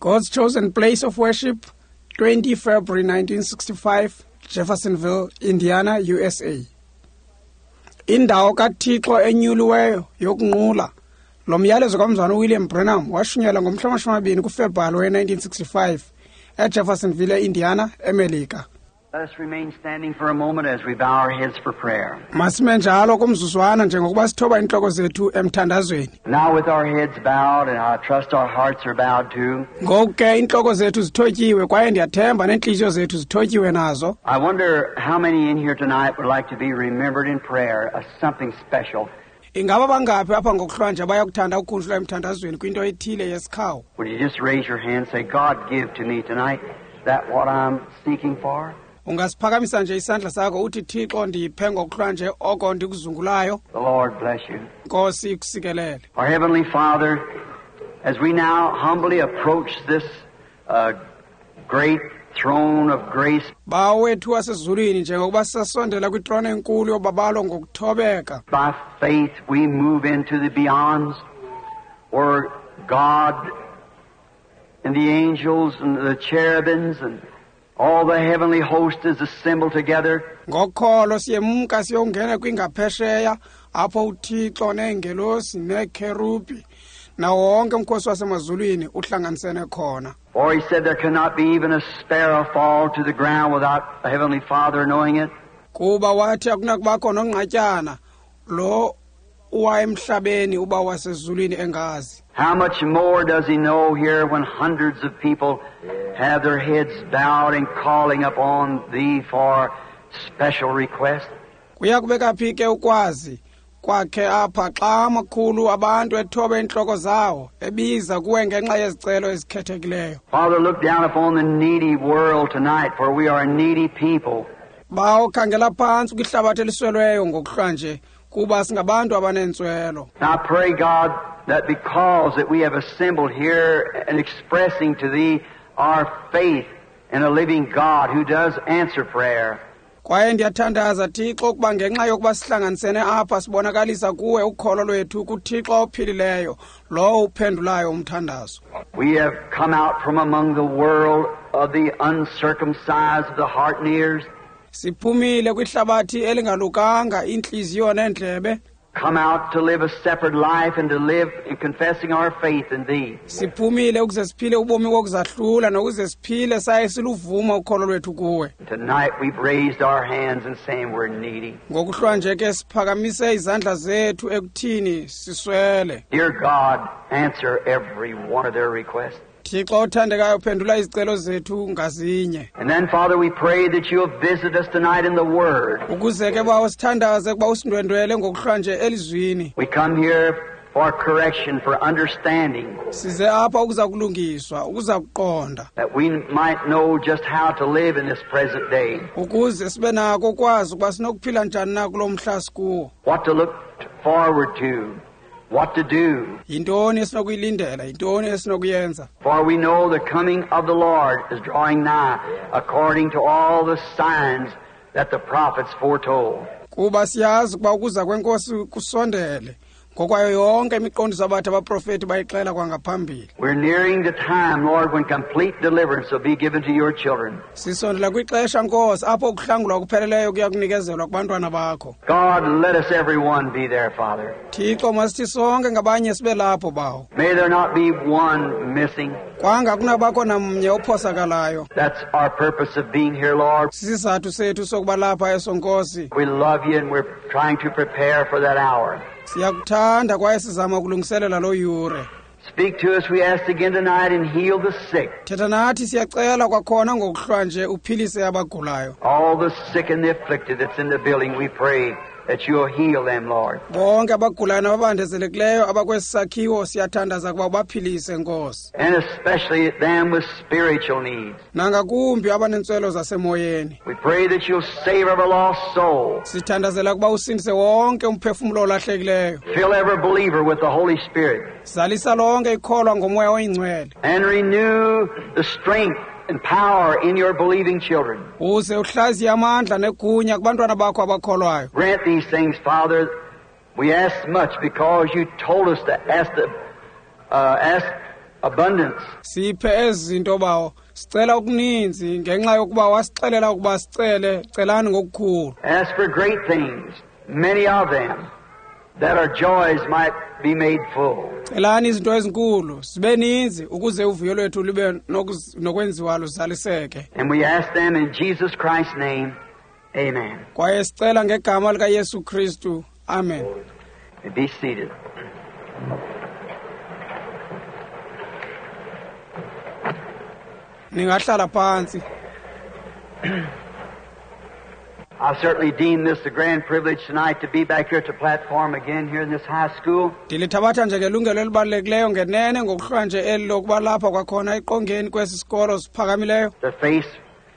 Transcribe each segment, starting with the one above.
God's Chosen Place of Worship, 20 February 1965, Jeffersonville, Indiana, USA. Indawo kaThixo enyuliweyo yokunqula. Lo myalezo kamzwana uWilliam Branham washunyelwa ngomhla wamashumi kuFebruwari we-1965 eJeffersonville, eIndiana, eMelika. Let us remain standing for a moment as we bow our heads for prayer. Masime njalo kumzuzwana njengokuba sithoba intloko zethu emthandazweni. Now, with our heads bowed, and I trust our hearts are bowed too, Ngoku ke intloko zethu zithotyiwe kwaye ndiyathemba neentliziyo zethu zithotyiwe nazo. I wonder how many in here tonight would like to be remembered in prayer as something special. Ingaba bangaphi apha ngokuhlwanje abayakuthanda ukukhunjulwa emthandazweni kwinto ethile yesikhawu? Would you just raise your hand and say, God, give to me tonight that what I'm seeking for? Ungasiphakamisa nje isandla sakho uthi Thixo ndiphe ngokuhlwanje oko ndikuzungulayo. The Lord bless you. Nkosi ikusikelele. Our Heavenly Father, as we now humbly approach this great throne of grace, Bawo wethu wasezulwini njengokuba sisasondela kwitrone enkulu yobabalo ngokuthobeka. by faith we move into the beyonds where God and the angels and the cherubims and all the heavenly host is assembled together. Ngokholo siyemka siyongena kwingaphesheya apho uThixo neengelosi neekherubhi nawo wonke umkhosi wasemazulwini uhlanganisene khona. For he said there cannot be even a sparrow fall to the ground without the Heavenly Father knowing it. Kuba wathi akunakubakho nongqatyana lo uwa emhlabeni uba wasezulwini engazi. How much more does he know here when hundreds of people have their heads bowed and calling upon thee for special requests? Kuya kubeka phi ke ukwazi kwakhe apha xa amakhulu abantu ethobe iintloko zawo ebiza kuwe ngenxa yezicelo ezikhethekileyo. Father, look down upon the needy world tonight, for we are a needy people. Bawo khangela phantsi kwihlabathi eliswelweyo ngokuhlwanje kuba singabantu abanentswelo. And I pray, God, that because that we have assembled here and expressing to thee our faith in a living God who does answer prayer, Kwaye ndiyathandaza Thixo ukuba ngenxa yokuba sihlanganisene apha sibonakalisa kuwe ukholo lwethu kuThixo ophilileyo lowo uphendulayo umthandazo. we have come out from among the world of the uncircumcised of the heart and ears, Siphumile kwihlabathi elingalukanga iintliziyo neendlebe, come out to live a separate life and to live in confessing our faith in thee. siphumile ukuze siphile ubomi bokuzahlula nokuze siphile saye siluvuma ukholo lwethu kuwe. Tonight we've raised our hands and saying we're needy. Ngokuhlwanje ke siphakamise izandla zethu ekuthini siswele. Dear God, answer every one of their requests. Thixo othandekayo phendula izicelo zethu ngazinye. And then, Father, we pray that you'll visit us tonight in the Word. Ukuze ke bawo sithandaze ukuba usindwendwele ngokuhlwanje elizwini. We come here for correction, for understanding, Size apha ukuza kulungiswa, ukuza kuqonda, that we might know just how to live in this present day, ukuze sibe nako ukwazi ukuba sinokuphila njani na kulo mhla sikuwo. what to look forward to, what to do. Yintoni esinokuyilindela, yintoni esinokuyenza? For we know the coming of the Lord is drawing nigh, according to all the signs that the prophets foretold. Kuba siyazi ukuba ukuza kwenkosi kusondele, ngokwayo yonke imiqondiso abathi abaprofeti bayixela kwangaphambili. We're nearing the time, Lord, when complete deliverance will be given to your children. Sisondela kwixesha Nkosi apho ukuhlangulwa kupheleleyo kuya kunikezelwa kubantwana bakho. God, let us everyone be there, Father. Thixo masithi sonke ngabanye sibe lapho bawo. May there not be one missing. Kwanga kunabakho namnye ophosakalayo. That's our purpose of being here, Lord. Sisizathu sethu sokuba lapha eso Nkosi. We love you and we're trying to prepare for that hour. Siyakuthanda kwaye sizama ukulungiselela loo yure. Speak to us, we ask again tonight, and heal the sick. Thetha nathi siyacela kwakhona ngokuhlwanje uphilise abagulayo. All the sick and the afflicted that's in the building, we pray that you'll heal them, Lord. Bonke abagulayo nababandezelekileyo abakwesi sakhiwo siyathandaza ukuba ubaphilise Nkosi. And especially them with spiritual needs. Nangakumbi abanentswelo zasemoyeni. We pray that you'll save every lost soul. Sithandazela ukuba usindise wonke umphefumlo olahlekileyo. Fill every believer with the Holy Spirit. Zalisa lonke ikholwa ngomoya oyingcwele. And renew the strength and power in your believing children. Uze uhlaziye amandla negunya kubantwana bakho abakholwayo. Grant these things, Father. We ask much because you told us to ask ask abundance. Siphe ezi zinto, Bawo. Sicela okuninzi ngenxa yokuba wasixelela ukuba sicele, celani ngokukhulu. Ask for great things, many of them, that our joys might be made full. Celani izinto ezinkulu, zibe ninzi ukuze uvuyo lwethu lube nokwenziwa luzaliseke. And we ask them in Jesus Christ's name. Amen. Kwaye sicela ngegama likaYesu Kristu. Amen. Be seated. Ningahlala phantsi. I certainly deem this a grand privilege tonight to be back here at the platform again here in this high school. Ndilithabatha njengelungelo elibalulekileyo ngenene ngokuhlwa nje eli lokuba lapha kwakhona eqongeni kwesi sikolo siphakamileyo. To face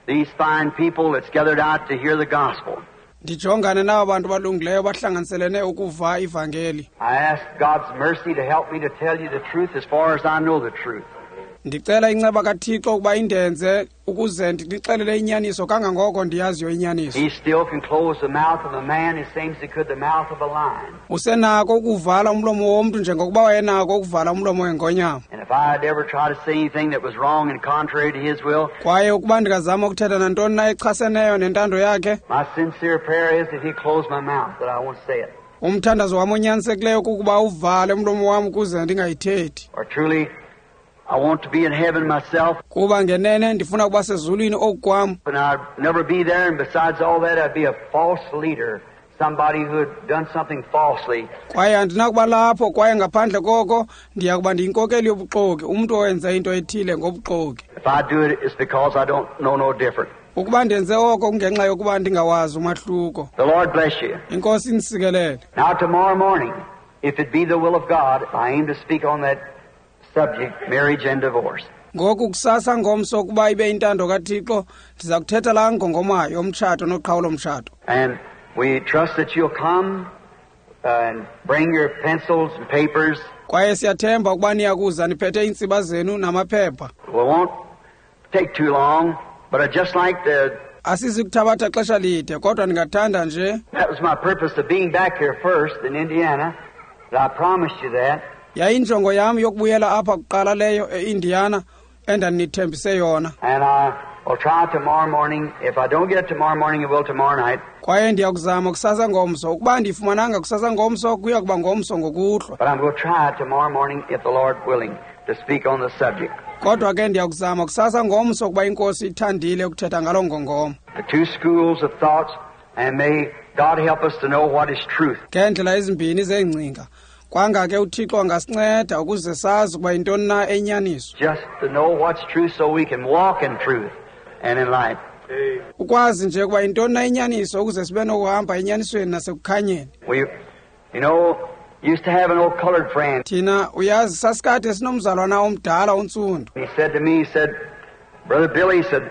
these fine people that's gathered out to hear the gospel. Ndijongane naba bantu balungileyo bahlanganiselene ukuva ivangeli. I ask God's mercy to help me to tell you the truth as far as I know the truth. Ndicela inceba kaThixo ukuba indenze ukuze ndinixelele inyaniso kangangoko ndiyaziyo inyaniso. He still can close the mouth of a man as same as he could the mouth of a lion. Usenako ukuvala umlomo womntu njengokuba wayenako ukuvala umlomo wengonyama. And if I'd ever try to say anything that was wrong and contrary to his will, Kwaye ukuba ndingazama ukuthetha nantoni na echaseneyo nentando yakhe, my sincere prayer is that he close my mouth, that I won't say it. umthandazo wam onyanisekileyo kukuba uvale umlomo wam ukuze ndingayithethi. Or truly, I want to be in heaven myself, Kuba ngenene ndifuna ukuba sezulwini oku kwam. and I'd never be there, and besides all that, I'd be a false leader, somebody who had done something falsely. Kwaye andinakuba lapho, kwaye ngaphandle koko ndiya kuba ndiyinkokeli yobuxoki, umntu owenze into ethile ngobuxoki. If I do it, it's because I don't know no different. Ukuba ndenze oko kungenxa yokuba ndingawazi umahluko. The Lord bless you. Inkosi inisikelele. Now tomorrow morning, if it be the will of God, I aim to speak on that subject, marriage and divorce. Ngoku kusasa ngomso ukuba ibe intando kaThixo, ndiza kuthetha laa ngongoma yomtshato noqhawulo-mtshato. And we trust that you'll come and bring your pencils and papers. Kwaye siyathemba ukuba niyakuza niphethe iintsiba zenu namaphepha. We won't take too long, but I'd just like to... Asizi kuthabatha xesha lide, kodwa ndingathanda nje. That was my purpose of being back here first in Indiana. But I promised you that. Yayinjongo yam yokubuyela apha kuqala leyo e-Indiana endandinithembise yona. And I will try tomorrow morning. If I don't get it tomorrow morning, it will tomorrow night. Kwaye ndiyakuzama kusasa ngomso. Ukuba ndiyifumananga kusasa ngomso, kuya kuba ngomso ngokuhlwa. But I'm going to try tomorrow morning, if the Lord willing, to speak on the subject. Kodwa ke ndiyakuzama kusasa ngomso ukuba iNkosi ithandile ukuthetha ngaloo ngongoma. The two schools of thoughts, and may God help us to know what is truth. Ngeendlela ezimbini zeengcinga. Kwanga ke uThixo angasinceda ukuze sazi ukuba yintoni na enyaniso. Just to know what's true so we can walk in truth and in light. Ukwazi nje ukuba yintoni na inyaniso ukuze sibe nokuhamba enyanisweni nasekukhanyeni. We, you know, used to have an old colored friend. Thina uyazi sasikade sinomzalwana omdala ontsundu. He said to me, he said, Brother Billy, he said,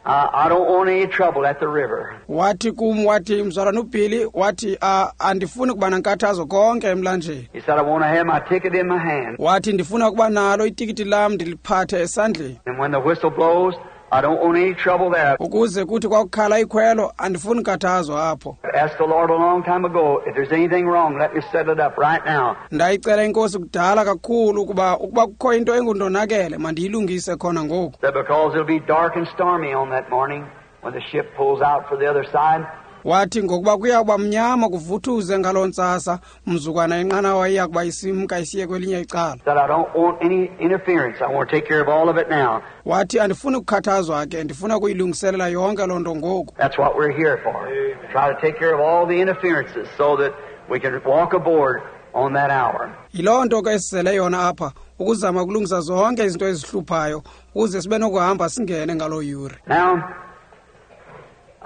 I don't want any trouble at the river. Wathi kum, wathi mzalwana uBilly, wathi andifuni kuba nankathazo konke emlanjeni. He said, I want to have my ticket in my hand. Wathi ndifuna kuba nalo itikiti lam ndiliphathe esandleni. And when the whistle blows, I don't want any trouble there. Ukuze kuthi kwakukhala ikhwelo, andifuni nkathazo apho. I asked the Lord a long time ago, if there's anything wrong, let me settle it up right now. Ndayicela iNkosi kudala kakhulu ukuba kukho into engundonakele, mandiyilungise khona ngoku. That because it'll be dark and stormy on that morning when the ship pulls out for the other side. Wathi ngokuba kuya kuba mnyama kuvuthuze ngaloo ntsasa, mzukwana inqanawa iya kuba isimka isiye kwelinye icala. That I don't want any interference. I want to take care of all of it now. Wathi andifuni kukhathazwa ke, ndifuna kuyilungiselela yonke loo nto ngoku. That's what we're here for. Try to take care of all the interferences so that we can walk aboard on that hour. Yiloo nto ke esizele yona apha, ukuzama ukulungisa zonke izinto ezihluphayo ukuze sibe nokuhamba singene ngaloo yure. Now,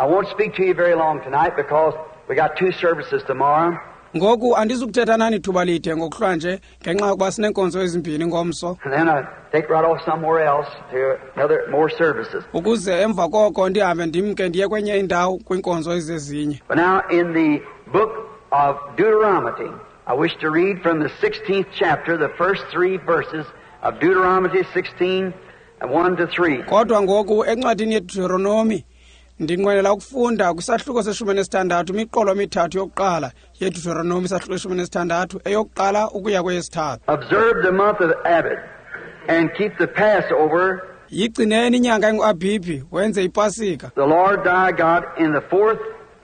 I won't speak to you very long tonight because we got two services tomorrow. Ngoku andizukuthetha nani thuba lide ngokuhlwa nje ngenxa yokuba sineenkonzo ezimbini ngomso. And then I take right off somewhere else to another more services. Ukuze emva koko ndihambe ndimke ndiye kwenye indawo kwiinkonzo ezezinye. But now in the book of Deuteronomy, I wish to read from the 16th chapter, the first three verses of Deuteronomy 16, 1 to 3. Kodwa ngoku encwadini yeDeuteronomy ndinqwenela ukufunda kwisahluko se-16 imiqolo emithathu yokuqala yeDeuteronomy isahluko se-16 eyokuqala ukuya kweyesithathu. Observe the month of Abib And keep the Passover. Yigcineni inyanga enguAbhibhi, wenze iPasika. The Lord thy God in the fourth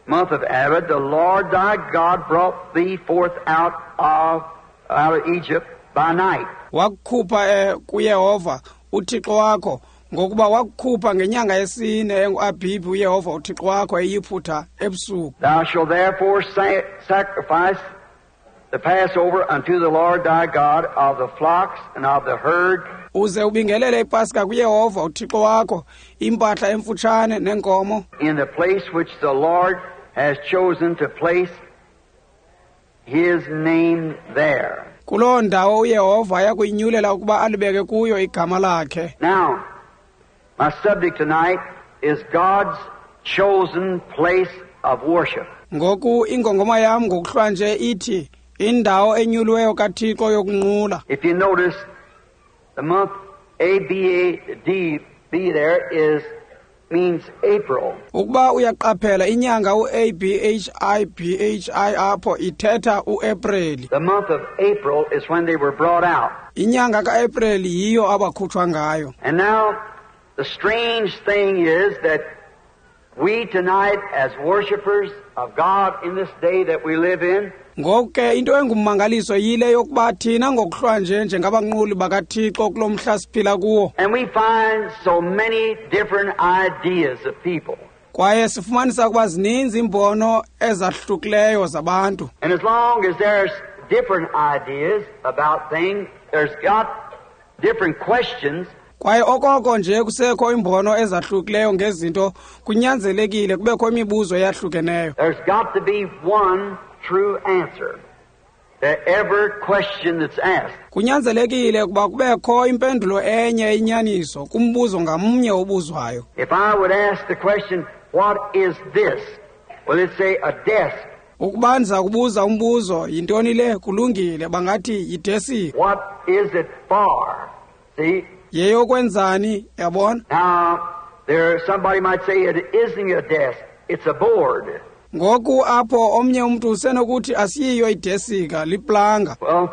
month of Abib, the Lord thy God brought thee forth out of Egypt by night. Wakukhupha kuYehova uThixo wakho, ngokuba wakukhupha ngenyanga yesine enguAbhibhi uYehova uThixo wakho eYiphutha ebusuku. Thou shalt therefore sacrifice the Passover unto the Lord thy God of the flocks and of the herd. Uze ubingelele iPasika kuYehova uThixo wakho, impahla emfutshane nenkomo. In the place which the Lord has chosen to place his name there. Kuloo ndawo uYehova ayakuyinyulela ukuba alibeke kuyo igama lakhe. Now, my subject tonight is God's chosen place of worship. Ngoku ingongoma yam ngokuhlwanje ithi indawo enyuliweyo kaThixo yokunqula. If you notice, the month A B A D B there is means April. Ukuba uyaqaphela inyanga u-A B H I B H I apho ithetha uApril. The month of April is when they were brought out. Inyanga kaApril yiyo abakhutshwa ngayo. And now the strange thing is that we tonight as worshipers of God in this day that we live in, Ngoku ke into engummangaliso yile yokuba thina ngokuhlwanje njengabanquli bakaThixo kulo mhla siphila kuwo. And we find so many different ideas of people. Kwaye sifumanisa ukuba zininzi iimbono ezahlukileyo zabantu. And as long as there's different ideas about things, there's got different questions. Kwaye okoko nje kusekho imbono ezahlukileyo ngezinto, kunyanzelekile kubekho imibuzo eyahlukeneyo. There's got to be one true answer to every question that's asked. Kunyanzelekile ukuba kubekho impendulo enye inyaniso kumbuzo ngamnye obuzwayo. If I would ask the question, what is this? Well, it'd say a desk. Ukuba ndiza kubuza umbuzo, yintoni le? Kulungile, bangathi yidesika. What is it for? See? Yeyokwenzani, yabona? Now, there somebody might say it isn't a desk, it's a board. Ngoku apho omnye umntu usenokuthi asiyiyo idesika, liplanga. Well,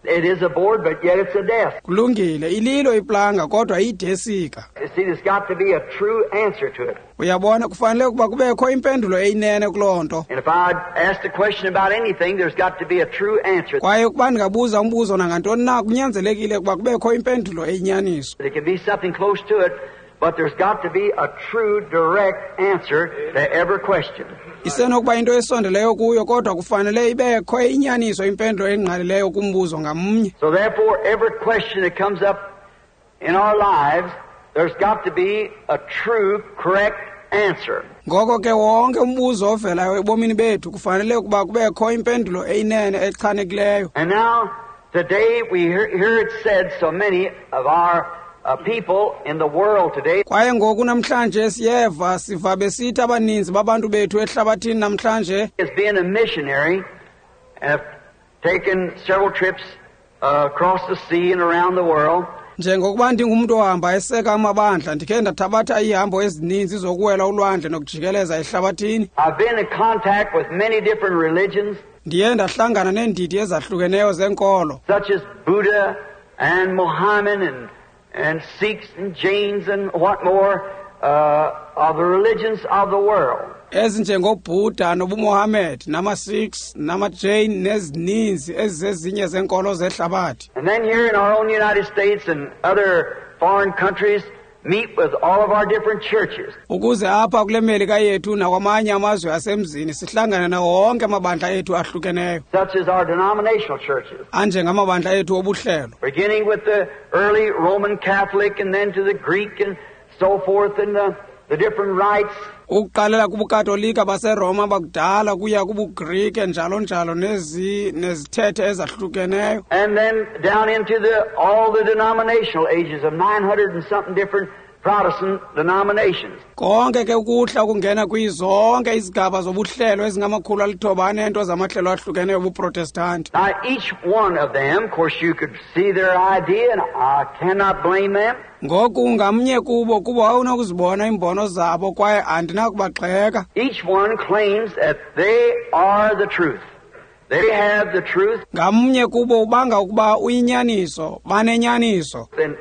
it is a board, but yet it's a desk. Kulungile, ililo iplanga kodwa iyidesika. You see, there's got to be a true answer to it. Uyabona, kufanele ukuba kubekho impendulo eyinene kuloo nto. And if I ask a question about anything, there's got to be a true answer. Kwaye ukuba ndingabuza umbuzo nangantoni na, kunyanzelekile ukuba kubekho impendulo eyinyaniso. It can be something close to it, but there's got to be a true, direct answer to every question. Isenokuba into esondeleyo kuyo, kodwa kufanele ibekho inyaniso impendulo engqalileyo kumbuzo ngamnye. So therefore, every question that comes up in our lives, there's got to be a true, correct answer. Ngoko ke wonke umbuzo ovelayo ebomini bethu kufanele ukuba kubekho impendulo eyinene echanekileyo. And now, today we hear it said so many of our people in the world today. Kwaye ngoku namhlanje siyeva siva besithi abaninzi babantu bethu ehlabathini namhlanje as being a missionary and have taken several trips across the sea and around the world. Njengokuba ndingumntu ohamba eseka amabandla, ndikhe ndathabatha iihambo ezininzi zokuwela ulwandle nokujikeleza ehlabathini. I've been in contact with many different religions. Ndiye ndahlangana neendidi ezahlukeneyo zenkolo, such as Buddha and Mohammed and Sikhs and Jains and what more of the religions of the world. EzinjengoBuddha nobuMohammed namaSikhs namaJain nezininzi ezizezinye zenkolo zehlabathi. And then here in our own United States and other foreign countries meet with all of our different churches. Ukuze apha kule Melika yethu nakwamanye amazwe asemzini sihlangane nawo wonke amabandla ethu ahlukeneyo. Such as our denominational churches. Anjengamabandla ethu obuhlelo. Beginning with the early Roman Catholic and then to the Greek and so forth and the different rites. Ukuqalela kubuKatolika baseRoma bakudala kuya kubuGrike njalo njalo nezithethe ezahlukeneyo. And then down into all the denominational ages of 900 and something different Protestant denominations. Konke ke ukuhla kungena kwizonke izigaba zobuhlelo ezingamakhulu 900 zamahlelo ahlukeneyo obuProtestanti. Now each one of them, of course, you could see their idea, and I cannot blame them. Ngoku ngamnye kubo kuba awunokuzibona iimbono zabo kwaye andinakubagxeka. Each one claims that they are the truth. They have the truth. Ngamnye kubo ubanga ukuba uyinyaniso, banenyaniso. And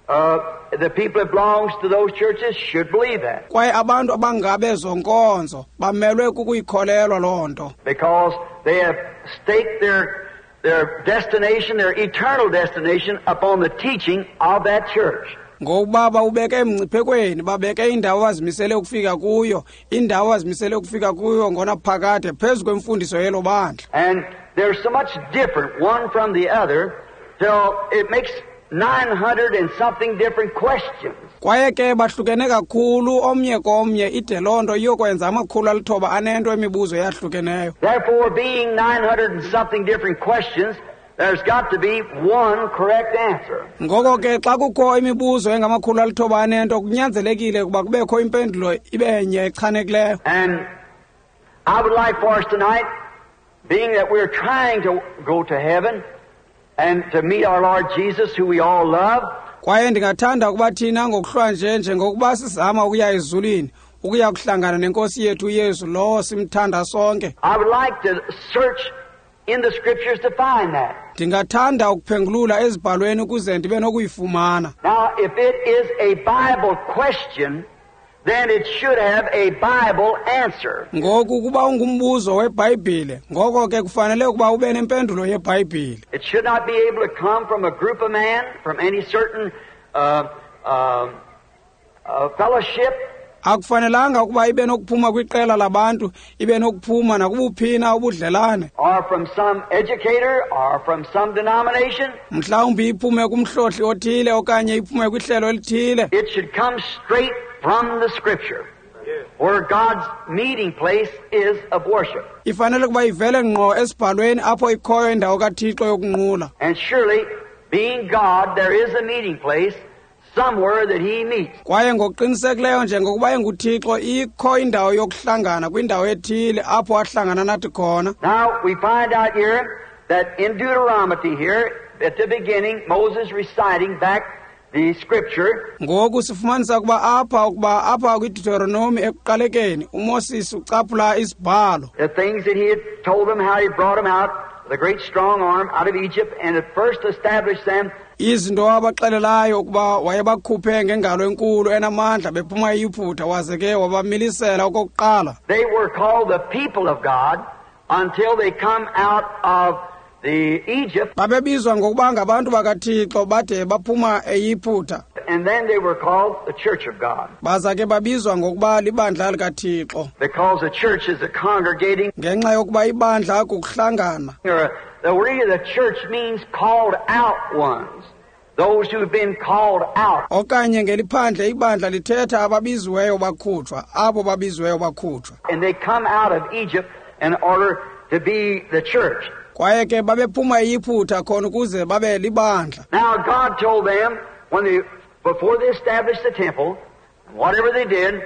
the people that belongs to those churches should believe that. Kwaye abantu abangabezo nkonzo bamelwe kukuyikholelwa loo nto. Because they have staked their destination, their eternal destination, upon the teaching of that church. Ngokuba bawubeke emngciphekweni, babeke indawo azimisele ukufika kuyo, indawo azimisele ukufika kuyo ngonaphakade phezu kwemfundiso yelo bandla. And they're so much different one from the other till it makes 900 and something different questions. Kwaye ke bahlukene kakhulu omnye komnye, ide loo nto iyokwenza 900 emibuzo eyahlukeneyo. Therefore, being 900 and something different questions, there's got to be one correct answer. Ngoko ke xa kukho imibuzo engama-900 kunyanzelekile ukuba kubekho impendulo ibe nye echanekileyo. And I would like for us tonight, being that we're trying to go to heaven and to meet our Lord Jesus, who we all love. Kwaye ndingathanda ukuba thina ngokuhlwa nje, njengokuba sizama ukuya ezulwini, ukuya kuhlangana nenkosi yethu uYesu lowo simthanda sonke. I would like to search in the scriptures to find that. Ndingathanda ukuphengulula ezibhalweni ukuze ndibe nokuyifumana. Now, if it is a Bible question, then it should have a Bible answer. Ngoku kuba ungumbuzo weBhayibhile, ngoko ke kufanele ukuba ube nempendulo yeBhayibhile. It should not be able to come from a group of men, from any certain fellowship. Akufanelanga ukuba ibe nokuphuma kwiqela labantu, ibe nokuphuma nakubuphina ubudlelane. Or from some educator, or from some denomination. Mhlawumbi iphume kumhlohli othile okanye iphume kwihlelo elithile. It should come straight from the scripture, where God's meeting place is of worship. Ifanele kuba ivele ngqo esibhalweni apho ikhoyo indawo kaThixo yokunqula. And surely, being God, there is a meeting place somewhere that he meets. Kwaye ngokuqinisekileyo njengokuba enguThixo ikho indawo yokuhlangana kwindawo ethile apho ahlangana nathi khona. Now we find out here that in Deuteronomy here at the beginning, Moses reciting back the scripture. Ngoku sifumanisa ukuba apha kwiDeuteronomy ekuqalekeni uMoses ucaphula isibhalo. The things that he had told them, how he brought them out, the great strong arm out of Egypt, and at first established them. Izinto abaxelelayo ukuba wayebakhuphe ngengalo enkulu enamandla bephuma eYiputa, waze ke wabamilisela okokuqala. They were called the people of God until they come out of the Egypt. Babebizwa ngokuba ngabantu bakaThixo bade baphuma eYiputa. And then they were called the Church of God. Baza ke babizwa ngokuba libandla likaThixo. Because the church is a congregating. Ngenxa yokuba ibandla kukuhlangana. The word the church means called out ones. Those who've been called out. Okanye ngeliphandle ibandla lithetha ababiziweyo bakhutshwa, abo babiziweyo bakhutshwa. And they come out of Egypt in order to be the church. Kwaye ke babephuma eYiputa khona ukuze babe libandla. Now God told them when they, before they established the temple, whatever they did.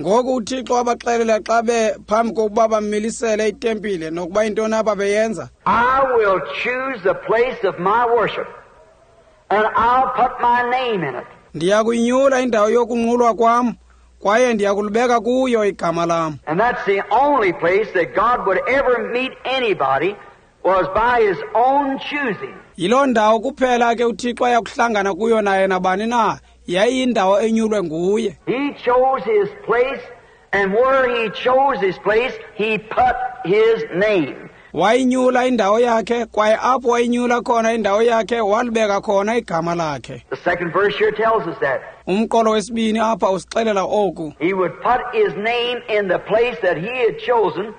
Ngoku uThixo wabaxelela xa bephambi kokuba bamilisele itempile nokuba intoni ababeyenza. I will choose the place of my worship, and I'll put my name in it. Ndiyakuyinyula indawo yokunqulwa kwam, kwaye ndiyakulibeka kuyo igama lam. And that's the only place that God would ever meet anybody was by his own choosing. Yiloo ndawo kuphela ke uThixo ayakuhlangana kuyo naye nabani na, yayiyindawo enyulwe nguye. He chose his place, and where he chose his place, he put his name. Wayinyula indawo yakhe, kwaye apho wayinyula khona indawo yakhe, walibeka khona igama lakhe. The second verse here tells us that. Umqolo wesibini apha usixelela oku. He would put his name in the place that he had chosen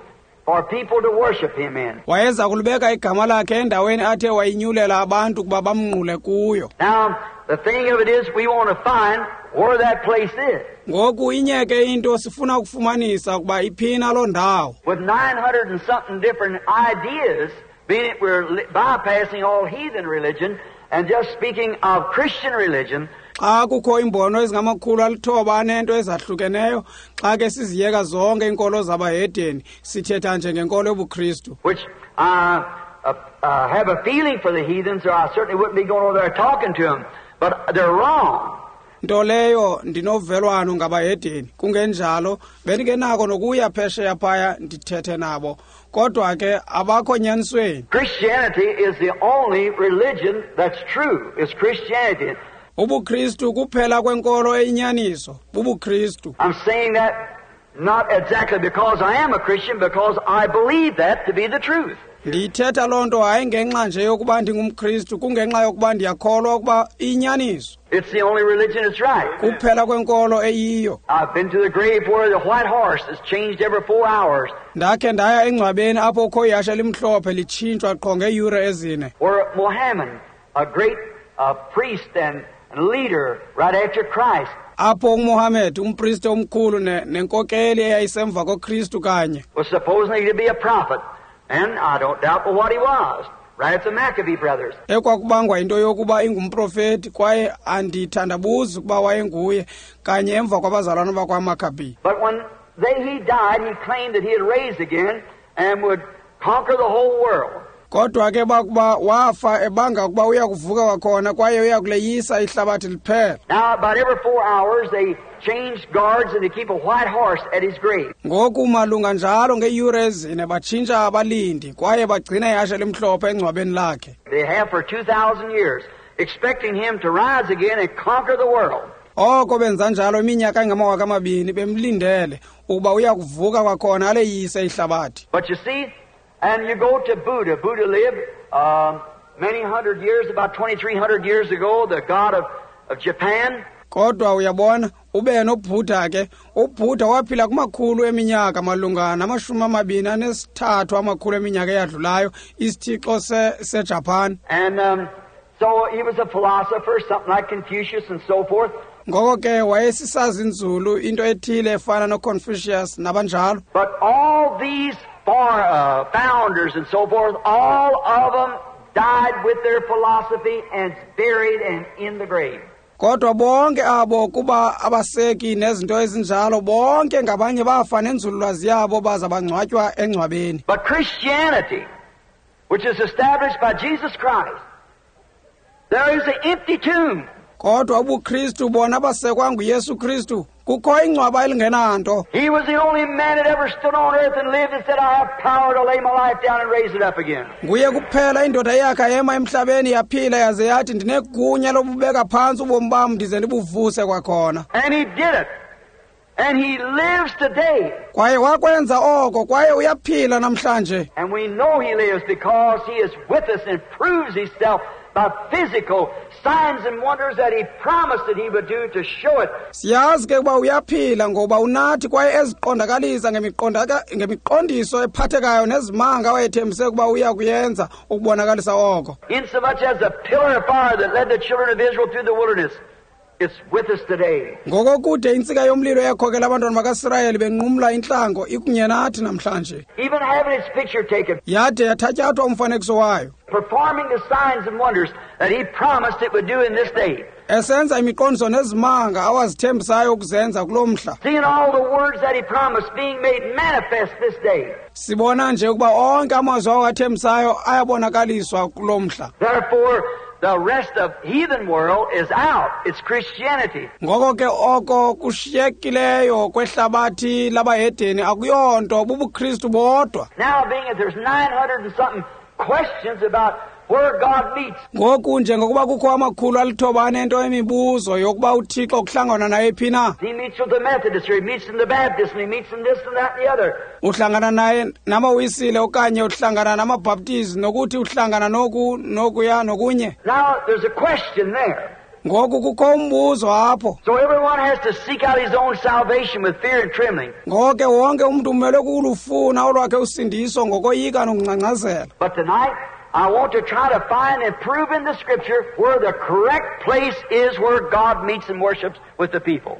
for people to worship him in. Wayeza kulibeka igama lakhe endaweni athe wayinyulela abantu kuba bamnqule kuyo. Now, the thing of it is, we want to find where that place is. Ngoku inyeke into sifuna ukufumanisa ukuba iphina loo ndawo. With 900 and something different ideas, being it we're bypassing all heathen religion and just speaking of Christian religion. Xa kukho imbono ezingama-900 ezahlukeneyo, xa ke siziyeka zonke iinkolo zabahedeni, sithetha nje ngenkolo yobuKristu. Which I have a feeling for the heathens, or I certainly wouldn't be going over there talking to them, but they're wrong. Nto leyo ndinovelwano ngabahedeni, kungenjalo bendingenako nokuya phesheya phaya ndithethe nabo, kodwa ke abakho nyanisweni. Christianity is the only religion that's true. It's Christianity. UbuKristu kuphela kwenkolo eyinyaniso, bubuKristu. I'm saying that not exactly because I am a Christian, because I believe that to be the truth. Ndiyithetha loo nto hayi ngenxa nje yokuba ndingumKristu, kungenxa yokuba ndiyakholwa ukuba iyinyaniso. It's the only religion that's right. Kuphela kwenkolo eyiyo. I've been to the grave where the white horse is changed every 4 hours. Ndakhe ndaya engcwabeni apho kukho ihashe elimhlophe litshintshwa qho ngeeyure 4. Where Mohammed, a great priest and leader right after Christ, apho uMohammed, umpriste omkhulu nenkokeli eyayisemva koKristu kanye, was supposedly to be a prophet, and I don't doubt but what he was, right at the Maccabee brothers. Ekwakubangwa into yokuba ingumprofeti, kwaye andithandabuzi ukuba wayenguye kanye emva kwabazalwana bakwaMaccabee. But when he died, he claimed that he had raised again and would conquer the whole world. Kodwa ke bakuba wafa ebanga ukuba uya kuvuka kwakhona kwaye uya kuleyisa ihlabathi liphela. Now about every 4 hours they change guards and they keep a white horse at his grave. Ngoku malunga njalo ngeeyure 4 batshintsha abalindi kwaye bagcina ihashe elimhlophe engcwabeni lakhe. They have for 2,000 years, expecting him to rise again and conquer the world. Oko benza njalo iminyaka engama-2000 bemlindele ukuba uya kuvuka kwakhona aleyise ihlabathi. But you see, and you go to Buddha. Buddha lived many hundred years, about 2,300 years ago, the god of Japan. Kodwa uyabona, ube noBuddha ke. UBuddha waphila kumakhulu eminyaka malunga nama-23 amakhulu eminyaka eyadlulayo, isithixo seJapan. And so he was a philosopher, something like Confucius and so forth. Ngoko ke wayesisazinzulu, into ethile efana noConfucius nabanjalo. But all these founders and so forth, all of them died with their philosophy and buried and in the grave. Kodwa bonke abo kuba abaseki nezinto ezinjalo, bonke ngabanye bafa nenzululwazi yabo baza bangcwatywa engcwabeni. But Christianity, which is established by Jesus Christ, there is an empty tomb. Kodwa ubuKristu bona basekwa nguYesu Kristu, kukho ingcwaba elingenanto. He was the only man that ever stood on earth and lived and said, I have power to lay my life down and raise it up again. Nguye kuphela indoda eyakha yema emhlabeni yaphila yaze yathi ndinegunya lobubeka phantsi ubomi bam ndize ndibuvuse kwakhona. And he did it. And he lives today. Kwaye wakwenza oko, kwaye uyaphila namhlanje. And we know he lives because he is with us and proves himself by physical signs and wonders that he promised that he would do to show it. Siyazi ke ukuba uyaphila ngoba unathi kwaye eziqondakalisa ngemiqondiso ephathekayo nezimanga wayethembise ukuba uya kuyenza ukubonakalisa oko. Insomuch as the pillar of fire that led the children of Israel through the wilderness, it's with us today. Ngokokude intsika yomlilo eyakhokela abantwana bakaSirayeli benqumla intlango ikunye nathi namhlanje. Even having its picture taken. Yade yathatyathwa umfanekiso wayo. Performing the signs and wonders that he promised it would do in this day. Esenza imiqondiso nezimanga awazithembisayo ukuzenza kulo mhla. Seeing all the words that he promised being made manifest this day. Sibona nje ukuba onke amazwi awathembisayo ayabonakaliswa kulo mhla. Therefore, the rest of heathen world is out. It's Christianity. Ngoko ke oko kushiyekileyo kwehlabathi labahedeni akuyonto, bubuKristu bodwa. Now being that there's 900 and something questions about where God meets. Ngoku njengokuba kukho 900 emibuzo yokuba uThixo kuhlangana naye phi na. He meets with the Methodists, or he meets in the Baptists, and he meets in this and that and the other. Uhlangana naye namaWisile okanye uhlangana namaBaptisti, nokuthi uhlangana noku nokuya nokunye. Now there's a question there. Ngoku kukho umbuzo apho. So everyone has to seek out his own salvation with fear and trembling. Ngoko ke wonke umuntu umele ukulufuna olwakhe usindiso ngokoyika nokungcangcazela. But tonight I want to try to find and prove in the Scripture where the correct place is where God meets and worships with the people.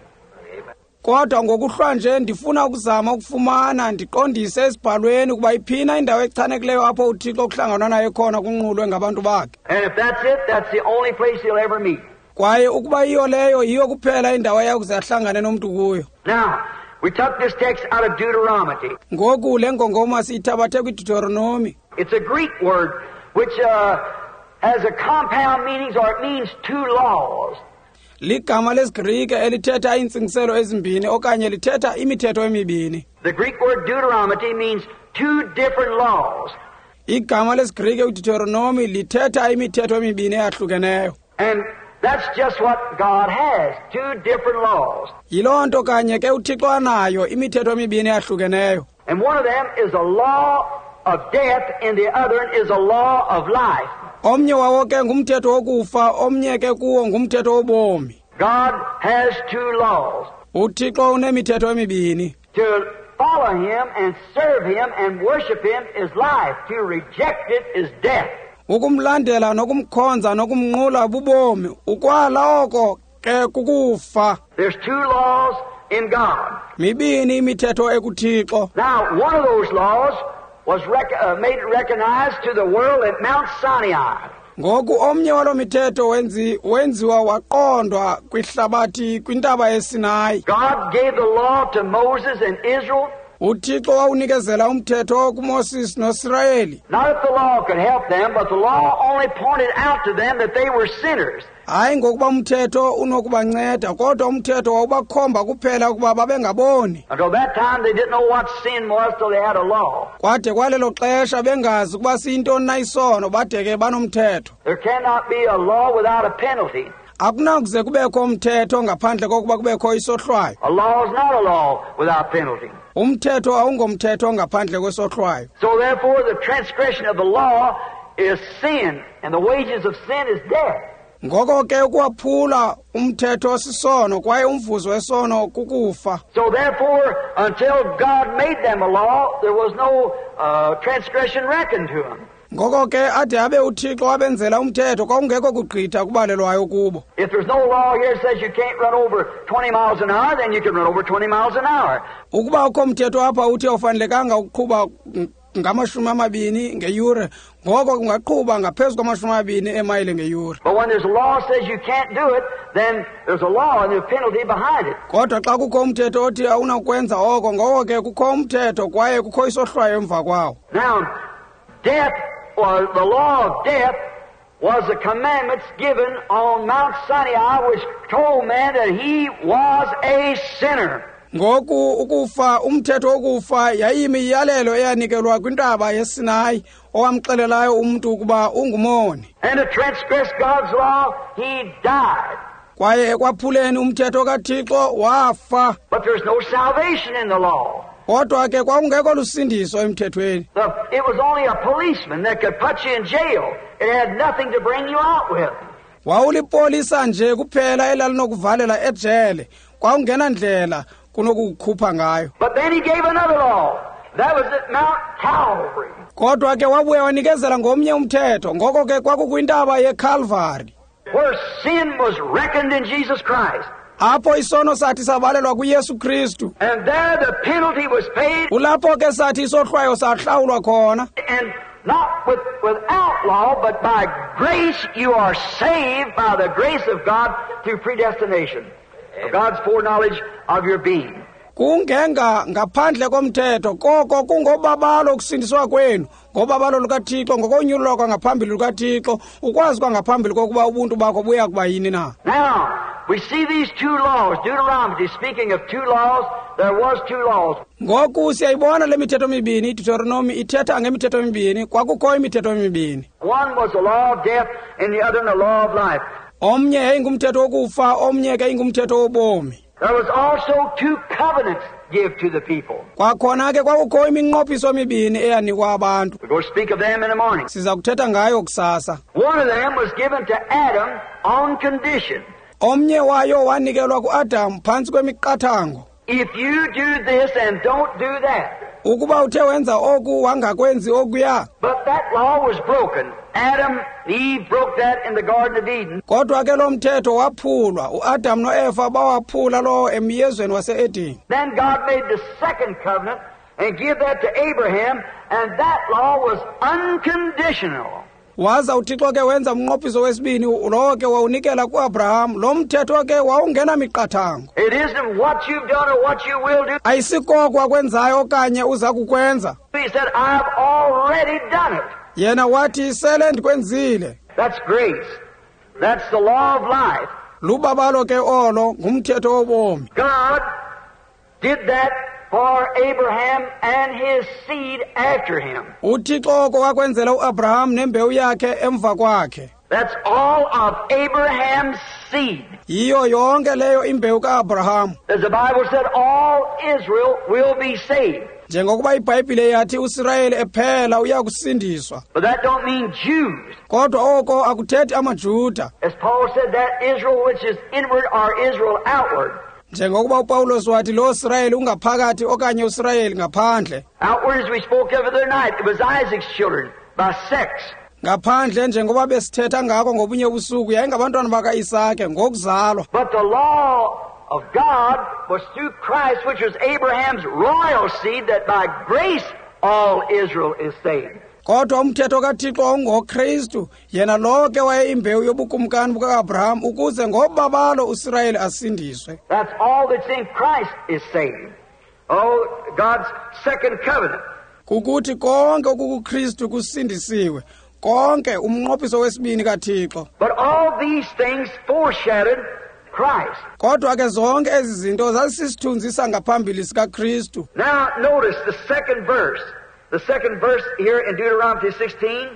Kodwa ngokuhlwa nje ndifuna ukuzama ukufumana ndiqondise esibhalweni ukuba iphina indawo echanekileyo apho uThixo kuhlanganwa naye khona kunqulwe ngabantu bakhe. And if that's it, that's the only place he'll ever meet. Kwaye ukuba yiyo leyo, yiyo kuphela indawo eyakuze ahlangane nomntu kuyo. Now, we took this text out of Deuteronomy. Ngoku le ngongoma siyithabathe kwiDeuteronomy. It's a Greek word which has a compound meanings, or it means two laws. Ligama lesiGrike elithetha iintsingiselo ezimbini okanye lithetha imithetho emibini. The Greek word Deuteronomy means two different laws. Igama lesiGrike uDeuteronomy lithetha imithetho emibini eyahlukeneyo. And That's just what God has, two different laws. Yiloo nto kanye ke uThixo anayo, imithetho emibini eyahlukeneyo. And one of them is a law of death and the other is a law of life. Omnye wawo ke ngumthetho wokufa, omnye ke kuwo ngumthetho wobomi. God has two laws. UThixo unemithetho emibini. To follow Him and serve Him and worship Him is life. To reject it is death. Ukumlandela nokumkhonza nokumnqula bubomi, ukwala oko ke kukufa. There's two laws in God. Mibini imithetho ekuThixo. Now, one of those laws was made recognized to the world at Mount Sinai. Ngoku omnye walo mithetho wenziwa waqondwa kwihlabathi kwintaba yeSinayi. God gave the law to Moses and Israel. UThixo wawunikezela umthetho kuMoses noSirayeli. Not that the law could help them, but the law only pointed out to them that they were sinners. Hayi ngokuba umthetho unokubanceda, kodwa umthetho wawubakhomba kuphela ukuba babengaboni. Until that time they didn't know what sin was till they had a law. Kwade kwalelo xesha bengazi ukuba siyintoni na isono, bade ke banomthetho. There cannot be a law without a penalty. Akunakuze kubekho umthetho ngaphandle kokuba kubekho isohlwayo. A law is not a law without penalty. Umthetho awungomthetho ngaphandle kwesohlwayo. So therefore the transgression of the law is sin, and the wages of sin is death. Ngoko ke ukwaphula umthetho sisono kwaye umvuzo wesono kukufa. So therefore until God made them a law, there was no transgression reckoned to them. Ngoko ke ade abe uThixo wabenzela umthetho kwakungekho kugqitha kubalelwayo kubo. If there's no law here that says you can't run over 20 miles an hour, then you can run over 20 miles an hour. Ukuba ukho umthetho apha uthi awufanelekanga ukuqhuba ngama-20 ngeyure, ngoko ungaqhuba ngaphezu kwama-20 emayile ngeyure. But when there's a law that says you can't do it, then there's a law and there's a penalty behind it. Kodwa xa kukho umthetho othi awunakwenza oko, ngoko ke kukho umthetho kwaye kukho isohlwayo emva kwawo. Now, death was the law of death was the commandments given on Mount Sinai, which told man that he was a sinner. Ngoku ukufa, umthetho wokufa yayimiyalelo eyanikelwa kwintaba yeSinayi owamxelelayo umntu ukuba ungumoni. And to transgress God's law, he died. Kwaye ekwaphuleni umthetho kaThixo wafa. But there's no salvation in the law. Kodwa ke kwakungekho lusindiso emthethweni. It was only a policeman that could put you in jail. It had nothing to bring you out with. Wawulipolisa nje kuphela elalinokuvalela ejele. Kwakungenandlela kunokukukhupha ngayo. But then he gave another law. That was at Mount Calvary. Kodwa ke wabuya wanikezela ngomnye umthetho. Ngoko ke kwakukwintaba yeCalvary. Where sin was reckoned in Jesus Christ. Apho isono sathi sabalelwa kuYesu Kristu. And there the penalty was paid. Kulapho ke sathi isohlwayo sahlawulwa khona. And not without law, but by grace you are saved by the grace of God through predestination. Of God's foreknowledge of your being. Kungenga ngaphandle komthetho, koko kungobabalo ukusindiswa kwenu, ngobabalo lukaThixo, ngokonyulwa kwangaphambili lukaThixo, ukwazi kwangaphambili kokuba ubuntu bakho buya kuba yini na. Now, we see these two laws. Deuteronomy, speaking of two laws, there was two laws. Ngoku siyayibona le mithetho mibini. Deuteronomy ithetha ngemithetho mibini, kwakukho imithetho mibini. One was the law of death and the other the law of life. Omnye yayingumthetho wokufa, omnye ke ingumthetho wobomi. There was also two covenants give to the people. Kwakhona ke kwakukho iminqophiso emibini eyanikwa abantu. We're going to speak of them in the morning. Siza kuthetha ngayo kusasa. One of them was given to Adam on condition. Omnye wayo wanikelwa kuAdam phantsi kwemiqathango. If you do this and don't do that. Ukuba uthe wenza oku wangakwenzi okuya. But that law was broken. Adam and Eve broke that in the Garden of Eden. Kodwa ke lo mthetho waphulwa. uAdam noEva bawaphula lo emyezweni wase-Eden. Then God made the second covenant and gave that to Abraham, and that law was unconditional. Waza uThixo ke wenza umnqophiso wesibini, lowo ke wawunikela kuAbraham. Lo mthetho ke wawungena miqathango. It isn't what you've done or what you will do. Ayisikoko akwenzayo okanye uza kukwenza. He said, I've already done it. Yena wathi sele ndikwenzile. That's grace. That's the law of life. Lubabalo ke olo ngumthetho wobomi. God did that for Abraham and his seed after him. UThixo oko wakwenzela uAbraham nembewu yakhe emva kwakhe. That's all of Abraham's seed. Yiyo yonke leyo imbewu ka-Abraham. As the Bible said, all Israel will be saved. Njengokuba iBhayibhile yathi uSirayeli ephela uya kusindiswa. But that don't mean Jews. Kodwa oko akuthethi amaJuda. As Paul said, that Israel which is inward or Israel outward. Njengokuba uPawulos wathi lo Sirayeli ungaphakathi okanye uSirayeli ngaphandle. Outward, as we spoke of the other night, it was Isaac's children by sex. Ngaphandle njengoba besithetha ngako ngobunye ubusuku yayingabantwana bakaIsake ngokuzalwa. But the law of God was through Christ, which was Abraham's royal seed, that by grace all Israel is saved. Kodwa umthetho kaThixo wawungoKristu, yena lowo ke wayeyimbewu yobukumkani buka-Abraham ukuze ngobabalo uSirayeli asindiswe. That's all that's in Christ is saved. Oh, God's second covenant. Kukuthi konke okukuKristu kusindisiwe. Konke umnqophiso wesibini kaThixo. But all these things foreshadowed Christ. Kodwa ke zonke ezi zinto zazisisithunzi sangaphambili sikaKristu. Now notice the second verse. The second verse here in Deuteronomy 16.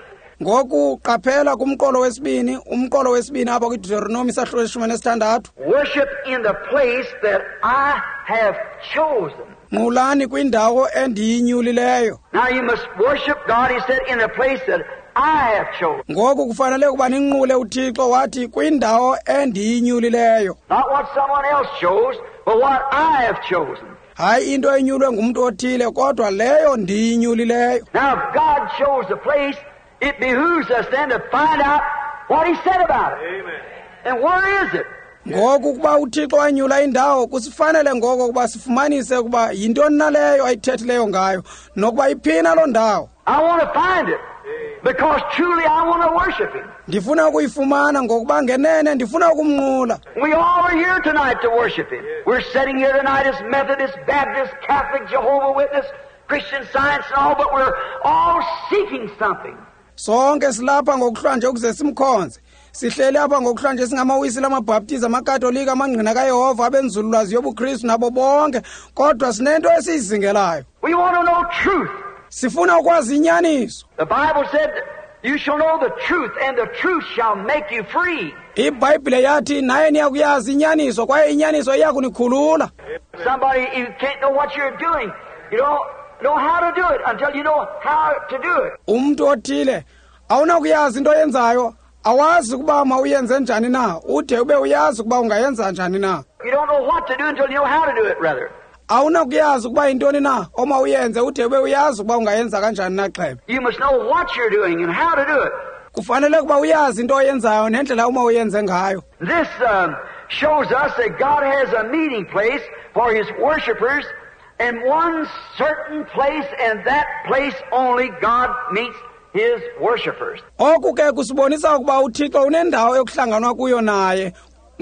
Ngoku qaphela kumqolo wesibini, umqolo wesibini apha kwiDeuteronomy isahluko 16. Worship in the place that I have chosen. Nqulani kwindawo endiyinyulileyo. Now you must worship God, he said, in the place that I have chosen. Ngoku kufanele ukuba ninqule uThixo wathi kwindawo endiyinyulileyo. Not what someone else chose, but what I have chosen. Hayi into enyulwe ngumntu othile kodwa leyo ndiyinyulileyo. Now if God chose the place, it behooves us then to find out what he said about it. Amen. And where is it? Ngoku kuba uThixo wanyula indawo kusifanele ngoko kuba sifumanise ukuba yintoni na leyo ayithethileyo ngayo nokuba iphina loo ndawo. I want to find it. Because truly I want to worship him. Ndifuna ukuyifumana ngokuba ngenene ndifuna ukumnqula. We all are here tonight to worship him. We're sitting here tonight as Methodist, Baptist, Catholic, Jehovah's Witness, Christian Science and all, but we're all seeking something. Sonke silapha ngokuhlwanje ukuze simkhonze. Sihleli apha ngokuhlwanje singamawisile, amaBhaptizi, amaKatolika, amaNgqina kaYehova, abenzululwazi yobuKristu nabo bonke, kodwa sinento esiyizingelayo. We want to know truth. Sifuna ukwazi inyaniso. The Bible said, you shall know the truth, and the truth shall make you free. IBhayibhile yathi naye niyakuyazi inyaniso kwaye inyaniso iyakunikhulula. Somebody, you can't know what you're doing. You don't know how to do it until you know how to do it. Umntu othile awunakuyazi into oyenzayo, awazi ukuba mawuyenze njani na, ude ube uyazi ukuba ungayenza njani na. You don't know what to do until you know how to do it, rather. Awunakuyazi ukuba yintoni na omawuyenze ude ube uyazi ukuba ungayenza kanjani na xebe. You must know what you're doing and how to do it. Kufanele ukuba uyazi into oyenzayo nendlela omawuyenze ngayo. This shows us that God has a meeting place for his worshipers in one certain place, and that place only God meets his worshipers. Oku ke kusibonisa ukuba uThixo unendawo yokuhlanganwa kuyo naye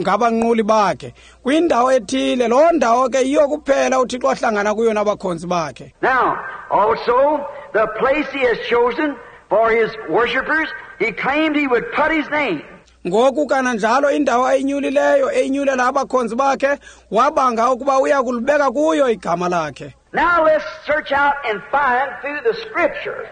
ngabanquli bakhe. Kwindawo ethile, loo ndawo ke yiyo kuphela uThixo ahlangana kuyo nabakhonzi bakhe. Now, also, the place he has chosen for his worshipers, he claimed he would put his name. Ngoku kananjalo indawo ayinyulileyo eyinyulela abakhonzi bakhe wabanga ukuba uya kulibeka kuyo igama lakhe. Now let's search out and find through the scripture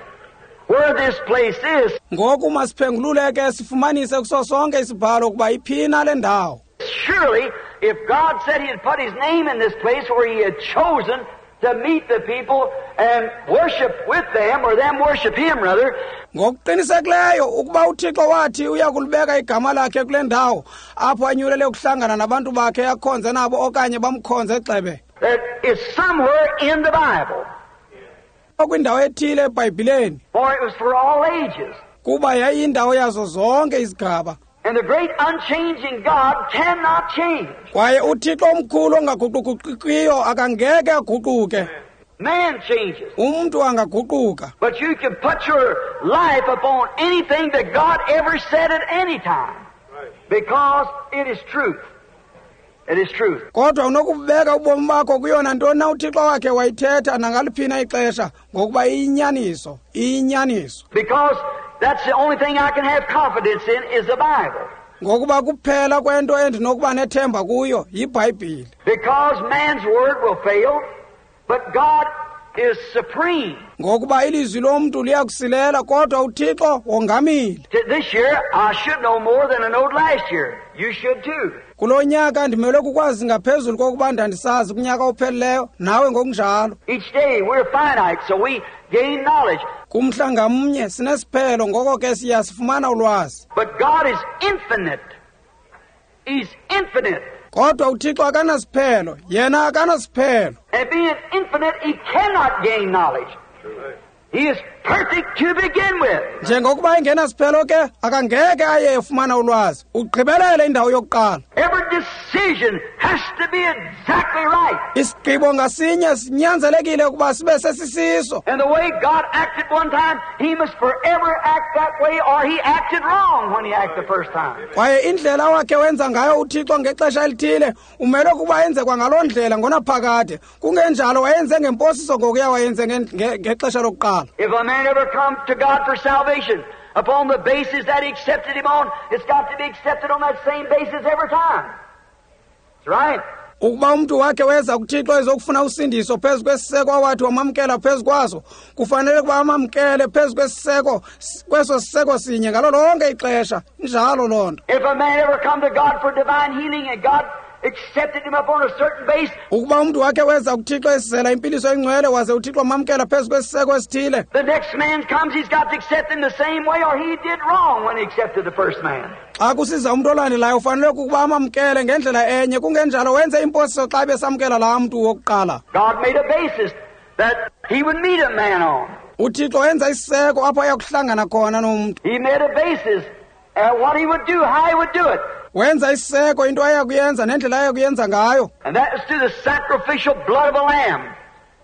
where this place is. Ngoku masiphengulule ke sifumanise kuso sonke isibhalo ukuba iphina le ndawo. Surely, if God said he had put his name in this place where he had chosen to meet the people and worship with them, or them worship him, rather. Ngokuqinisekileyo ukuba uThixo wathi uya kulibeka igama lakhe kule ndawo apho anyulele ukuhlangana nabantu bakhe akhonze nabo okanye bamkhonze xebe. That is somewhere in the Bible. Kwindawo ethile eBhayibhileni. For it was for all ages. Kuba yayindawo yazo zonke izigaba. And the great unchanging God cannot change. Kwaye uThixo omkhulu ongaguquguqikiyo akangeke aguquke. Man changes. Umntu angaguquka. But you can put your life upon anything that God ever said at any time. Because it is truth. It is truth. Kodwa unokubeka ubomi bakho kuyona ntoni na uThixo wakhe wayithetha nangaliphina ixesha ngokuba iyinyaniso, iyinyaniso. Because that's the only thing I can have confidence in is the Bible. Ngokuba kuphela kwento endinokuba nethemba kuyo yiBhayibhile. Because man's word will fail, but God is supreme. Ngokuba ilizwi lomntu liyakusilela, kodwa uThixo wongamile. This year, I should know more than I knowed last year. You should too. Kulo nyaka ndimelwe kukwazi ngaphezulu kokuba ndandisazi kunyaka ophelileyo, nawe ngokunjalo. Each day we're finite, so we gain knowledge. Kumhla ngamnye sinesiphelo, ngoko ke siyasifumana ulwazi. But God is infinite. He's infinite. Kodwa uThixo akanasiphelo, yena akanasiphelo. And being infinite, he cannot gain knowledge. He is perfect to begin with. Njengokuba engenasiphelo ke, akangeke aye efumana ulwazi. Ugqibelele indawo yokuqala. Every decision has to be exactly right. Isigqibo ngasinye sinyanzelekile ukuba sibe sesisiso. And the way God acted one time, he must forever act that way, or he acted wrong when he acted the first time. Kwaye indlela wakhe wenza ngayo uThixo ngexesha elithile, umele ukuba enze kwangaloo ndlela ngonaphakade. Kungenjalo wayenze ngemposiso ngokuya wayenze ngexesha lokuqala. If a man ever come to God for salvation, upon the basis that he accepted him on, it's got to be accepted on that same basis every time. That's right. Ukuba umntu wakhe weza kuThixo ezokufuna usindiso phezu kwesiseko awathi wamamkela phezu kwaso, kufanele ukuba amamkele phezu kwesiseko, kweso siseko sinye ngalo lonke ixesha. Injalo loo nto. If a man ever come to God for divine healing and God accepted him upon a certain base, ukuba umntu wakhe weza kuThixo esizela impiliso engcwele waze uThixo wamamkela phezu kwesiseko esithile, the next man comes, he's got to accept him the same way, or he did wrong when he accepted the first man. Xa kusiza umntu olandelayo ufanele ukuba amamkele ngendlela enye, kungenjalo wenze imposiso xa besamkela laa mntu wokuqala. God made a basis that he would meet a man on. UThixo wenza isiseko apho ayakuhlangana khona nomntu. He made a basis at what he would do, how he would do it. Wenza isiseko into ayakuyenza nendlela ayakuyenza ngayo. And that was through the sacrificial blood of a lamb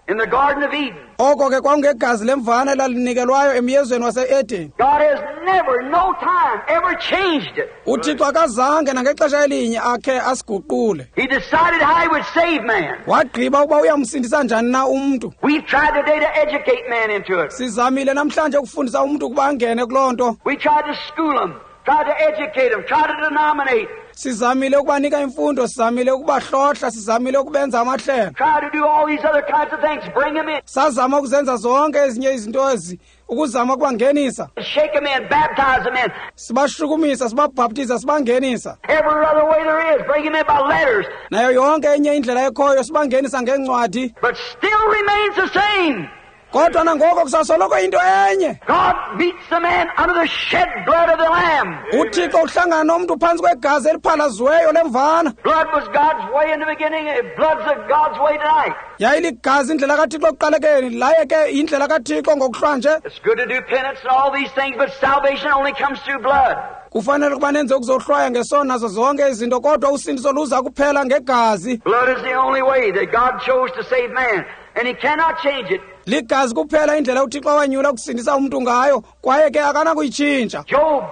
in the Garden of Eden. Oko ke kwakungegazi lemvana elalinikelwayo emyezweni wase-Eden. God has never, no time, ever changed it. UThixo akazange nangexesha elinye akhe asiguqule. He decided how he would save man. Wagqiba ukuba uyamsindisa njani na umntu. We've tried today to educate man into it. Sizamile namhlanje ukufundisa umntu ukuba angene kuloo nto. We tried to school him, tried to educate him, tried to denominate. Sizamile ukubanika imfundo, sizamile ukubahlohla, sizamile ukubenza amahlelo. Try to do all these other kinds of things, bring them in. Sazama ukuzenza zonke ezinye izinto ezi, ukuzama ukubangenisa. Shake them in, baptize them in. Sibashukumisa, sibabhaptiza, sibangenisa. Every other way there is, bring them in by letters. Nayo yonke enye indlela ekhoyo sibangenisa ngeencwadi. But still remains the same. Kodwa nangoko kusasoloko into enye. God meets the man under the shed blood of the Lamb. UThixo uhlangana nomntu phantsi kwegazi eliphalaziweyo lemvana. Blood was God's way in the beginning, and blood's God's way tonight. Yayiligazi indlela kaThixo ekuqalekeni, laye ke indlela kaThixo ngokuhlwanje. It's good to do penance and all these things, but salvation only comes through blood. Kufanele ukuba nenze ukuzohlwaya ngesono nazo zonke izinto, kodwa usindiso luza kuphela ngegazi. Blood is the only way that God chose to save man, and he cannot change it. Ligazi kuphela indlela uThixo awanyula ukusindisa umntu ngayo, kwaye ke akanakuyitshintsha. Job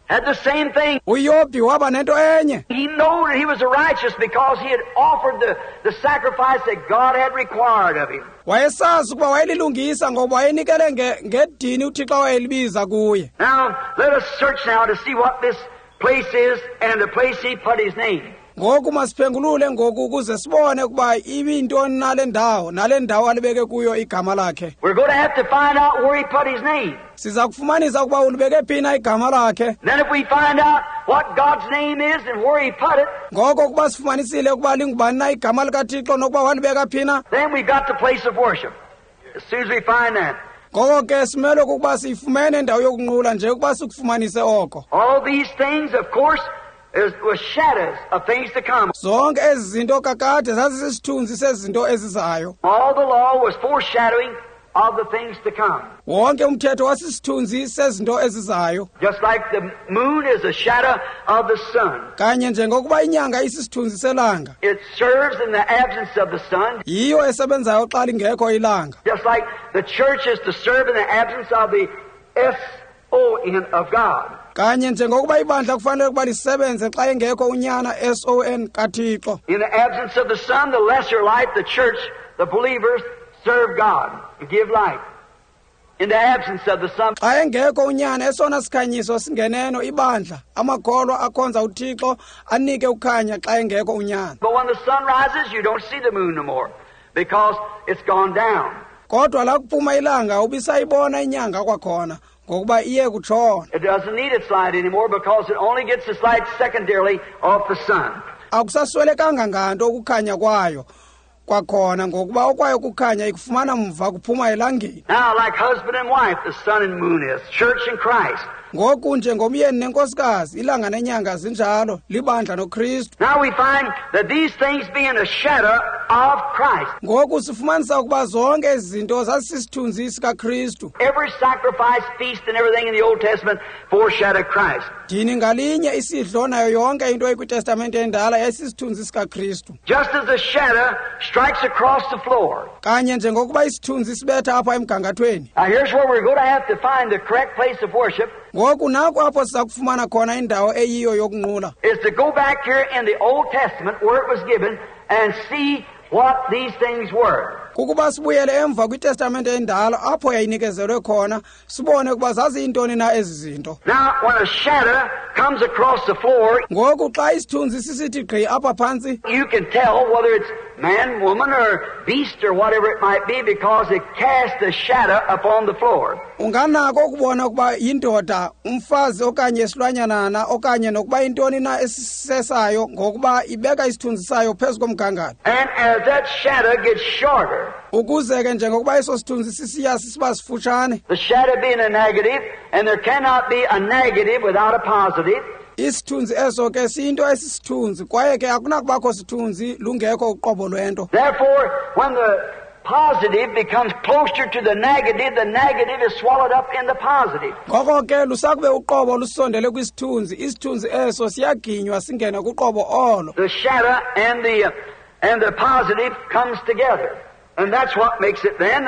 had the same thing. UYobhi waba nento enye. He knew that he was righteous because he had offered the sacrifice that God had required of him. Wayesazi ukuba wayelilungisa ngoba wayenikele ngedini uThixo awayelibiza kuye. Now, let us search now to see what this place is and the place he put his name. Ngoku masiphengulule ngoku ukuze sibone ukuba ibiyintoni nale ndawo, nale ndawo alibeke kuyo igama lakhe. We're going to have to find out where he put his name. Siza kufumanisa ukuba ulibeke phi na igama lakhe. Then if we find out what God's name is and where he put it, ngoko ukuba sifumanisile ukuba lingubani na igama likaThixo nokuba walibeka phi na, then we've got the place of worship. As soon as we find that. Ngoko ke simele ukuba siyifumene indawo yokunqula nje ukuba sikufumanise oko. All these things, of course, was shadows of things to come. Zonke ezi zinto kakade zazisisithunzi sezinto ezizayo. All the law was foreshadowing of the things to come. Wonke umthetho wasisithunzi sezinto ezizayo. Just like the moon is a shadow of the sun. Kanye njengokuba inyanga isisithunzi selanga. It serves in the absence of the sun. Yiyo esebenzayo xa lingekho ilanga. Just like the church is to serve in the absence of the S-O-N of God. Kanye njengokuba ibandla kufanele ukuba lisebenze xa engekho unyana S-O-N kaThixo. In the absence of the sun, the lesser light, the church, the believers serve God and give light. In the absence of the sun. Xa engekho unyana esona sikhanyiso singeneno ibandla, amakholwa akhonza uThixo anike ukhanya xa engekho unyana. But when the sun rises, you don't see the moon no more because it's gone down. Kodwa lakuphuma ilanga ubisayibona inyanga kwakhona ngokuba iye kutshona. It doesn't need its light anymore because it only gets its light secondarily off the sun. Akusaswelekanga nganto ukukhanya kwayo kwakhona ngokuba okwayo kukhanya ikufumana mva kuphuma elangeni. Now, like husband and wife, the sun and moon is, church and Christ. Ngoku njengomyeni nenkosikazi, ilanga nenyanga zinjalo, libandla noKristu. Now we find that these things being a shadow of Christ. Ngoku sifumanisa ukuba zonke ezi zinto zazisisithunzi sikaKristu. Every sacrifice, feast, and everything in the Old Testament foreshadowed Christ. Dini ngalinye isidlo nayo yonke into ekwiTestamente endala yayisisithunzi sikaKristu. Just as the shadow strikes across the floor. Kanye njengokuba isithunzi sibetha apha emgangathweni. Now here's where we're going to have to find the correct place of worship. Ngoku naku apho siza kufumana khona indawo eyiyo yokunqula. Is to go back here in the Old Testament where it was given and see what these things were. Kukuba sibuyele emva kwiTestamente endala apho yayinikezelwe khona sibone ukuba zaziyintoni na ezi zinto. Now when a shadow comes across the floor, ngoku xa isithunzi sisithi gqi apha phantsi, you can tell whether it's man, woman, or beast, or whatever it might be, because it casts a shadow upon the floor. Unganako ukubona ukuba yindoda, umfazi okanye isilwanyanana okanye nokuba intoni na esisesayo ngokuba ibeka isithunzi sayo phezu komgangatho. And as that shadow gets shorter, ukuze ke njengokuba eso sithunzi sisiya sisiba sifutshane, the shadow being a negative, and there cannot be a negative without a positive. Isithunzi eso ke siyinto esisithunzi kwaye ke akunakubakho sithunzi lungekho uqobo lwento. Therefore, when the positive becomes closer to the negative is swallowed up in the positive. Ngoko ke lusakube uqobo lusondele kwisithunzi, isithunzi eso siyaginywa singene kuqobo olo. The shadow and the positive comes together. And that's what makes it then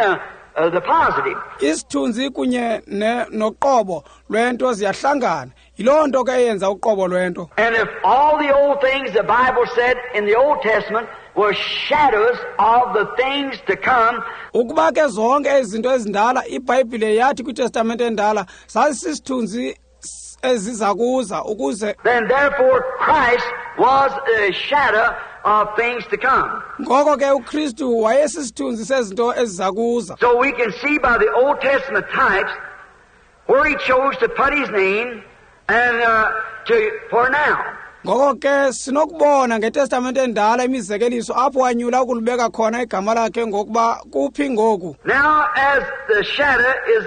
the positive. Isithunzi kunye noqobo lwento ziyahlangana. Yiloo nto ke eyenza uqobo lwento. And if all the old things the Bible said in the Old Testament were shadows of the things to come, ukuba ke zonke izinto ezindala iBhayibhile yathi kwiTestamente endala zazisisithunzi eziza kuza ukuze, then therefore Christ was a shadow of things to come. Ngoko ke uKristu wayesisithunzi sezinto eziza kuza. So we can see by the Old Testament types where he chose to put his name and for now. Ngoko ke sinokubona ngeTestamente endala imizekeliso apho wanyula ukulibeka khona igama lakhe ngokuba kuphi ngoku. Now as the shadow is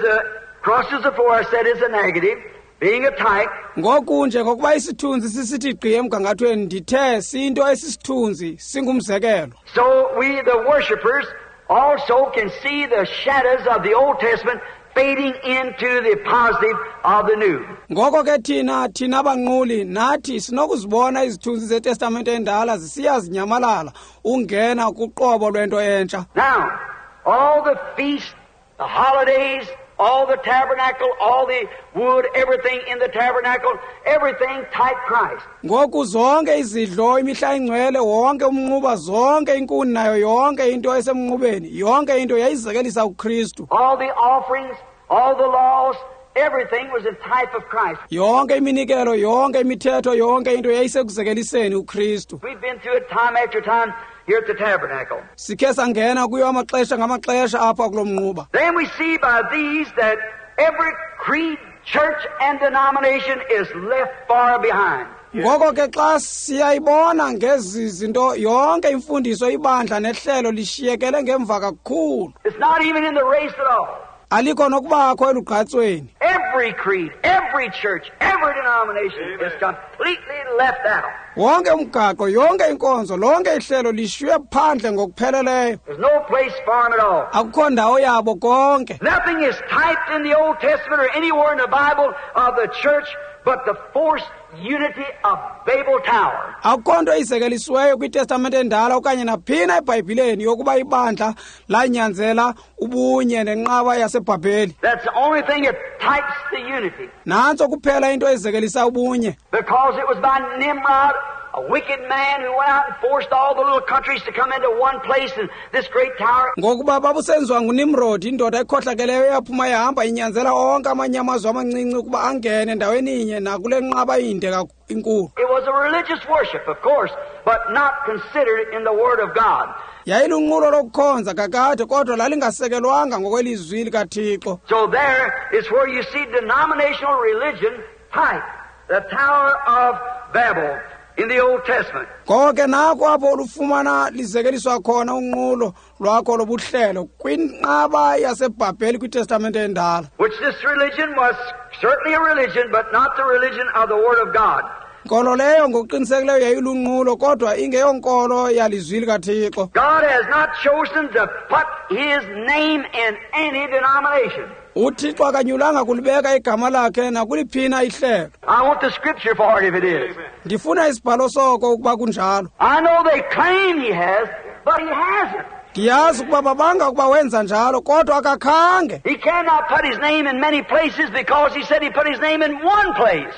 crosses the floor, I said is a negative, being a type. Ngoku njengokuba isithunzi sisithi gqi emgangathweni ndithe siyinto esisithunzi singumzekelo. So we the worshipers also can see the shadows of the Old Testament fading into the positive of the new. Ngoko ke thina abanquli nathi sinokuzibona izithunzi zeTestamente endala zisiya zinyamalala ungena kuqobo lwento entsha. Now, all the feasts, the holidays, all the tabernacle, all the wood, everything in the tabernacle, everything type Christ. Ngoku zonke izidlo, imihla ingcwele, wonke umnquba, zonke inkuni nayo yonke into esemnqubeni, yonke into yayizekelisa uKristu. All the offerings, all the laws, everything was a type of Christ. Yonke iminikelo, yonke imithetho, yonke into yayisekuzekeliseni uKristu. We've been through it time after time here at the tabernacle. Sikhe sangena kuyo amaxesha ngamaxesha apha kulo mnquba. Then we see by these that every creed, church, and denomination is left far behind. Ngoko ke xa siyayibona ngezi zinto yonke imfundiso ibandla nehlelo lishiyekele ngemva kakhulu. It's not even in the race at all. Alikho nokubakho elugqatsweni. Every creed, every church, every denomination is completely left out. Wonke umgaqo, yonke inkonzo, lonke ihlelo lishiywe phandle ngokupheleleyo. There's no place for them at all. Akukho ndawo yabo konke. Nothing is typed in the Old Testament or anywhere in the Bible of the church but the forced unity of Babel Tower. Akukho nto izekelisiweyo kwiTestamente endala okanye naphina eBhayibhileni yokuba ibandla lanyanzela ubunye nenqaba yaseBhabheli. That's the only thing that types the unity. Nantso kuphela into ezekelisa ubunye. Because it was by Nimrod a wicked man who went out and forced all the little countries to come into one place and this great tower. Ngokuba babusenziwa nguNimrod, indoda ekhohlakeleyo eyaphuma yahamba inyanzela onke amanye amazwe amancinci ukuba angene endaweni inye nakule nqaba inde inkulu. It was a religious worship, of course, but not considered in the Word of God. Yayilunqulo lokukhonza kakade, kodwa lalingasekelwanga ngokwelizwi likaThixo. So there is where you see denominational religion type, the Tower of Babel in the Old Testament. Ngoko ke nako apho olufumana lizekeliswa khona unqulo lwakho lobuhlelo kwinqaba yaseBhabheli kwiTestamente endala. Which this religion was certainly a religion, but not the religion of the Word of God. Nkolo leyo ngokuqinisekileyo yayilunqulo, kodwa ingeyonkolo yalizwi likaThixo. God has not chosen to put His name in any denomination. UThixo akanyulanga kulibeka igama lakhe nakuliphina ihlelo. I want the scripture for it if it is. Ndifuna isibhalo soko ukuba kunjalo. I know they claim He has, but He hasn't. Ndiyazi ukuba babanga ukuba wenza njalo, kodwa akakhange. He cannot put His name in many places because He said He put His name in one place.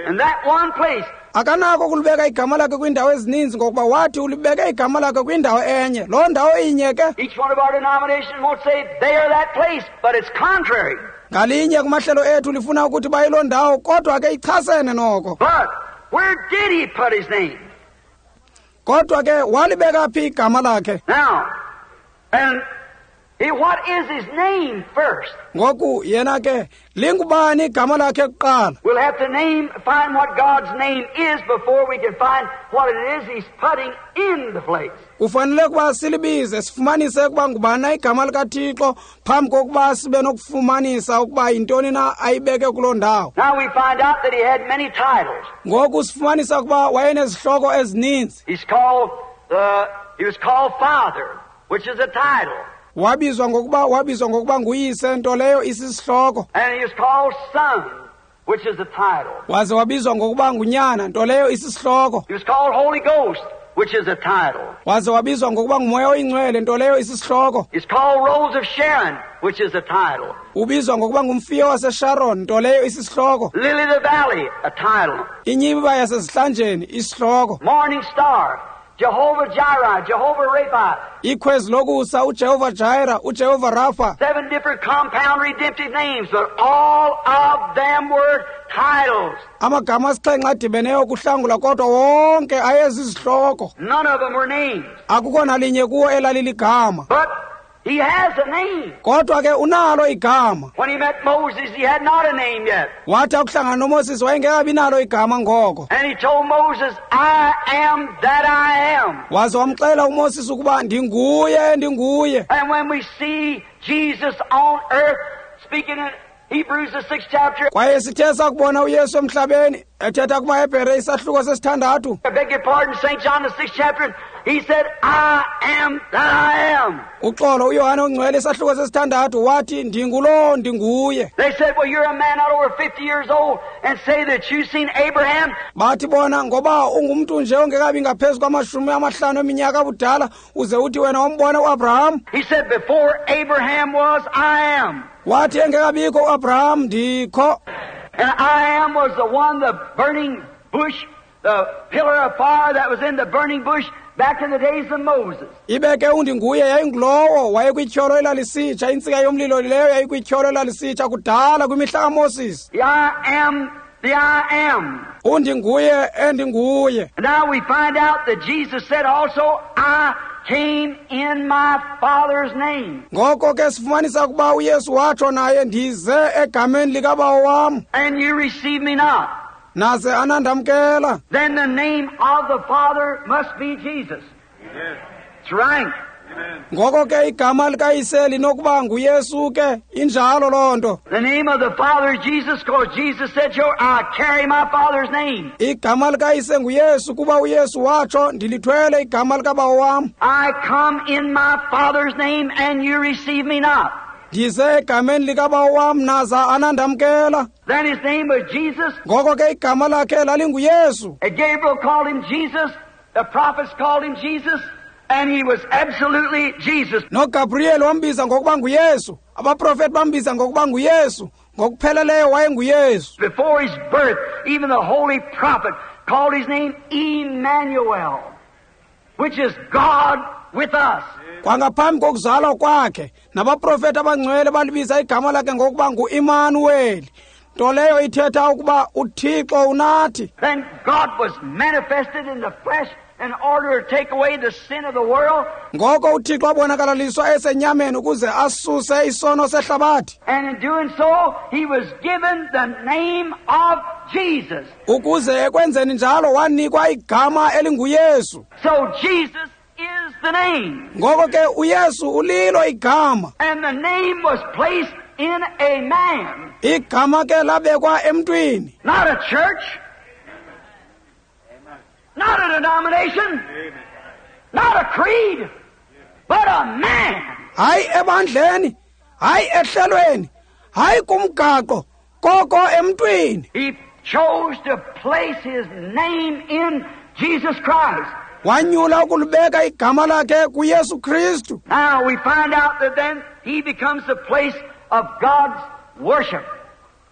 And that one place. Akanako ukulibeka igama lakhe kwiindawo ezininzi ngokuba wathi ulibeke igama lakhe kwindawo enye. Loo ndawo inye ke. Each one of our denominations won't say they are that place, but it's contrary. Ngalinye kumahlelo ethu lifuna ukuthi bayiloo ndawo, kodwa ke ichasene noko. But where did He put His name? Kodwa ke walibeka phi igama lakhe? Now, and what is His name first? Ngoku yena ke lingubani igama lakhe kuqala? We'll have to find what God's name is before we can find what it is He's putting in the place. Kufanele ukuba silibize sifumanise ukuba ngubani igama likaThixo phambi kokuba sibe nokufumanisa ukuba yintoni na ayibeke kuloo ndawo. Now we find out that He had many titles. Ngoku sifumanisa ukuba wayenezihloko ezininzi. He was called Father, which is a title. Wabizwa ngokuba nguyise, nto leyo isisihloko. And he was called Son, which is a title. Waze wabizwa ngokuba ngunyana, nto leyo isisihloko. He was called Holy Ghost, which is a title. Waze wabizwa ngokuba ngumoya oyingcwele, nto leyo isisihloko. He's called Rose of Sharon, which is a title. Ubizwa ngokuba ngumfiyo waseSharon, nto leyo isisihloko. Lily of the Valley, a title. Inyibiba yasezihlanjeni, isihloko. Morning Star, Jehovah Jireh, Jehovah Rapha. Ikhwezi lokusa, uJehova Jireh, uJehova Rapha. 7 different compound redemptive names, but all of them were titles. Amagama asixhenxe adibeneyo kuhlangula, kodwa wonke ayezizihloko. None of them were names. Akukho nalinye kuwo elaliligama. But He has a name. Kodwa ke unalo igama. When He met Moses, he had not a name yet. Wathi akuhlangana noMoses wayengekabi nalo igama ngoko. And He told Moses, I am that I am. Waze wamxela uMoses ukuba ndinguye, ndinguye. And when we see Jesus on earth speaking in Hebrews the 6th chapter. Kwaye sithe sakubona uYesu emhlabeni ethetha kumaHebhere isahluko sesithandathu. I beg your pardon, St. John the 6th chapter. He said, I am that I am. Uxolo uYohane ongcwele isahluko sesithandathu wathi ndingulo ndinguye. They said, well, you're a man not over 50 years old and say that you've seen Abraham. Bathi bona ngoba ungumntu nje ongekabi ngaphezu kwama-50 eminyaka abudala uze uthi wena wambona uAbraham. He said, before Abraham was, I am. Wathi engekabikho uAbraham ndikho. And I am was the one, the burning bush, the pillar of fire that was in the burning bush back in the days of Moses. Ibeke undinguye yayingulowo wayekwityholo elalisitsha, intsika yomlilo leyo yayikwityholo elalisitsha kudala kwimihla kaMoses. The I am, the I am. Undinguye endinguye. And now we find out that Jesus said also, I came in my Father's name. Ngoko ke sifumanisa ukuba uYesu watsho naye ndize egameni likaBawo wam. And you receive me not. Naze anandamkela. Then the name of the Father must be Jesus. Amen. That's right. Amen. Ngoko ke igama likaYise linokuba nguYesu ke, injalo loo nto. The name of the Father is Jesus, because Jesus said, I carry my Father's name. Igama likaYise nguYesu kuba uYesu watsho ndilithwele igama likaBawo wam. I come in my Father's name and you receive me not. Ndize egameni likaBawo wam naza anandamkela. Then his name was Jesus. Ngoko ke igama lakhe lalinguYesu. And Gabriel called him Jesus, the prophets called him Jesus, and he was absolutely Jesus. NoGabriel wambiza ngokuba nguYesu, abaprofeti bambiza ngokuba nguYesu, ngokupheleleyo wayenguYesu. Before his birth, even the holy prophet called his name Emmanuel, which is God with us. Kwangaphambi kokuzalwa kwakhe, nabaprofeti abangcwele balibiza igama lakhe ngokuba nguImanuweli, nto leyo ithetha ukuba uThixo unathi. Then God was manifested in the flesh in order to take away the sin of the world. Ngoko uThixo wabonakalaliswa esenyameni ukuze asuse isono sehlabathi. And in doing so, he was given the name of Jesus. Ukuze ekwenzeni njalo wanikwa igama elinguYesu. So Jesus is the name. Ngoko ke uYesu ulilo igama. And the name was placed in a man. Igama ke labekwa emntwini. Not a church. Not a denomination. Not a creed. But a man. Hayi ebandleni, hayi ehlelweni, hayi kumgaqo, koko emntwini. He chose to place his name in Jesus Christ. Wanyula ukulibeka igama lakhe kuYesu Kristu. Now we find out that then he becomes the place of God's worship,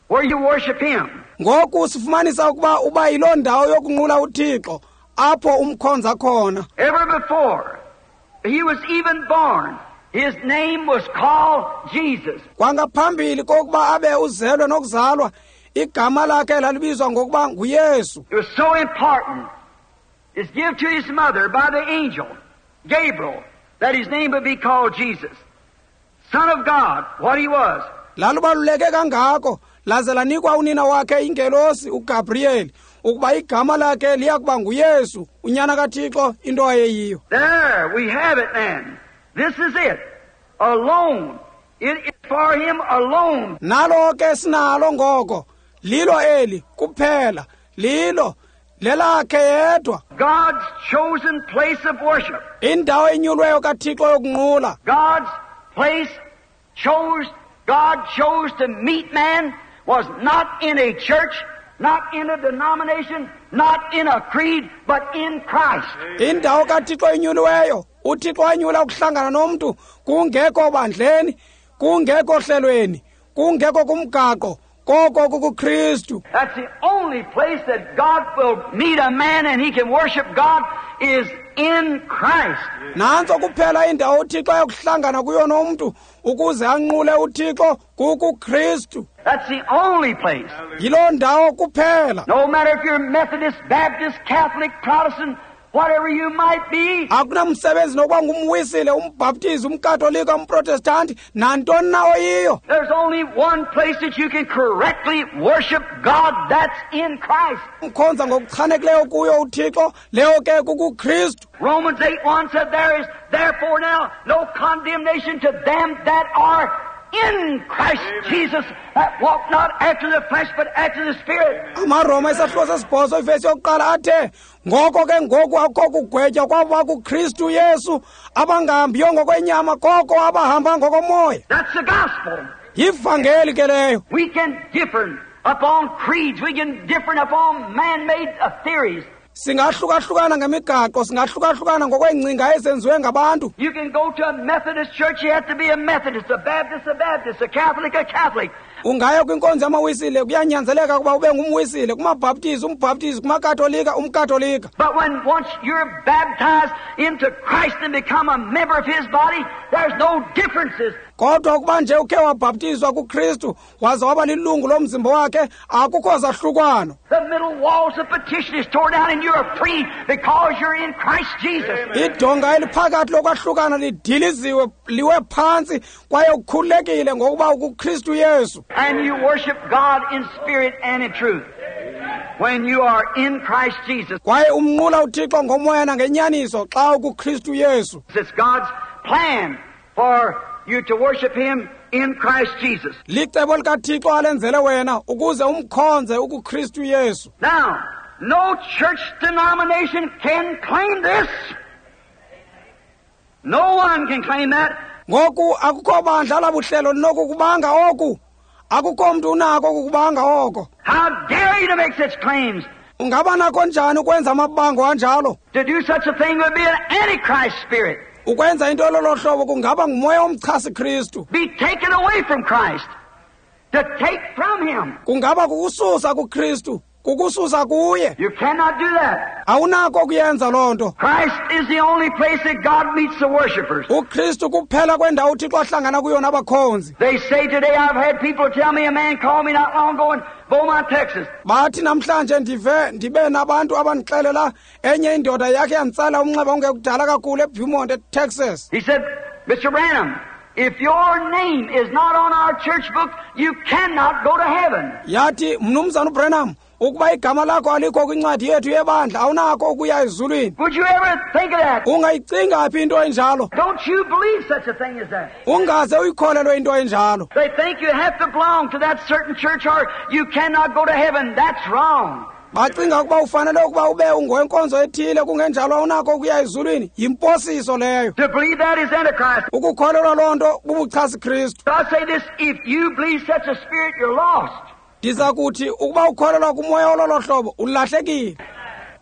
where you worship him. Ngoku sifumanisa ukuba uba yiloo ndawo yokunqula uThixo apho umkhonza khona. Ever before he was even born, his name was called Jesus. Kwangaphambili kokuba abe uzelwe nokuzalwa, igama lakhe lalibizwa ngokuba nguYesu. It was so important. It's given to his mother by the angel, Gabriel, that his name would be called Jesus, Son of God, what he was. Lalubaluleke kangako, laze lanikwa unina wakhe ingelosi uGabriel, ukuba igama lakhe liya kuba nguYesu, unyana kaThixo, into ayeyiyo. There we have it then. This is it. Alone. It is for him alone. Nalo ke sinalo ngoko. Lilo eli kuphela. Lilo lelakhe yedwa. God's chosen place of worship. Indawo enyulweyo kaThixo yokunqula. God's place chose, God chose to meet man was not in a church, not in a denomination, not in a creed, but in Christ. Indawo kaThixo enyuliweyo, uThixo wanyula ukuhlangana nomntu kungekho bandleni, kungekho hlelweni, kungekho kumgaqo, koko kukuKristu. That's the only place that God will meet a man and he can worship God is in Christ. Nantso kuphela indawo uThixo ayokuhlangana kuyo nomntu ukuze anqule uThixo kukuKristu. That's the only place. Yiloo ndawo kuphela. No matter if you're Methodist, Baptist, Catholic, Protestant, whatever you might be. Akunamsebenzi nokuba ngumwisile, umbhaptizi, umkatolika, umprotestanti, nantoni na oyiyo. There's only one place that you can correctly worship God, that's in Christ. Umkhonza ngokuchanekileyo kuyo uThixo, leyo ke kukuKristu. Romans 8:1 said there is therefore now no condemnation to them that are in Christ Jesus, that walk not after the flesh but after the Spirit. AmaRoma isahluko sesibhozo ivesi yokuqala athe, ngoko ke ngoku akukho kugwetywa kwabo bakuKristu Yesu abangahambiyo ngokwenyama koko abahamba ngokomoya. That's the gospel. Yivangeli ke leyo. We can differ upon creeds, we can differ upon man-made theories. Singahlukahlukana ngemigaqo, singahlukahlukana ngokweengcinga ezenziwe ngabantu. You can go to a Methodist church, you have to be a Methodist, a Baptist, a Baptist, a Catholic, a Catholic. Ungaya kwinkonzo yamawisile, kuyanyanzeleka ukuba ube ngumwisile, kumabhaptizi, umbhaptizi, kumakatolika, umkatolika. But when once you're baptized into Christ and become a member of his body, there's no differences. Kodwa ukuba nje ukhe wabhaptizwa kuKristu waze waba lilungu lomzimba wakhe, akukho zahlukano. The middle walls of petition is torn down and you're free because you're in Christ Jesus. Idonga eliphakathi lokwahlukana lidiliziwe liwe phantsi kwaye ukhululekile ngokuba ukuKristu Yesu. And you worship God in spirit and in truth when you are in Christ Jesus. Kwaye umnqula uThixo ngomoya nangenyaniso xa ukuKristu Yesu. It's God's plan for you to worship him in Christ Jesus. Licebo likaThixo alenzele wena ukuze umkhonze ukuKristu Yesu. Now, no church denomination can claim this. No one can claim that. Ngoku akukho bandla labuhlelo linokukubanga oku. Akukho mntu unako ukukubanga oko. How dare you to make such claims? Ungaba nako njani ukwenza amabango anjalo? To do such a thing would be an antichrist spirit. Ukwenza into lolo hlobo kungaba ngumoya omchasi Kristu. Be taken away from Christ. To take from him. Kungaba kukususa kuKristu, Kukususa kuye. You cannot do that. Awunako ukuyenza loo nto. Christ is the only place that God meets the worshipers. UKristu kuphela kwendawo uThixo ahlangana kuyo nabakhonzi. They say today, I've had people tell me, a man called me not long ago in Beaumont, Texas. Bathi namhlanje ndive ndibe nabantu abandixelela enye indoda yakhe yanditsala umnxeba ungekudala kakhulu eBeaumont, eTexas. He said, Mr. Branham, if your name is not on our church book, you cannot go to heaven. Yathi, Mnumzana uBranham, ukuba igama lakho alikho kwincwadi yethu yebandla, awunako ukuya ezulwini. Would you ever think of that? Ungayicinga phi into enjalo? Don't you believe such a thing as that? Ungaze uyikholelwe into enjalo. They think you have to belong to that certain church or you cannot go to heaven. That's wrong. Bacinga ukuba ufanele ukuba ube ungowenkonzo ethile, kungenjalo awunako ukuya ezulwini. Yimposiso leyo. To believe that is Antichrist. Ukukholelwa loo nto bubuchasi Kristu. I say this, if you believe such a spirit, you're lost. Ndiza kuthi ukuba ukholelwa kumoya ololo hlobo, ulahlekile.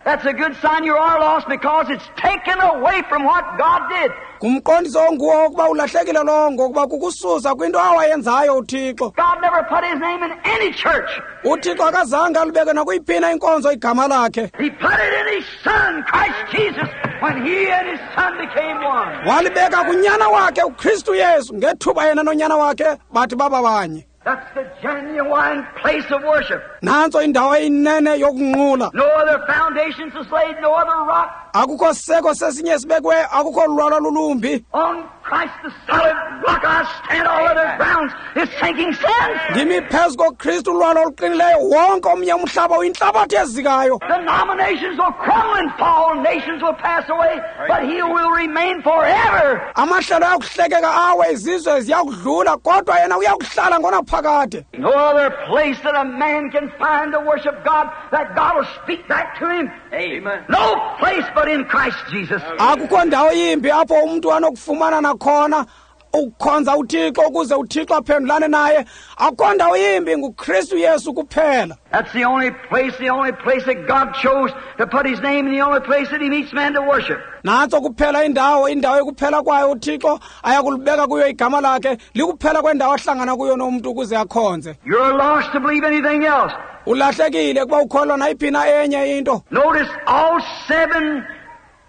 That's a good sign you are lost because it's taken away from what God did. Ngumqondiso onguwo ukuba ulahlekile lowo, ngokuba kukususa kwinto awayenzayo uThixo. God never put his name in any church. UThixo akazange alibeke nakuyiphina inkonzo igama lakhe. He put it in his Son, Christ Jesus, when he and his Son became one. Walibeka kunyana wakhe uKristu Yesu ngethuba yena nonyana wakhe bathi baba banye. That's the genuine place of worship. Nantso indawo eyinene yokunqula. No other foundations is laid, no other rock. Akukho siseko sesinye sibekwe, akukho lulwalwa lulumbi. On Christ the solid rock I stand, all other grounds is sinking sand. Ndimi phezu koKristu ulwalwa oluqinileyo, wonke omnye umhlaba uyintlabathi ezikayo. Denominations will crumble and fall, nations will pass away, but he will remain forever. Amahlelo ayakuhlekeka awe, izizwe ziyakudlula, kodwa yena uyakuhlala ngonaphakade. No other place that a man can find to worship God, that God will speak back to him. Amen. No place but in Christ Jesus. Akukho ndawo yimbi apho umntu anokufumana nakhona ukukhonza uThixo ukuze uThixo aphendulane naye. Akukho ndawo yimbi, nguKristu Yesu kuphela. That's the only place that God chose to put his name, and the only place that he meets man to worship. Nantso kuphela indawo ekuphela kwayo uThixo ayakulibeka kuyo igama lakhe, likuphela kwendawo ahlangana kuyo nomntu ukuze akhonze. You're lost to believe anything else. Ulahlekile kuba ukholwa nayiphi na enye into. Notice all 7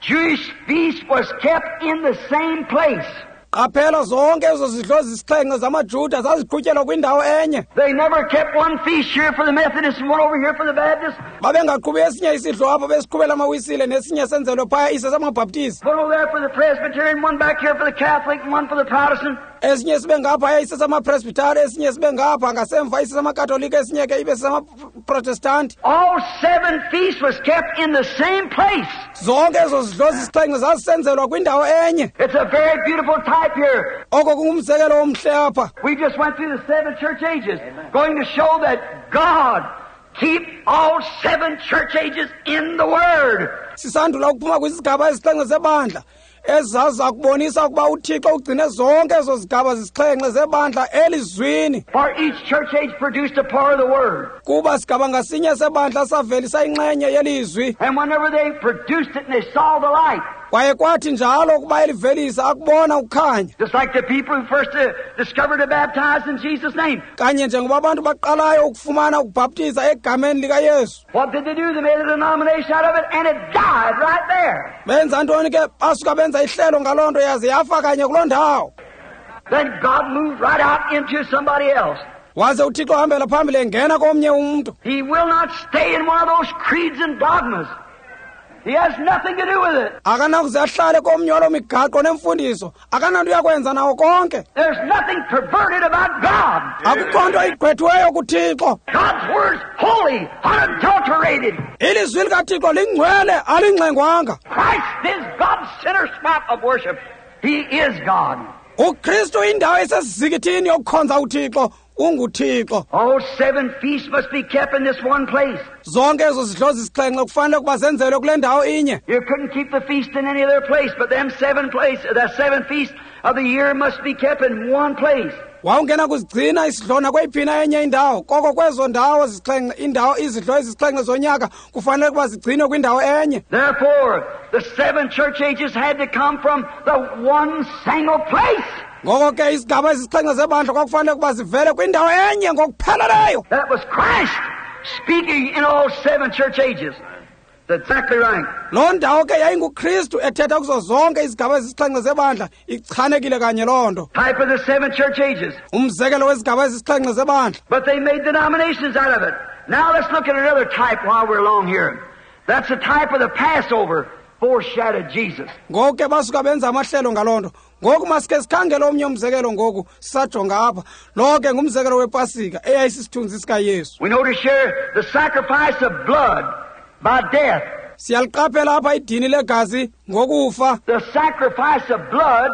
Jewish feasts was kept in the same place. Qaphela zonke ezo zidlo zisixhenxe zamaJuda zaziqhutyelwa kwindawo enye. They never kept one feast here for the Methodists and one over here for the Baptists. Babengaqhubi esinye isidlo apho besiqhubela amaWisile nesinye senzelwe phaya ise samaBaptist. One over there for the Presbyterian, one back here for the Catholic, and one for the Protestant. Esinye sibe ngapha ise samaPresbyterian, esinye sibe ngapha ngasemva ise samaKatolika, esinye ke ibe samaProtestanti. All 7 feasts was kept in the same place. Zonke ezo zidlo zisixhenxe zazisenzelwa kwindawo enye. It's a very beautiful type here. Oko kungumzekelo omhle apha. We just went through the 7 church ages, going to show that God keep all 7 church ages in the Word. Sisandula ukuphuma kwizigaba ezisixhenxe zebandla ezaza kubonisa ukuba uThixo ugcine zonke ezo zigaba zisixhenxe zebandla elizwini. For each church age produced a part of the Word. Kuba sigaba ngasinye sebandla savelisa inxenye yelizwi. And whenever they produced it and they saw the light, Kwaye kwathi njalo ukuba elivelisa akubona ukukhanya. Just like the people who first discovered to baptize in Jesus' name. Kanye njengoba abantu baqalayo ukufumana ukubhaptiza egameni likaYesu. What did they do? They made a denomination out of it and it died right there. Benza ntoni ke? Basuka benza ihlelo ngaloo nto yaze yafa kanye kuloo ndawo. Then God moved right out into somebody else. Waze uThixo ahambela phambili engena komnye umntu. He will not stay in one of those creeds and dogmas. He has nothing to do with it. Akanakuze ahlale komnye waloo migaqo nemfundiso. Akananto yakwenza nawo konke. There's nothing perverted about God. Akukho nto igqwethiweyo kuThixo. God's word's holy, unadulterated. Ilizwi likaThixo lingcwele, alingxengwanga. Christ is God's center spot of worship. He is God. UKristu indawo esesizikithini yokukhonza uThixo. UnguThixo. All 7 feasts must be kept in this one place. Zonke ezo zidlo zisixhenxe kufanele ukuba zenzelwe kule ndawo inye. You couldn't keep the feast in any other place, but them 7 places, the 7 feasts of the year must be kept in one place. Wawungena kuzigcina isidlo nakweyiphi enye indawo, koko kwezo ndawo zisixhenxe, indawo izidlo ezisixhenxe zonyaka kufanele ukuba zigcinwe kwindawo enye. Therefore, the 7 church ages had to come from the one single place. Ngoko ke isigaba ezisixhenxe zebandla kwakufanele ukuba zivele kwindawo enye ngokupheleleyo. That was Christ. speaking in all seven church ages. That's exactly right. Loo ndawo ke yayinguKristu ethetha kuzo zonke izigaba ezisixhenxe zebandla, ichanekile kanye loo nto. Type of the seven church ages. Umzekelo wezigaba ezisixhenxe zebandla. But they made denominations out of it. Now let's look at another type while we're along here. That's the type of the Passover foreshadowed Jesus. Ngoku ke basuka benza amahlelo ngaloo nto. Ngoku masike sikhangele omnye umzekelo ngoku sisajonga apha. Lo ke ngumzekelo wePasika eyayisisithunzi sikaYesu. We notice here the sacrifice of blood by death. Siyaliqaphela apha idini legazi ngokufa. The sacrifice of blood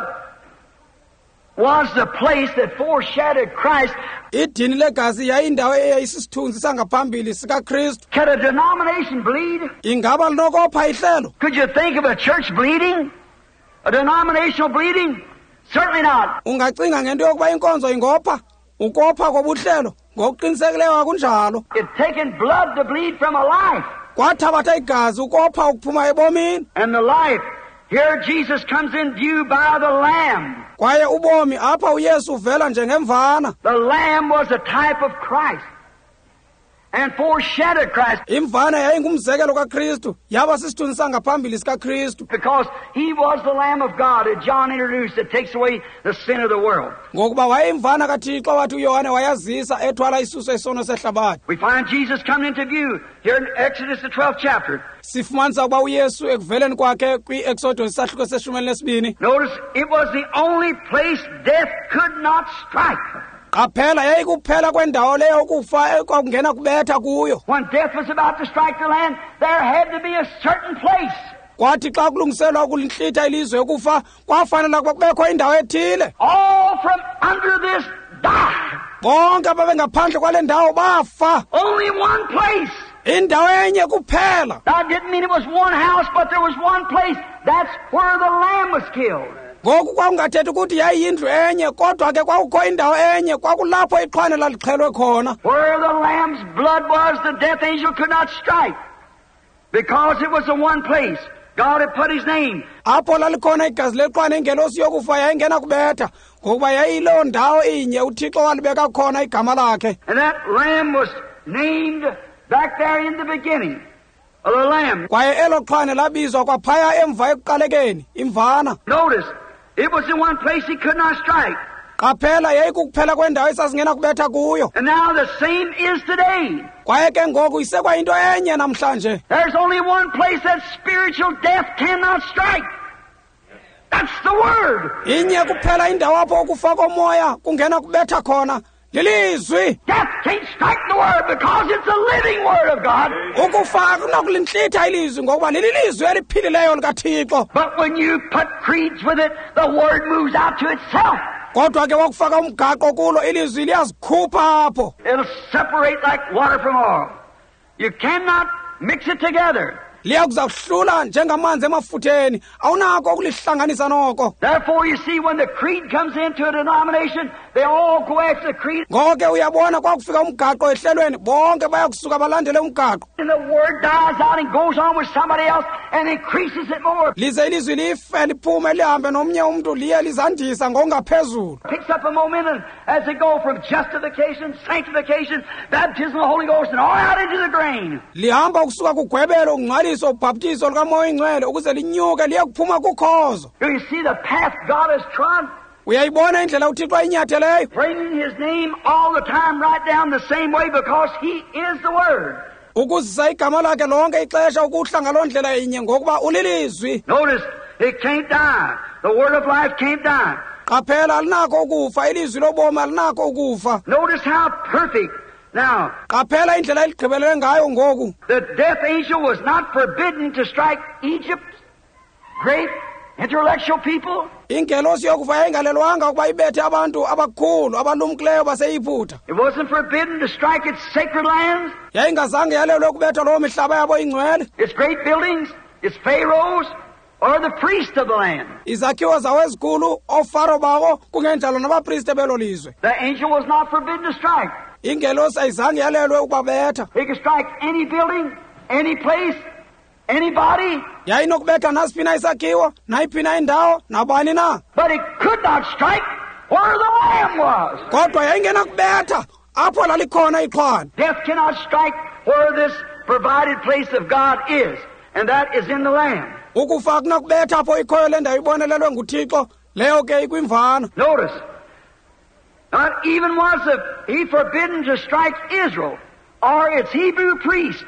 was the place that foreshadowed Christ. Idini legazi yayindawo eyayisisithunzi sangaphambili sikaKristu. Can a denomination bleed? Ingaba linokopha ihlelo? Could you think of a church bleeding? A denominational bleeding? Certainly not. Ungacinga ngento yokuba inkonzo ingopha? Ukopha kobuhlelo? Ngokuqinisekileyo akunjalo. It taken blood to bleed from a life. Kwathabatha igazi ukopha ukuphuma ebomini. And the life, here Jesus comes in view by the Lamb. Kwaye ubomi apha uYesu uvela njengemvana. The Lamb was a type of Christ and foreshadowed Christ. Imvana yayingumzekelo kaKristu, yaba sisithunzi sangaphambili sikaKristu. Because he was the Lamb of God that John introduced that takes away the sin of the world. Ngokuba wayeyimvana kaThixo wathi uYohane wayazisa ethwala isuso isono sehlabathi. We find Jesus coming into view here in Exodus the 12th chapter. Sifumanisa ukuba uYesu ekuveleni kwakhe kwi-Exodus isahluko seshumi elinesibini. Notice it was the only place death could not strike. Qaphela yayikuphela kwendawo leyo ukufa ekwakungena kubetha kuyo. When death was about to strike the land, there had to be a certain place. Kwathi xa kulungiselwa ukulintlitha ilizwe ukufa, kwafanela ukuba kubekho indawo ethile. All from under this died. Bonke ababengaphandle kwale ndawo bafa. Only one place. Indawo enye kuphela. That didn't mean it was one house, but there was one place. That's where the lamb was killed. Ngoku kwakungathethi ukuthi yayiyindlu enye, kodwa ke kwakukho indawo enye, kwakulapho ixhwane lalixhelwe khona. Where the lamb's blood was, the death angel could not strike, because it was the one place God had put his name. Apho lalikhona igazi lexhwane, ingelosi yokufa yayingena kubetha, ngokuba yayiloo ndawo inye uThixo walibeka khona igama lakhe. And that lamb was named back there in the beginning. The lamb. Kwaye elo xhwane labizwa kwaphaya emva ekuqalekeni, imvana. Notice, it was the one place he could not strike. Qaphela yayikukuphela kwendawo esasingena kubetha kuyo. And now the same is today. Kwaye ke ngoku isekwayinto enye namhlanje. There's only one place that spiritual death cannot strike. That's the Word. Inye kuphela indawo apho ukufa komoya kungena kubetha khona. Lilizwi. Death can't strike the Word because it's the living Word of God. Ukufa akunakulintlitha ilizwi ngokuba lilizwi eliphilileyo likaThixo. But when you put creeds with it, the Word moves out to itself. Kodwa ke wakufaka umgaqo kulo ilizwi liyazikhupha apho. It'll separate like water from oil. You cannot mix it together. Liyakuzakuhlula njengamanzi emafutheni, awunako ukulihlanganisa noko. Therefore you see when the creed comes into a denomination, they all go after the creed. Ngoko ke uyabona kwakufika umgaqo ehlelweni, bonke bayakusuka balandele umgaqo. And the word dies out and goes on with somebody else and increases it more. Lize ilizwi life liphume lihambe nomnye umntu liye lizandisa ngokungaphezulu. Picks up a momentum as they go from justification, sanctification, baptism of the Holy Ghost, and all out into the grain. Lihamba ukusuka kugwebelo ungcwaliso ubhaptizo lukaMoya oyiNgcwele ukuze linyuke liye kuphuma kukhozo. You see the path God has trod? Uyayibona indlela uThixo ayinyatheleyo? Bringing his name all the time right down the same way because he is the Word. Ukuzisa igama lakhe lonke ixesha ukuhla ngaloo ndlela inye ngokuba ulilizwi. Notice, it can't die. The Word of life can't die. Qaphela alinako ukufa, ilizwi lobomi alinako ukufa. Notice how perfect. Now, qaphela indlela eligqibelele ngayo ngoku. The death angel was not forbidden to strike Egypt's great intellectual people. Ingelosi yokufa yayingalelwanga ukuba ibethe abantu abakhulu abalumkileyo baseYiputa. It wasn't forbidden to strike its sacred lands. Yayingazange yalelwe ukubetha loo mihlaba yabo ingcwele. Its great buildings, its pharaohs, or the priests of the land. Izakhiwo zawo ezikhulu, oofaro bawo, kungenjalo nabapriste belo lizwe. The angel was not forbidden to strike. Ingelosi ayizange yalelwe ukubabetha. He could strike any building, any place, anybody. Yayinokubetha nasiphi na isakhiwo, nayiphi na indawo, nabani na. But it could not strike where the lamb was. Kodwa yayingenakubetha apho lalikhona ixhwane. Death cannot strike where this provided place of God is, and that is in the Lamb. Ukufa akunakubetha apho ikhoyo le ndawo ibonelelwe nguThixo, leyo ke ikwimvana. Notice, not even was he forbidden to strike Israel or its Hebrew priest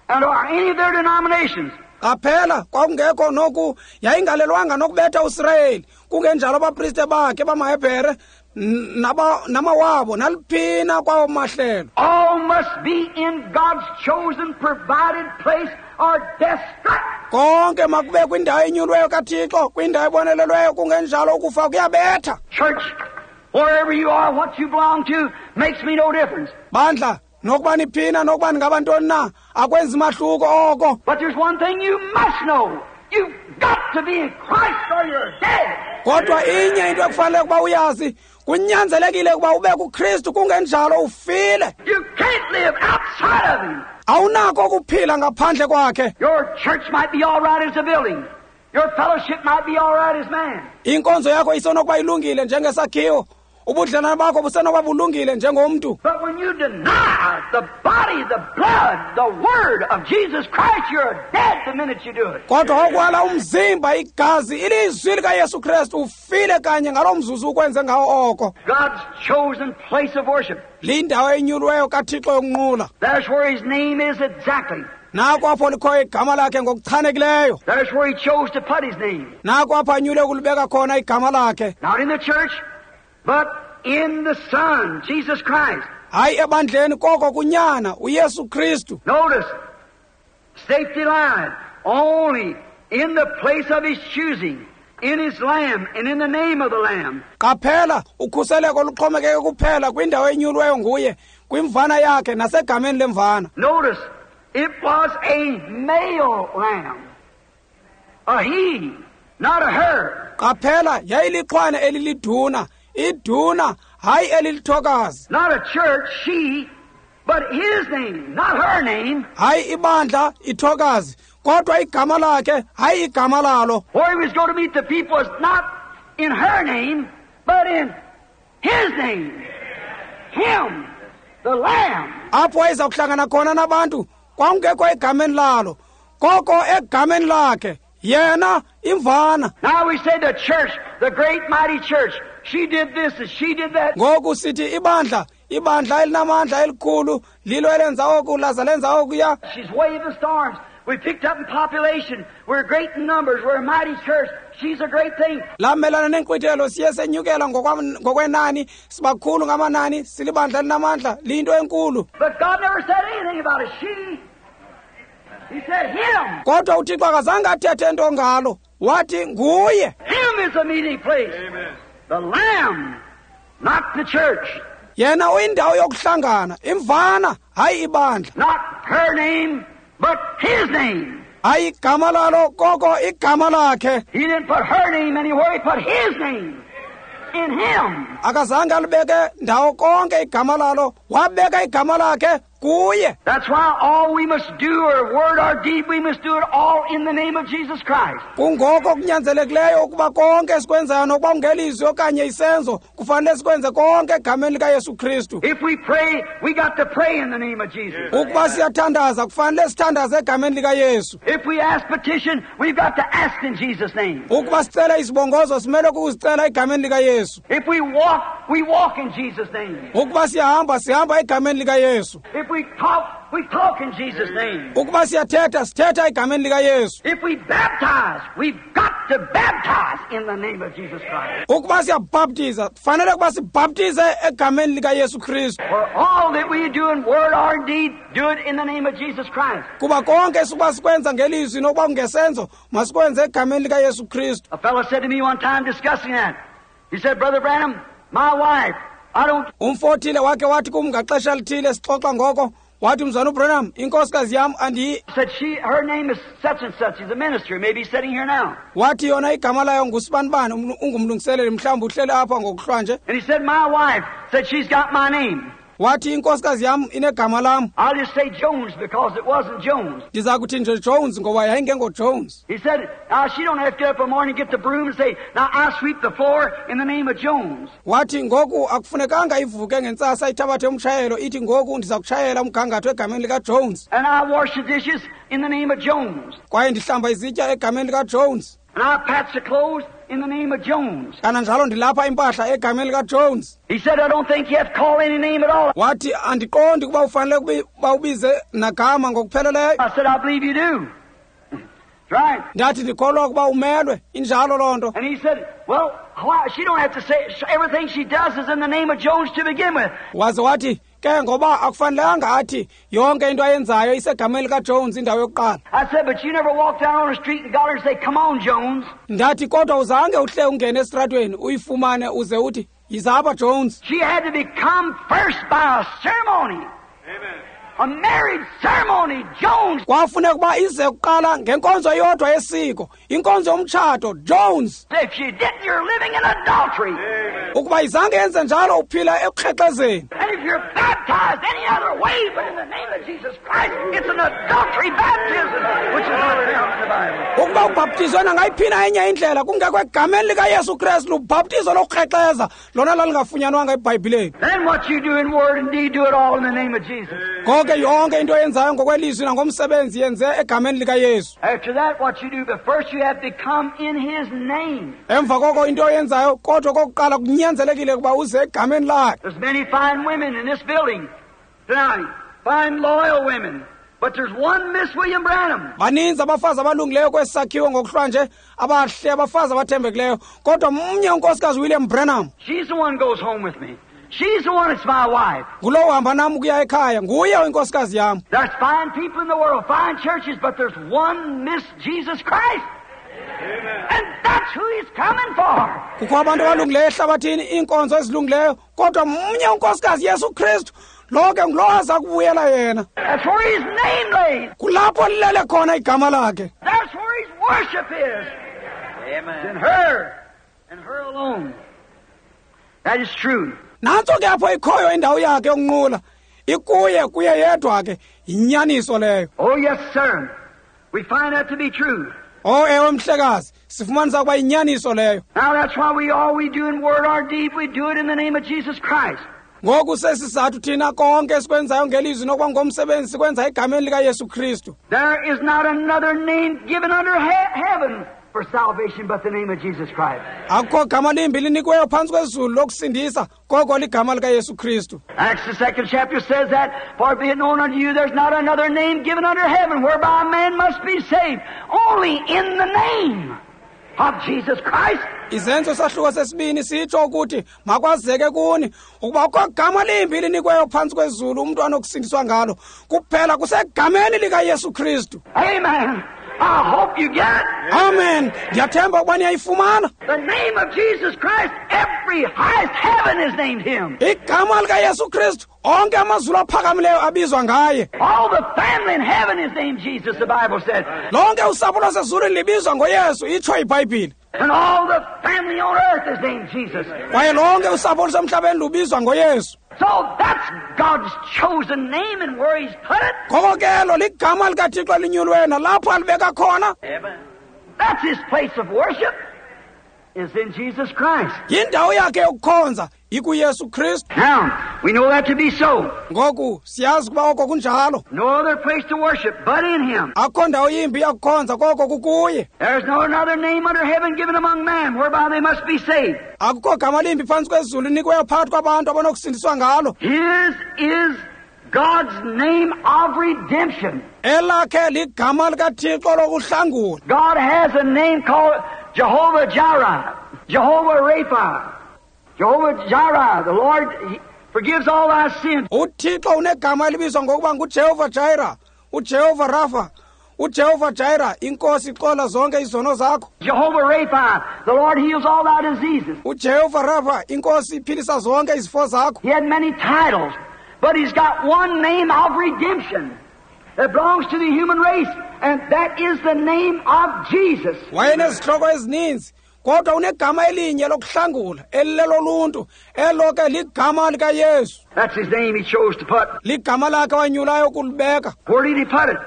and or any of their denominations. Qaphela, kwakungekho noku yayingalelwanga nokubetha uSirayeli, kungenjalo abapriste bakhe bamaHebhere namawabo naliphina kwawo mahlelo. All must be in God's chosen provided place or death strike. Konke makube kwindawo enyulweyo kaThixo, kwindawo ebonelelweyo, kungenjalo ukufa kuyabetha. Church, wherever you are, what you belong to, makes me no difference. Bandla, nokuba niphina nokuba ningabantoni na, akwenzi mahluko oko. But there's one thing you must know. You've got to be in Christ or you're dead. Kodwa inye into ekufanele ukuba uyazi, kunyanzelekile ukuba ube kuKristu, kungenjalo ufile. You can't live outside of Him. Awunako ukuphila ngaphandle kwakhe. Your church might be all right as a building. Your fellowship might be all right as man. Inkonzo yakho isenokuba ilungile njengesakhiwo. Ubudlelwane bakho busenokuba bulungile njengomntu. But when you deny the body, the blood, the word of Jesus Christ, you're dead the minute you do it. Kodwa okwala umzimba, igazi, ilizwi likaYesu Kristu, ufile kanye ngaloo mzuzu ukwenze ngawo oko. God's chosen place of worship. Lindawo enyulweyo kaThixo yokunqula. That's where His name is exactly. Nako apho likhoyo igama lakhe ngokuchanekileyo. That's where He chose to put His name. Nako apho anyule ukulibeka khona igama lakhe. Not in the church, but in the Son, Jesus Christ. Hayi ebandleni, koko kunyana uYesu Kristu. Notice, safety line, only in the place of His choosing, in His Lamb, and in the name of the Lamb. Qaphela, ukhuseleko luxhomekeke kuphela kwindawo enyulweyo nguye, kwimvana yakhe nasegameni lemvana. Notice, it was a male lamb, a he, not a her. Qaphela, yayilixhwane eliliduna, iduna, hayi elilithokazi. Not a church, she, but his name, not her name. Hayi ibandla, ithokazi, kodwa igama lakhe, hayi igama lalo. Where he was going to meet the people was not in her name, but in his name. Him, the Lamb. Apho wayeza kuhlangana khona nabantu, kwakungekho egameni lalo, koko egameni lakhe, yena imvana. Now we say the church, the great mighty church, she did this and she did that. Ngoku sithi ibandla, ibandla elinamandla elikhulu, lilo elenza oku, laza lenza okuya. She's waved the storms. We picked up in population. We're great in numbers. We're a mighty church. She's a great thing. Lamelana nenkqwithelo, siye senyukela ngokwenani, sibakhulu ngamanani, silibandla elinamandla, liyinto enkulu. But God never said anything about a she. He said him. Kodwa uThixo akazange athethe nto ngalo, wathi nguye. Him is the meeting place. Amen. The Lamb, not the church. Yena uyindawo yokuhlangana, imvana, hayi ibandla. Not her name, but his name. Hayi igama lalo, koko igama lakhe. He didn't put her name anywhere, he put his name in him. Akazange alibeke ndawo konke igama lalo, wabeka igama lakhe kuye. That's why all we must do, or word or deed, we must do it all in the name of Jesus Christ. Kungoko kunyanzelekileyo ukuba konke esikwenzayo, nokuba kungelizwi okanye isenzo, kufanele sikwenze konke egameni likaYesu Kristu. If we pray, we got to pray in the name of Jesus. Ukuba siyathandaza, kufanele sithandaze egameni likaYesu. If we ask petition, we've got to ask in Jesus' name. Ukuba sicela izibongozo, simele ukuzicela egameni likaYesu. If we walk, we walk in Jesus' name. Ukuba siyahamba, sihamba egameni likaYesu. If we talk, we talk in Jesus' name. Ukuba siyathetha, sithetha egameni likaYesu. If we baptize, we've got to baptize in the name of Jesus Christ. Ukuba siyabhaptiza, kufanele ukuba sibhaptize egameni likaYesu Kristu. For all that we do in word or deed, do it in the name of Jesus Christ. Kuba konke sukuba sikwenza ngelizwi nokuba kungesenzo, masikwenze egameni likaYesu Kristu. A fellow said to me one time discussing that. He said, Brother Branham, my wife, I don't... Umfo othile wakhe wathi kum ngaxesha lithile sixoxa ngoko, wathi mzwana uBranham, inkosikazi yam andiyi. Said she, her name is such and such. She's a minister, maybe sitting here now. Wathi yona igama layo ngusibanibani, ungumlungiseleli, mhlawumbi uhleli apha ngokuhlwa nje. And he said, my wife said she's got my name. Wathi inkosikazi yam inegama lam. I'll just say Jones because it wasn't Jones. Ndiza kuthi nje Jones ngoba yayingengoJones. He said, now she don't have to get up in the morning and get the broom and say, now I sweep the floor in the name of Jones. Wathi ngoku akufunekanga ivuke ngentsasa ithabathe umtshayelo ithi ngoku ndiza kutshayela umgangatho egameni likaJones. And I wash the dishes in the name of Jones. Kwaye ndihlamba izitya egameni likaJones. And I patch the clothes in the name of Jones. Kananjalo ndilapha impahla egameni likaJones. He said, I don't think you have to call any name at all. Wathi andiqondi ukuba ufanele ukuba ubize nagama ngokupheleleyo. I said, I believe you do. That's right. Ndathi ndikholwa ukuba umelwe, injalo loo nto. And he said, well, why? She don't have to say everything she does is in the name of Jones to begin with. Waze wathi ke ngoba akufanelanga athi yonke into ayenzayo isegameni likaJones indawo yokuqala. I said, but you never walked down on the street and got her and say, come on, Jones. Ndathi kodwa uzange uhle ungene esitratweni uyifumane uze uthi yiza apha Jones. She had to become first by a ceremony. Amen. A marriage ceremony, Jones. Kwafuneka ukuba ize kuqala ngenkonzo yodwa yesiko, inkonzo yomtshato, Jones. If she didn't, you're living in adultery. Amen. Ukuba izange yenze njalo uphila ekukrexezeni. And if you're baptized any other way but in the name of Jesus Christ, it's an adultery baptism, which is not found in the Bible. Ukuba ubhaptizwe nangayiphina enye indlela kungekho egameni likaYesu Kristu, lubhaptizo lokukrexeza lona lalingafunyanwanga eBhayibhileni. Then what you do in word and deed, do it all in the name of Jesus. Konke yonke into oyenzayo ngokwelizwi nangomsebenzi yenze egameni likaYesu. After that, what you do, but first you have to come in His name. Emva koko into oyenzayo kodwa kokuqala kunyanzelekile ukuba uze egameni lakhe. There's many fine women in this building tonight, fine loyal women, but there's one Miss William Branham. Baninzi abafazi abalungileyo kwesi sakhiwo ngokuhlwa nje, abahle abafazi abathembekileyo, kodwa mnye unkosikazi William Branham. She's the one goes home with me. She's the one that's my wife. Ngulowo uhamba nam ukuya ekhaya, nguye inkosikazi yam. There's fine people in the world, fine churches, but there's one Miss Jesus Christ. Amen. And that's who He's coming for. Kukho abantu abalungileyo ehlabathini, iinkonzo ezilungileyo, kodwa mnye unkosikazi Yesu Kristu. Lo ke ngulowo aza kubuyela yena. That's where His name lays. Kulapho lilele khona igama lakhe. That's where His worship is. Amen. In her, and her alone. That is true. Nantso ke apho ikhoyo indawo yakhe yokunqula, ikuye kuye yedwa ke, yinyaniso leyo. Oh yes, sir. We find that to be true. Oh ewe mhlekazi, sifumanisa ukuba yinyaniso leyo. Now that's why we all we do in word or deed, we do it in the name of Jesus Christ. Ngoku sesizathu thina konke esikwenzayo ngelizwi nokuba ngomsebenzi sikwenza egameni likaYesu Kristu. There is not another name given under heaven for salvation but the name of Jesus Christ. Akukho gama limbi linikiweyo phantsi kwezulu lokusindisa koko ligama likaYesu Kristu. Acts the second chapter says that, for be it known unto you, there's not another name given under heaven whereby a man must be saved, only in the name of Jesus Christ. Izenzo sahluko sesibini sitsho ukuthi makwazeke kuni ukuba akukho gama limbi linikweyo phantsi kwezulu umntu anokusindiswa ngalo, kuphela kusegameni likaYesu Kristu. Amen. I hope you get it. Amen. Ndiyathemba ukuba niyayifumana. The name of Jesus Christ, every highest heaven is named Him. Igama likaYesu Kristu, onke amazulu aphakamileyo abizwa ngaye. All the family in heaven is named Jesus, the Bible said. Lonke usapho lwasezulwini libizwa ngoYesu, itsho iBhayibhile. And all the family on earth is named Jesus. Kwaye lonke usapho olusemhlabeni lubizwa ngoYesu. So that's God's chosen name and where He's put it. Ngoko ke elo ligama likaThixo elinyulweyo nalapho alibeka khona. Amen. That's His place of worship, is in Jesus Christ. Yindawo yakhe yokukhonza ikuYesu Kristu. Now, we know that to be so. Ngoku siyazi ukuba oko kunjalo. No other place to worship but in Him. Akukho ndawo yimbi yakukhonza koko kukuye. There's no another name under heaven given among men whereby they must be saved. Akukho gama limbi phantsi kwezulu linikweyo phakathi kwabantu abanokusindiswa ngalo. His is God's name of redemption. Elakhe ligama likaThixo lokuhlangula. God has a name called Jehovah Jireh, Jehovah Rapha, Jehovah Jireh, the Lord forgives all thy sins. UThixo unegama elibizwa ngokuba nguJehova Jireh, uJehova Rapha, uJehova Jireh, inkosi ixola zonke izono zakho. Jehovah Rapha, the Lord heals all thy diseases. uJehova Rapha, inkosi iphilisa zonke izifo zakho. He had many titles, but He's got one name of redemption that belongs to the human race, and that is the name of Jesus. Wayenezihloko ezininzi, Kodwa unegama elinye lokuhlangula, elileloluntu, elo ke ligama likaYesu. That's his name he chose to put. Ligama lakhe wanyulayo ukulibeka. Where did he put it?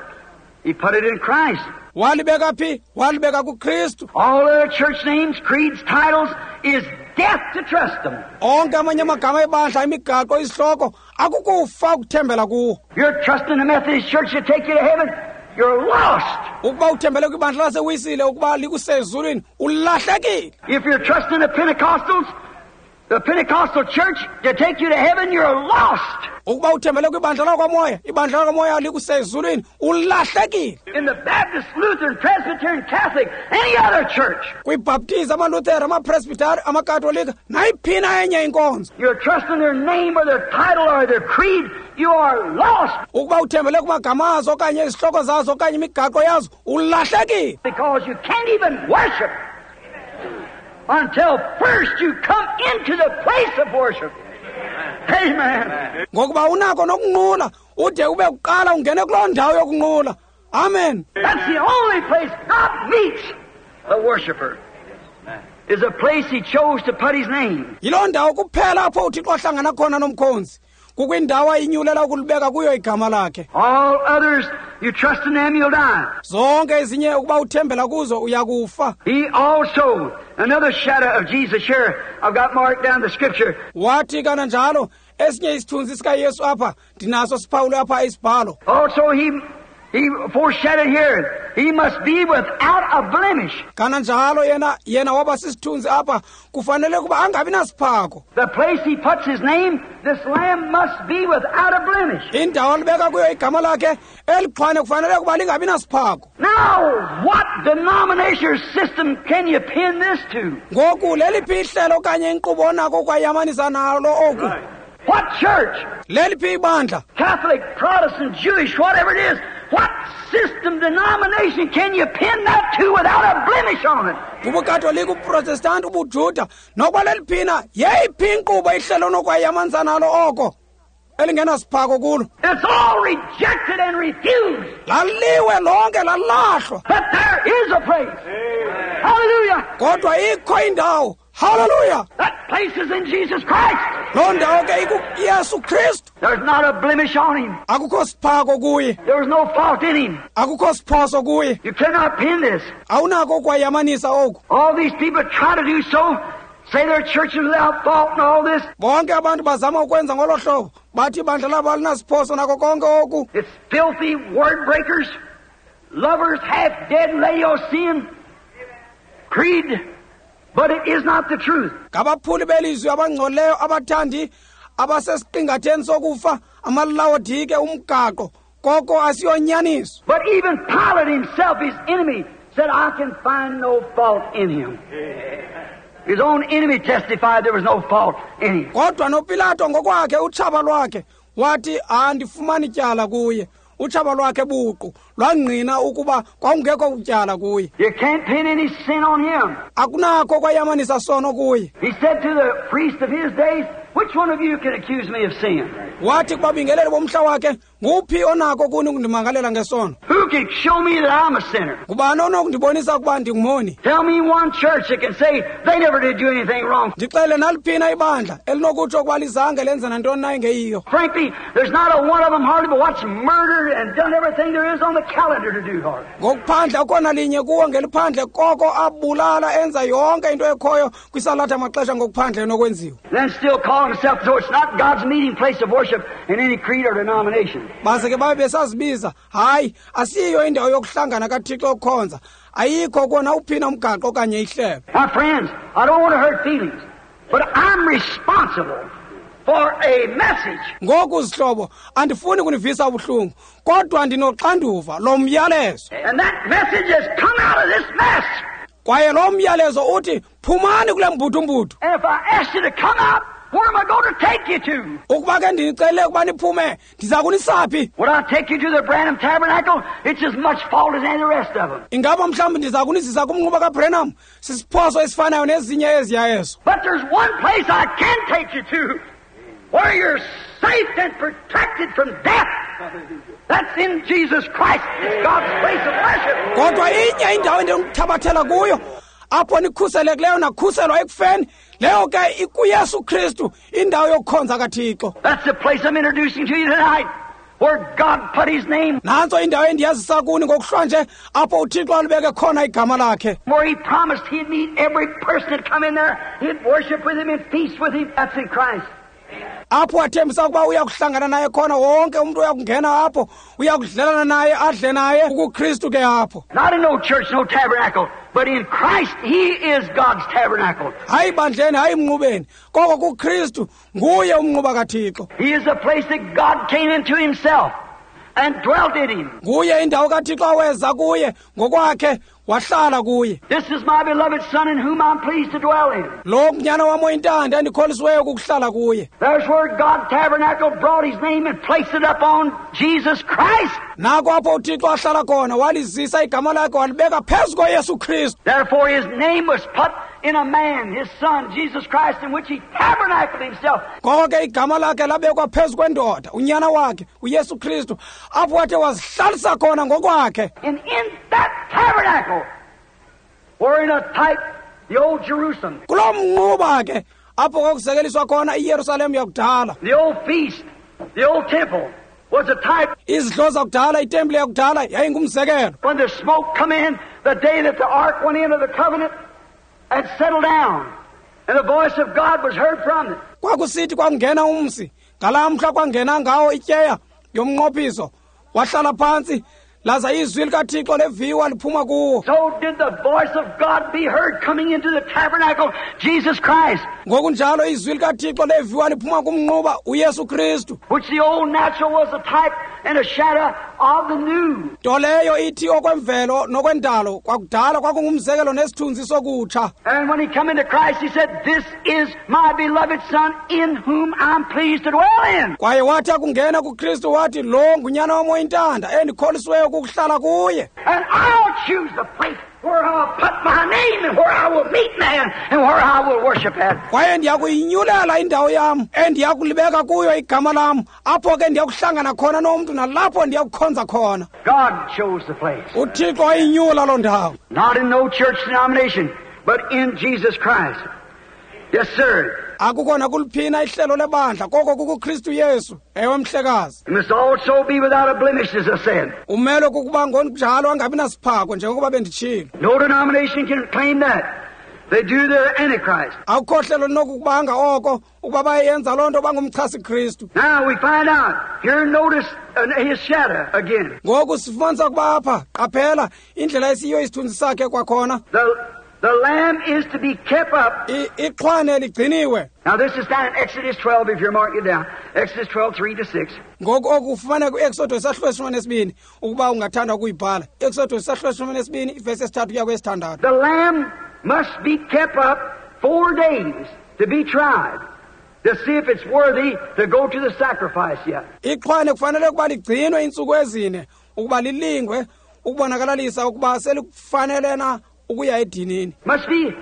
He put it in Christ. Walibeka phi? Walibeka kuKristu. All other church names, creeds, titles is death to trust them. Onke amanye amagama ebandla, imigaqo, isihloko, akukufa ukuthembela kuwo. You're trusting the Methodist Church to take you to heaven, you're lost. Ukuba uthembele kwibandla laseWisile ukuba likusezulwini, ulahlekile. If you're trusting the Pentecostals, the Pentecostal church to take you to heaven, you're lost. Ukuba uthembele kwibandla lakwaMoya, ibandla lakwaMoya likusezulwini, ulahlekile. In the Baptist, Lutheran, Presbyterian, Catholic, any other church. KwiBaptist, amaLuthera, amaPresbyteri, amaKatolika, nayiphina enye inkonzo. You're trusting their name or their title or their creed, you are lost. Ukuba uthembele kumagama azo okanye izihloko zazo okanye imigaqo yazo, ulahlekile. Because you can't even worship until first you come into the place of worship. Amen. Ngokuba unako nokunqula ude ube kuqala ungene kuloo ndawo yokunqula. Amen. That's the only place God meets the worshiper. Is a place he chose to put his name. Yiloo ndawo kuphela apho uThixo ahlangana khona nomkhonzi. Kukwindawo ayinyulela ukulibeka kuyo igama lakhe. All others, you trust in them, you'll die. Zonke ezinye ukuba uthembela kuzo uyakufa. He also, another shadow of Jesus here, I've got marked down the scripture. Wathi kananjalo esinye isithunzi sikaYesu apha, ndinaso siphawule apha isibhalo. Also he foreshadowed here, he must be without a blemish. Kananjalo yena waba sisithunzi apha, kufanele kuba angabi nasiphako. The place he puts his name, this lamb must be without a blemish. Indawo alibeka kuyo igama lakhe, elixhwane kufanele kuba lingabi nasiphako. Now, what denomination or system can you pin this to? Ngoku leliphi ihlelo okanye inkqubo onako ukwayamanisa nalo oku? What church? Leliphi ibandla? Catholic, Protestant, Jewish, whatever it is. What system, denomination can you pin that to without a blemish on it? UbuKatolika, ubuProtestant, ubuJuda, nokuba leliphina, yeyiphi inkqubo ihlelo onokwayamanisa nalo oko elingenasiphako kulo? It's all rejected and refused. Laliwe lonke, lalahlwa. But there is a place. Amen. Hallelujah. Kodwa ikho indawo. Hallelujah. That place is in Jesus Christ. Loo ndawo ke ikuYesu Kristu. There's not a blemish on him. Akukho siphako kuye. There was no fault in him. Akukho siphoso kuye. You cannot pin this. Awunako ukwayamanisa oku. All these people try to do so, say their church is without fault and all this. Bonke abantu bazama ukwenza ngolo hlobo, bathi ibandla labo alinasiphoso nako konke oku. It's filthy word breakers, lovers half dead Laodicean creed. But it is not the truth. Ngabaphuli belizwi abangcolileyo abathandi abasesiqingatheni sokufa, amaLawodike umgaqo, koko asiyonyaniso. But even Pilate himself, his enemy, said, I can find no fault in him. His own enemy testified there was no fault in him. Kodwa noPilato ngokwakhe utshaba lwakhe wathi andifumani tyala kuye. Utshaba lwakhe buqu lwangqina ukuba kwakungekho utyala kuye. You can't pin any sin on him. Akunakho kwayamanisa sono kuye. He said to the priest of his days, which one of you can accuse me of sin? Wathi kubabingeleli bomhla wakhe, nguphi onako kuni ukundimangalela ngesono? Who can show me that I'm a sinner? Ngubani onokundibonisa ukuba ndingumoni? Tell me one church that can say they never did do anything wrong. Ndixele naliphina ibandla elinokutsho ukuba lizange lenze nantoni na engeyiyo. Frankly, there's not a one of them hardly but what's murdered and done everything there is on the calendar to do hardly. Ngokuphandle akukho linye kuwo ngeliphandle koko abulala enza yonke into ekhoyo kwisalatha maxesha ngokuphandle enokwenziwa. Then still call himself, so it's not God's meeting place of worship in any creed or denomination. Baze ke babe besazibiza, hayi, asiyo indawo yokuhlangana kaThixo okukhonza. Ayikho kona uphina umgaqo okanye ihlelo. My friends, I don't want to hurt feelings, but I'm responsible for a message. Ngoku zihlobo, andifuni kunivisa ubuhlungu, kodwa ndinoxanduva lomyalezo. And that message has come out of this mess. Kwaye lo myalezo uthi phumani kule mbutumbutu. And if I ask you to come out, where am I going to take you to? Ukuba ke ndinicele ukuba niphume, ndiza kunisaphi? Would I take you to the Branham Tabernacle? It's as much fault as any of the rest of them. Ingaba mhlawumbi ndiza kunizisa kumnquba kaBranham? Sisiphoso esifanayo nezinye eziya ezo. But there's one place I can take you to, where you're safe and protected from death. That's in Jesus Christ. It's God's place of worship. Kodwa inye indawo endinokuthabathela kuyo, Apho nikhuselekileyo nakhuselwa ekufeni, leyo ke ikuYesu Kristu, indawo yokukhonza kaThixo. That's the place I'm introducing to you tonight, where God put His name. Nantso indawo endiyazisa kuni ngokuhlwanje, apho uThixo alibeke khona igama lakhe. Where He promised He'd meet every person that come in there, He'd worship with him and feast with him. That's in Christ. Apho wathembisa ukuba uya kuhlangana naye khona wonke umntu uyakungena apho, uya kudlelana naye, adle naye, ukuKristu ke apho. Not in no church, no tabernacle, but in Christ He is God's tabernacle. Hayi bandleni, hayi mnqubeni, koko kuKristu nguye umnquba kaThixo. He is the place that God came into Himself and dwelt in Him. Nguye indawo kaThixo aweza kuye ngokwakhe, wahlala kuye. This is my beloved Son in whom I'm pleased to dwell in. Lo ngunyana wam oyintanda endikholisiweyo kukuhlala kuye. There's where God tabernacle brought His name and placed it upon Jesus Christ. Nako apho uThixo ahlala khona, walizisa igama lakhe walibeka phezu koYesu Kristu. Therefore His name was put in a man, His Son, Jesus Christ, in which He tabernacled Himself. Ngoko ke igama lakhe labekwa phezu kwendoda, unyana wakhe, uYesu Kristu, apho wathi wazihlalisa khona ngokwakhe. And in that tabernacle, were in a type, the old Jerusalem. Kuloo mnquba ke, apho kwakuzekeliswa khona iYerusalem yakudala. The old feast, the old temple was a type. Izidlo zakudala, itempile yakudala yayingumzekelo. When the smoke come in, the day that the ark went into the covenant and settled down, and the voice of God was heard from it. Kwakusithi kwangena umsi, ngalaa mhla kwangena ngawo ityeya yomnqophiso, wahlala phantsi, laza izwi likaThixo leviwa liphuma kuwo. So did the voice of God be heard coming into the tabernacle, Jesus Christ. Ngokunjalo izwi likaThixo leviwa liphuma kumnquba uYesu Kristu. Which the old natural was a type and a shadow of the new. Nto leyo ithi okwemvelo nokwendalo kwakudala kwakungumzekelo nesithunzi sokutsha. And when he come into Christ, he said, This is my beloved Son in whom I'm pleased to dwell in. Kwaye wathi akungena kuKristu wathi, lo ngunyana wam oyintanda endikholisiweyo kukuhlala kuye. And I'll choose the place where I'll put my name and where I will meet man and where I will worship at. Kwaye ndiyakuyinyulela indawo yam endiyakulibeka kuyo igama lam, apho ke ndiyakuhlangana khona nomntu nalapho ndiyakukhonza khona. God chose the place. UThixo wayinyula loo ndawo. Not in no church denomination, but in Jesus Christ. Yes, sir. Akukho nakuliphina ihlelo lebandla, koko kukuKristu Yesu. Ewe mhlekazi. It must also be without a blemish, as I said. Umelwe kukuba ngonjalo angabi nasiphako njengokuba benditshilo. No denomination can claim that. They do their Antichrist. Akukho hlelo linokukubanga oko ukuba bayenza loo nto bangumchasi Kristu. Now we find out. Here notice his shadow again. Ngoku sifumanisa ukuba apha qaphela indlela esiyo isithunzi sakhe kwakhona. The lamb is to be kept up. Ixhwane ligciniwe. Now this is down in Exodus 12, if you're marking it down. Exodus 12, 3-6. Ngoku oku ufumaneka ku-Exodus isahluko 12, ukuba ungathanda ukuyibhala. Exodus isahluko 12, ivesi 3 kuya kwesithandathu. The lamb must be kept up 4 days to be tried, to see if it's worthy to go to the sacrifice yet. Ixhwane kufanele ukuba ligcinwe iintsuku ezine ukuba lilingwe ukubonakalalisa ukuba selikufanele na ukuya edinini. Must be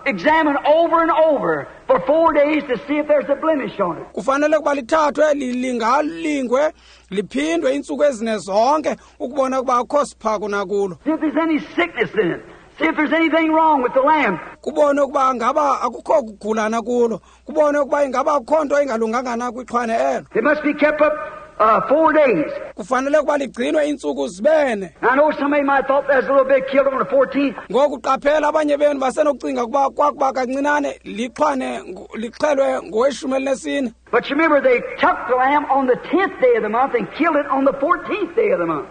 examined over and over for 4 days to see if there's a blemish on it. Kufanele kuba lithathwe lilingalingwe liphindwe iintsuku ezine zonke ukubona ukuba akukho siphako nakulo. See if there's any sickness in it. See if there's anything wrong with the lamb. Kubone ukuba ngaba akukho kugulana kulo. Kubone ukuba ingaba akukho nto ingalunganga na kwixhwane elo. It must be kept up 4 days. Kufanele ukuba ligcinwe iintsuku zibene. I know somebody might thought that's a little bit killed on the 14th. Ngoku qaphela abanye benu basenokucinga ukuba kwakuba kancinane lixhwane lixhelwe ngoweshumi elinesine. But you remember they took the lamb on the 10th day of the month and killed it on the 14th day of the month.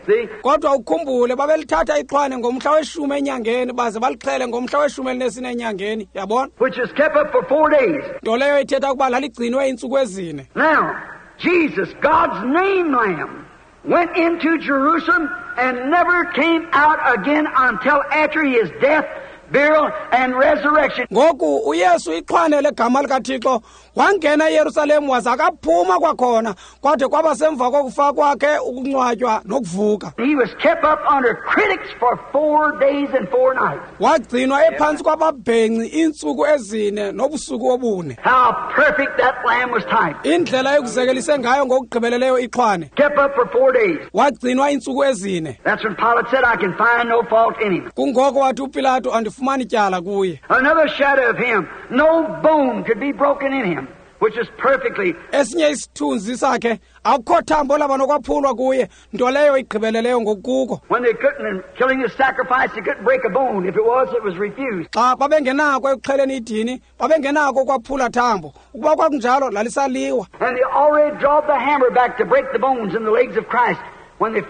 See? Kodwa ukhumbule babelithatha ixhwane ngomhla weshumi enyangeni baze balixhele ngomhla weshumi elinesine enyangeni, yabona? Which is kept up for 4 days. Nto leyo ithetha ukuba laligcinwe iintsuku ezine. Now, Jesus, God's name lamb, went into Jerusalem and never came out again until after his death, burial, and resurrection. Ngoku uYesu ixhwane legama likaThixo wangena eYerusalem waza akaphuma kwakhona kwade kwaba semva kokufa kwakhe, ukungcwatywa nokuvuka. He was kept up under critics for 4 days and 4 nights. Wagcinwa ephantsi kwababhenci iintsuku 4 nobusuku 4. How perfect that lamb was typed. Indlela ekuzekelise ngayo ngokugqibeleleyo ixhwane. Kept up for 4 days. Wagcinwa iintsuku 4. That's when Pilate said, I can find no fault in him. Kungoko wathi uPilato, andifumani tyala kuye. Another shadow of him, no bone could be broken in him, which is perfectly. Esinye isithunzi sakhe akukho thambo laba nokwaphulwa kuye, nto leyo igqibeleleyo ngokukuko. When they couldn't, killing the sacrifice, they couldn't break a bone. If it was, it was refused. Xa babengenako ekuxheleni idini, babengenako ukwaphula thambo. Ukuba kwakunjalo, lalisaliwa. And they already drawed the hammer back to break the bones in the legs of Christ when they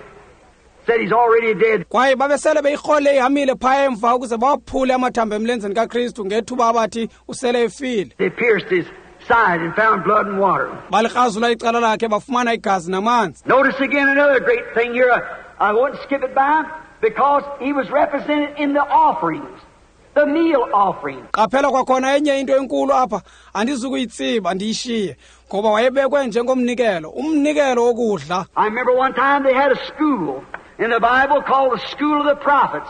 said he's already dead. Kwaye babesele beyirhole ihamile phaya emva ukuze bawaphule amathambo emlenzeni kaKristu ngethuba abathi usele efile. They pierced his side and found blood and water. Balikrazula icala lakhe bafumana igazi namanzi. Notice again another great thing here. I won't skip it by because he was represented in the offerings, the meal offering. Qaphela kwakhona enye into enkulu apha, andizukuyitsiba ndiyishiye ngoba wayebekwe njengomnikelo, umnikelo wokudla. I remember one time they had a school in the Bible called the School of the Prophets.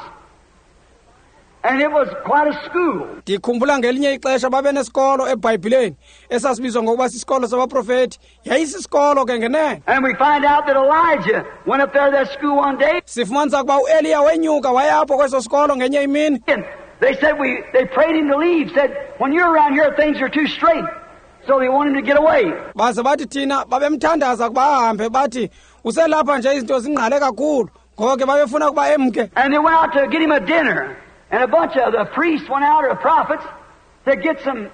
And it was quite a school. Ndikhumbula ngelinye ixesha babenesikolo eBhayibhileni esasibizwa ngokuba sisikolo sabaprofeti. Yayisisikolo ke ngenene. And we find out that Elijah went up there to that school one day. Sifumanisa ukuba uEliya wenyuka waya apho kweso sikolo ngenye imini. And they said they prayed him to leave, said, when you're around here things are too straight. So they wanted him to get away. Baze bathi thina babemthandaza kuba ahambe, bathi uselapha nje izinto zingqale kakhulu. Ngoko ke babefuna ukuba emke. And they went out to get him a dinner. And a bunch of the priests went out, or the prophets, to get some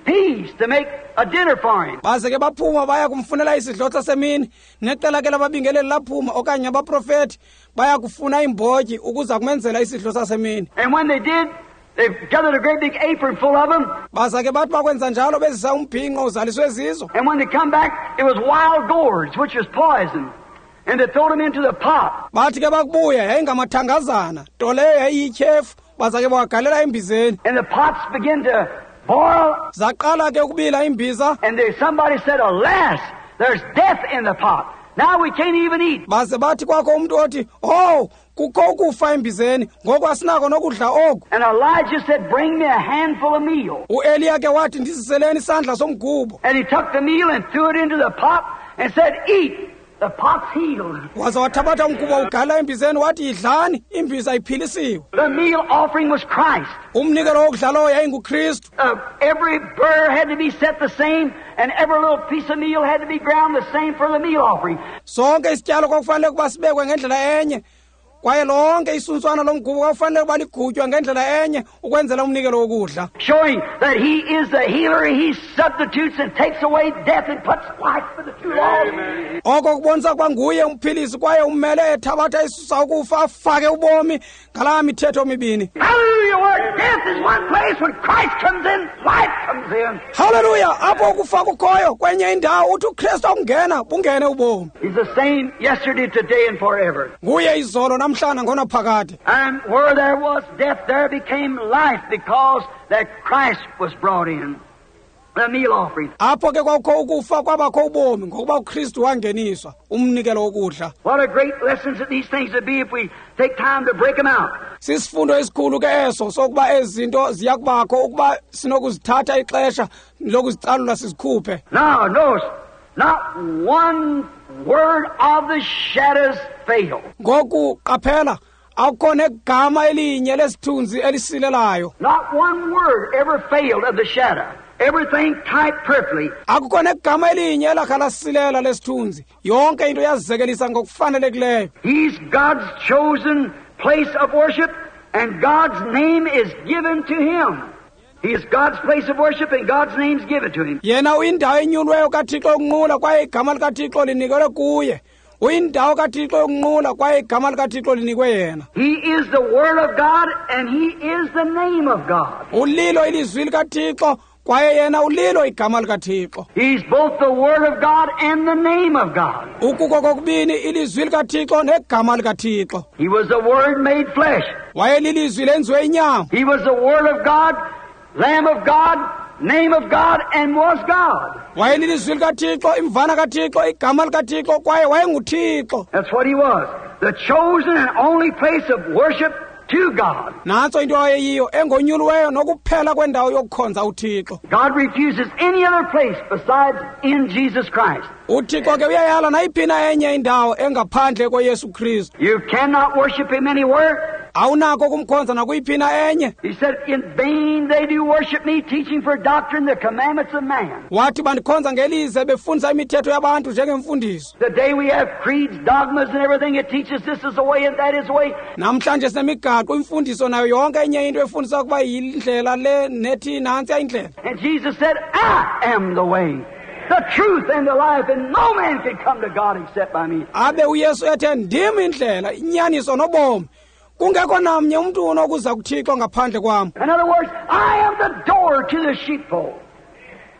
peas to make a dinner for him. Baze ke baphuma baya kumfunela isidlo sasemini. Neqela ke lababingeleli laphuma okanye abaprofeti baya kufuna iimbotyi ukuza kumenzela isidlo sasemini. And when they did, they gathered a great big apron full of them. Baza ke bathi bakwenza njalo bezisa umbhinqo uzaliswe zizo. And when they come back, it was wild gourds, which was poison. And they threw them into the pot. Bathi ke bakubuya yayingamathangazana, nto leyo yayiyityhefu. Baza ke bawagalela embizeni. And the pots began to boil. Zaqala ke ukubila imbiza. And there somebody said, alas, there's death in the pot. Now we can't even eat. Baze bathi kwakho umntu othi, oh, kukho ukufa embizeni, ngoku asinako nokudla oku. And Elijah said, bring me a handful of meal. UEliya ke wathi, ndiziseleni isandla somgubo. And he took the meal and threw it into the pot and said, eat. The pot's healed. Waza wathabatha umgubo ugalela embizeni wathi, yidlani, imbiza iphilisiwe. The meal offering was Christ. Umnikelo wokudla lowo yayinguKristu. Every burr had to be set the same, and every little piece of meal had to be ground the same for the meal offering. Sonke isityalo kwakufanele ukuba sibekwe ngendlela enye, kwaye lonke isuntswana lomgubo kwakufanele ukuba ligutywe ngendlela enye ukwenzela umnikelo wokudla. Showing that he is the healer, he substitutes and takes away death and puts life for the two laws. Oko kubonisa ukuba nguye umphilisi kwaye ummele ethabatha isusa ukufa afake ubomi ngalaa mithetho mibini. Hallelujah, where death is one place, when Christ comes in, life comes in. Hallelujah, apho ukufa kukhoyo kwenye indawo uthi uKristu akungena bungene ubomi. He's the same yesterday, today and forever. Nguye izolo namhlanje ngonaphakade. And where there was death, there became life, because that Christ was brought in. The meal offering. Apho ke kwakukho ukufa kwabakho ubomi ngokuba uKristu wangeniswa umnikelo wokudla. What a great lesson that these things would be if we take time to break them out. Sisifundo esikhulu ke eso sokuba ezi zinto ziyakubakho ukuba sinokuzithatha ixesha lokuzicalula sizikhuphe. Now, notice, not one word of the shadows failed. Ngoku qaphela, akukho negama elinye lesithunzi elisilelayo. Not one word ever failed of the shadow. Everything typed perfectly. Akukho negama elinye elakha lasilela lesithunzi. Yonke into yazizekelisa ngokufanelekileyo. He's God's chosen place of worship, and God's name is given to him. He is God's place of worship, and God's name's given to him. Yena uyindawo enyulweyo kaThixo yokunqula, kwaye igama likaThixo linikelwe kuye. Uyindawo kaThixo yokunqula, kwaye igama likaThixo linikwe yena. He is the Word of God, and he is the name of God. Ulilo ilizwi likaThixo, Kwaye yena ulilo igama likaThixo. He's both the Word of God and the name of God. Ukuko kokubini ilizwi likaThixo negama likaThixo. He was the Word made flesh. Wayelilizwi lenziwe inyama. He was the Word of God, Lamb of God, name of God, and was God. Wayelilizwi likaThixo, imvana kaThixo, igama likaThixo, kwaye wayenguThixo. That's what he was. The chosen and only place of worship to God. Nantso into ayeyiyo, engonyuliweyo nokuphela kwendawo yokukhonza uThixo. God refuses any other place besides in Jesus Christ. UThixo ke uyayala nayiphi na enye indawo engaphandle koYesu Kristu. You cannot worship him anywhere. Awunako ukumkhonza nakuyiphi na enye. He said, in vain they do worship me, teaching for doctrine the commandments of man. Wathi bandikhonza ngelize befundisa imithetho yabantu njengemfundiso. Today we have creeds, dogmas, and everything that teaches this is the way and that is the way. Namhlanje sinemigaqo, imfundiso nayo yonke enye into efundisa ukuba yindlela le nethi nantsi indlela. And Jesus said, I am the way, the truth, and the life, and no man can come to God except by me. Abe uYesu ethe ndim indlela, inyaniso nobomi. Kungekho namnye umntu onokuza kuThixo ngaphandle kwam. In other words, I am the door to the sheepfold.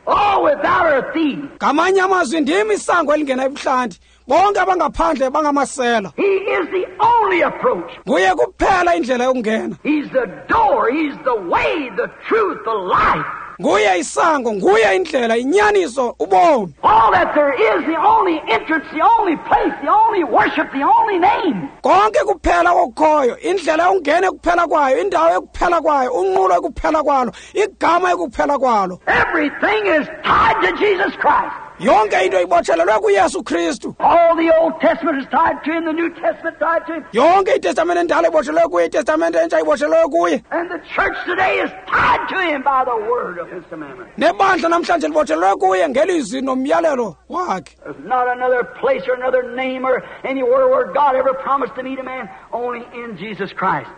All without a thief. Ngamanye amazwi ndim isango elingena ebuhlanti. Bonke abangaphandle bangamasela. He is the only approach. Nguye kuphela indlela yokungena. He's the door, he's the way, the truth, the life. Nguye isango, nguye indlela, inyaniso, ubomi. All that there is, the only entrance, the only place, the only worship, the only name. Konke kuphela okukhoyo, indlela yokungena ekuphela kwayo, indawo ekuphela kwayo, unqulo ekuphela kwalo, igama ekuphela kwalo. Everything is tied to Jesus Christ. Yonke into ibotshelelwe kuYesu Kristu. All the Old Testament is tied to him, the New Testament tied to him. Yonke iTestamente endala ibotshelelwe kuye, iTestamente entsha ibotshelelwe kuye. And the church today is tied to him by the word of his commandment. Nebandla namhlanje libotshelelwe kuye ngelizwi nomyalelo wakhe. There's not another place or another name or anywhere where God ever promised to meet a man, only in Jesus Christ,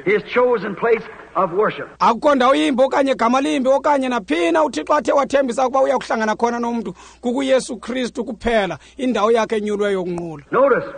his chosen place of worship. Akukho ndawo yimbi okanye gama limbi okanye naphina uThixo athe wathembisa ukuba uya kuhlangana khona nomntu, kukuYesu Kristu kuphela, indawo yakhe enyulweyo yokunqula. Notice,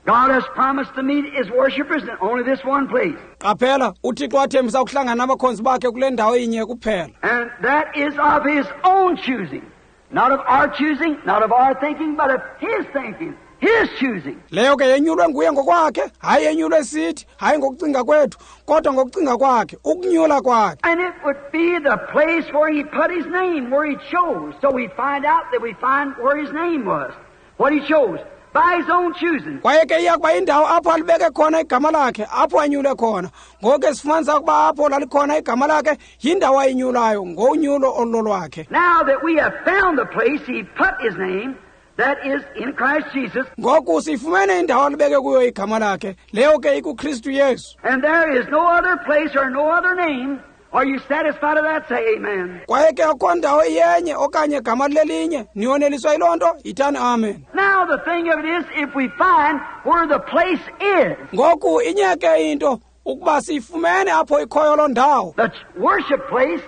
God has promised to meet his worshipers in only this one place. Qaphela, uThixo wathembisa ukuhlangana nabakhonzi bakhe kule ndawo inye kuphela. And that is of his own choosing. Not of our choosing, not of our thinking, but of his thinking. His choosing. Leyo ke yenyulwe nguye ngokwakhe, hayi yenyulwe sithi, hayi ngokucinga kwethu, kodwa ngokucinga kwakhe, ukunyula kwakhe. And it would be the place where he put his name, where he chose. So we find out that we find where his name was, what he chose, by his own choosing. Kwaye ke iya kuba indawo apho alibeke khona igama lakhe, apho anyule khona. Ngoku ke sifumanisa ukuba apho lalikhona igama lakhe, yindawo ayinyulayo, ngonyulo olulolwakhe. Now that we have found the place he put his name, that is in Christ Jesus. Ngoku sifumene indawo alibeke kuyo igama lakhe, leyo ke ikuKristu Yesu. And there is no other place or no other name. Are you satisfied of that? Say amen. Kwaye ke akukho ndawo iyenye okanye gama lelinye, niyoneliswa yiloo nto, yithani amen. Now the thing of it is, if we find where the place is, Ngoku inye ke into ukuba siyifumene apho ikhoyo loo ndawo. The worship place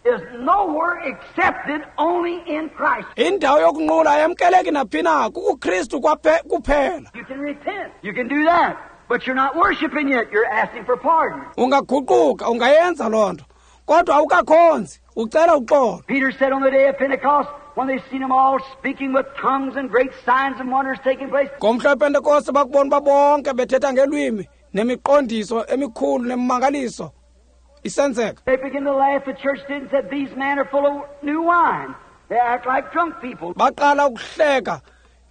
is nowhere accepted, only in Christ. Indawo yokunqula ayamkeleki naphi na, kukuKristu kuphela. You can repent. You can do that. But you're not worshiping yet. You're asking for pardon. Ungaguquka, ungayenza loo nto. Kodwa awukakhonzi, ucela uxolo. Peter said on the day of Pentecost, when they seen them all speaking with tongues and great signs and wonders taking place. Ngomhla wePentekoste bakubona uba bonke bethetha ngelwimi nemiqondiso emikhulu nemimangaliso isenzeka. They began to laugh, the church did, and said, these men are full of new wine. They act like drunk people. Baqala ukuhleka.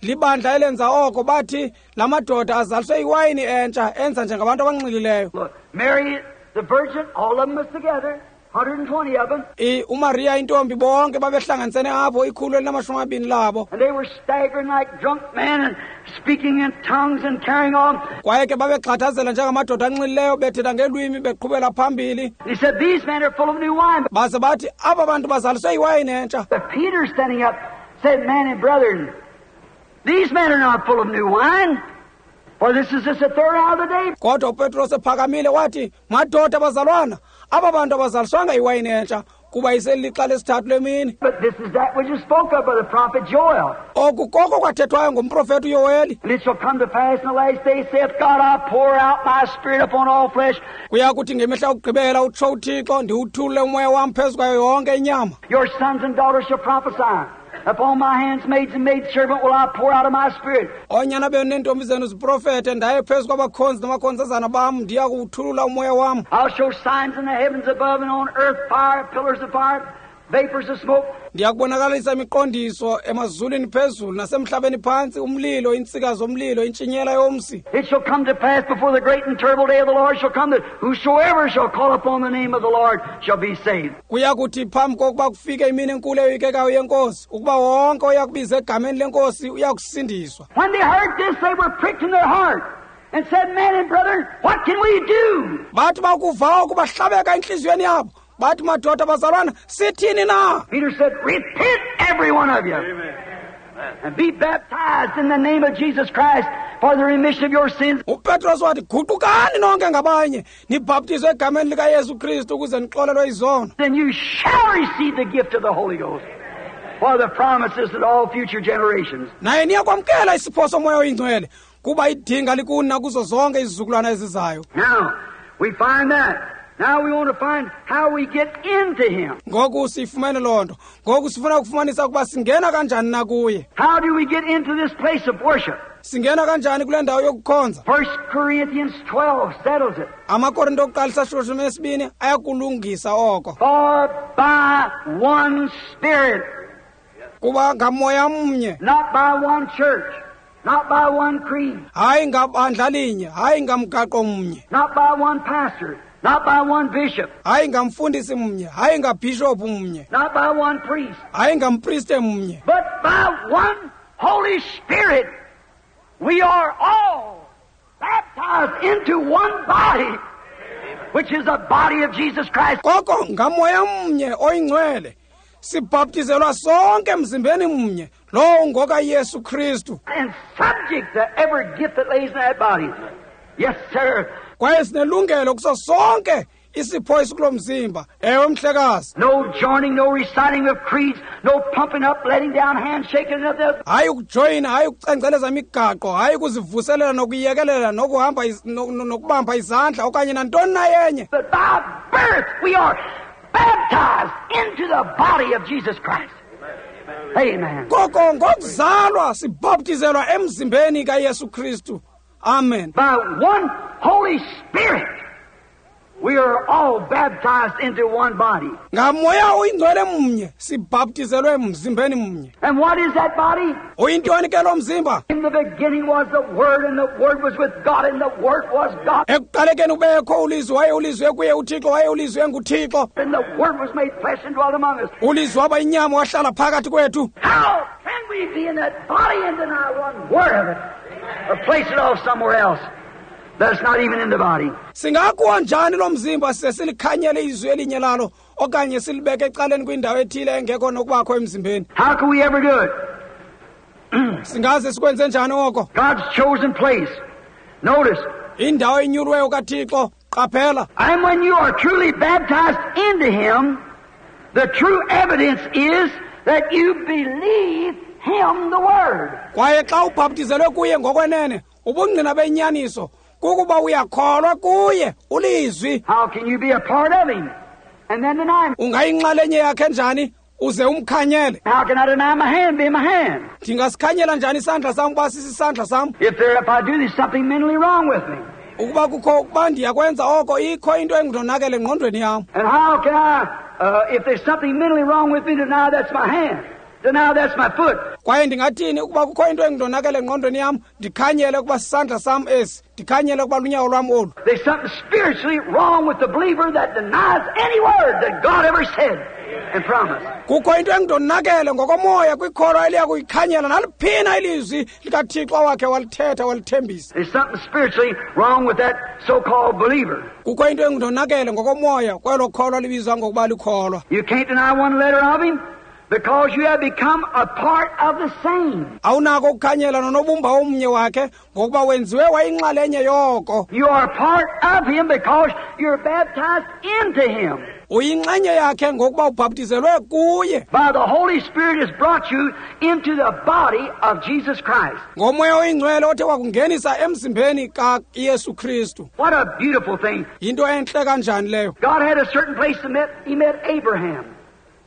Libandla elenza oko, bathi la madoda azaliswe iwayini entsha, enza njengabantu abanxilileyo. Look, Mary the Virgin, all of them was together, 120 of them. uMaria intombi, bonke babehlanganisene apho, ikhulu elinamashumi amabini labo. And they were staggering like drunk men and speaking in tongues and carrying on. Kwaye ke babegxathazela njengamadoda anxilileyo, bethetha ngelwimi, beqhubela phambili. He said, these men are full of new wine. Baze bathi, aba bantu bazaliswe iwayini entsha. But Peter standing up said, men and brethren, these men are not full of new wine, for this is just the third hour of the day. Kodwa uPetros ephakamile wathi, madoda bazalwana, aba bantu abazaliswanga iwayini entsha, Kuba iselixa lesithathu lemini. But this is that which is spoke of by the prophet Joel. Oku koko kwathethwayo ngumprofeti uYoweli. And it shall come to pass in the last days, saith God, I'll pour out my spirit upon all flesh. Kuya kuthi ngemihla yokugqibela utsho uThixo, ndiwuthulule umoya wam phezu kwayo yonke inyama. Your sons and daughters shall prophesy. Upon my handmaids and maidservant will I pour out of my spirit. Oonyana benu neentombi zenu ziprofete, ndaye phezu kwabakhonzi namakhonzazana bam, ndiya kuwuthulula umoya wam. I'll show signs in the heavens above and on earth, fire, pillars of fire, vapors of smoke. Ndiya kubonakalisa imiqondiso emazulwini phezulu nasemhlabeni phantsi, umlilo, iintsika zomlilo, intshinyela yomsi. It shall come to pass before the great and terrible day of the Lord shall come that whosoever shall call upon the name of the Lord shall be saved. Kuya kuthi phambi kokuba kufike imini enkulu eyoyikekayo yenkosi, ukuba wonke oya kubiza egameni lenkosi uya kusindiswa. When they heard this, they were pricked in their heart and said, Men and brethren, what can we do? Bathi bakuva oku bahlabeka entliziyweni yabo. Bathi, madoda bazalwana, sithini na? Peter said, Repent, every one of you. Amen. And be baptized in the name of Jesus Christ for the remission of your sins. UPetros wathi, guqukani nonke ngabanye, nibhaptizwe egameni likaYesu Kristu ukuze nixolelwe izono. Then you shall receive the gift of the Holy Ghost, for the promises to all future generations. Naye niyakwamkela isipho somoya oyingcwele, kuba idinga likuni nakuzo zonke izizukulwana ezizayo. Now, we find that. Now we want to find how we get into Him. Ngoku siyifumene loo nto. Ngoku sifuna ukufumanisa ukuba singena kanjani na kuye. How do we get into this place of worship? Singena kanjani kule ndawo yokukhonza? 1 Corinthians 12 settles it. AmaKorinto okuqala isahluko 12 ayakulungisa oko. For by one Spirit, Kuba ngamoya mnye, not by one church, not by one creed, hayi ngabandla linye, hayi ngamgaqo mnye, not by one pastor, not by one bishop, hayi ngamfundisi mnye, hayi ngabhishophu mnye, not by one priest, hayi ngampriste mnye, but by one Holy Spirit, we are all baptized into one body, which is the body of Jesus Christ. Koko ngamoya mnye oyingcwele sibhaptizelwa sonke emzimbeni mnye, lowo ngokaYesu Kristu. And subject to every gift that lays in that body. Yes, sir. Kwaye sinelungelo kuso sonke isipho esikulo mzimba. Ewe, mhlekazi. No joining, no reciting of creeds, no pumping up, letting down, handshaking, nothing. Hayi ukujoyina, hayi ukucengceleza imigaqo, hayi ukuzivuselela nokuyekelela nokuhamba nokubamba izandla okanye nantoni na yenye. But by birth we are baptized into the body of Jesus Christ. Amen. Koko ngokuzalwa sibhaptizelwa emzimbeni kaYesu Kristu. Amen. By one Holy Spirit we are all baptized into one body. Ngamoya oyingcwele mnye sibhaptizelwe emzimbeni mnye. And what is that body? Uyintoni ke lo mzimba? In the beginning was the Word, and the Word was with God, and the Word was God. Ekuqalekeni ubekho uLizwi, waye uLizwi ekuye uThixo, waye uLizwi enguThixo. And the Word was made flesh and dwelt among us. ULizwi waba inyama wahlala phakathi kwethu. How can we be in that body and deny one word of it, or place it off somewhere else that's not even in the body? Singakuwa njani lo mzimba size silikhanyele izwi elinye lalo, okanye silibeke ecaleni kwindawo ethile engekho nokubakho emzimbeni? How can we ever do it? Singaze sikwenze njani oko? God's chosen place. Notice. Indawo enyulweyo kaThixo, qaphela. And when you are truly baptized into Him, the true evidence is that you believe Him, the Word. Kwaye xa ubhaptizelwe kuye ngokwenene, ubungqina benyaniso kukuba uyakholwa kuye uLizwi. How can you be a part of Him and then deny Him? Ungayinxalenye yakhe njani uze umkhanyele? How can I deny my hand being my hand? Ndingasikhanyela njani isandla sam ukuba sisisandla sam? If I do, there's something mentally wrong with me. Ukuba kukho ukuba ndiyakwenza oko, ikho into engundonakele engqondweni yam. And how can I, if there's something mentally wrong with me, deny that's my hand? Deny that's my foot. Kwaye ndingathini ukuba kukho into engundonakele engqondweni yam, ndikhanyele ukuba sisandla sam esi, ndikhanyele ukuba lunyawo lwam olu. There's something spiritually wrong with the believer that denies any word that God ever said and promised. Kukho into engundonakele ngokomoya kwikholwa eliya kuyikhanyela naliphina ilizwi likaThixo wakhe walithetha walithembisa. There's something spiritually wrong with that so-called believer. Kukho into engundonakele ngokomoya kwelo kholwa libizwa ngokuba likholwa. You can't deny one letter of Him. because you have become a part of the same. Awunako ukukhanyela nonobumba omnye wakhe ngokuba wenziwe wayinxalenye yoko. You are part of Him because you're baptized into Him. Uyinxenye yakhe ngokuba ubhaptizelwe kuye. By the Holy Spirit has brought you into the body of Jesus Christ. Ngomoya oyingcwele othe wakungenisa emzimbeni kaYesu Kristu. What a beautiful thing. Yinto entle kanjani leyo. God had a certain place to meet. He met Abraham.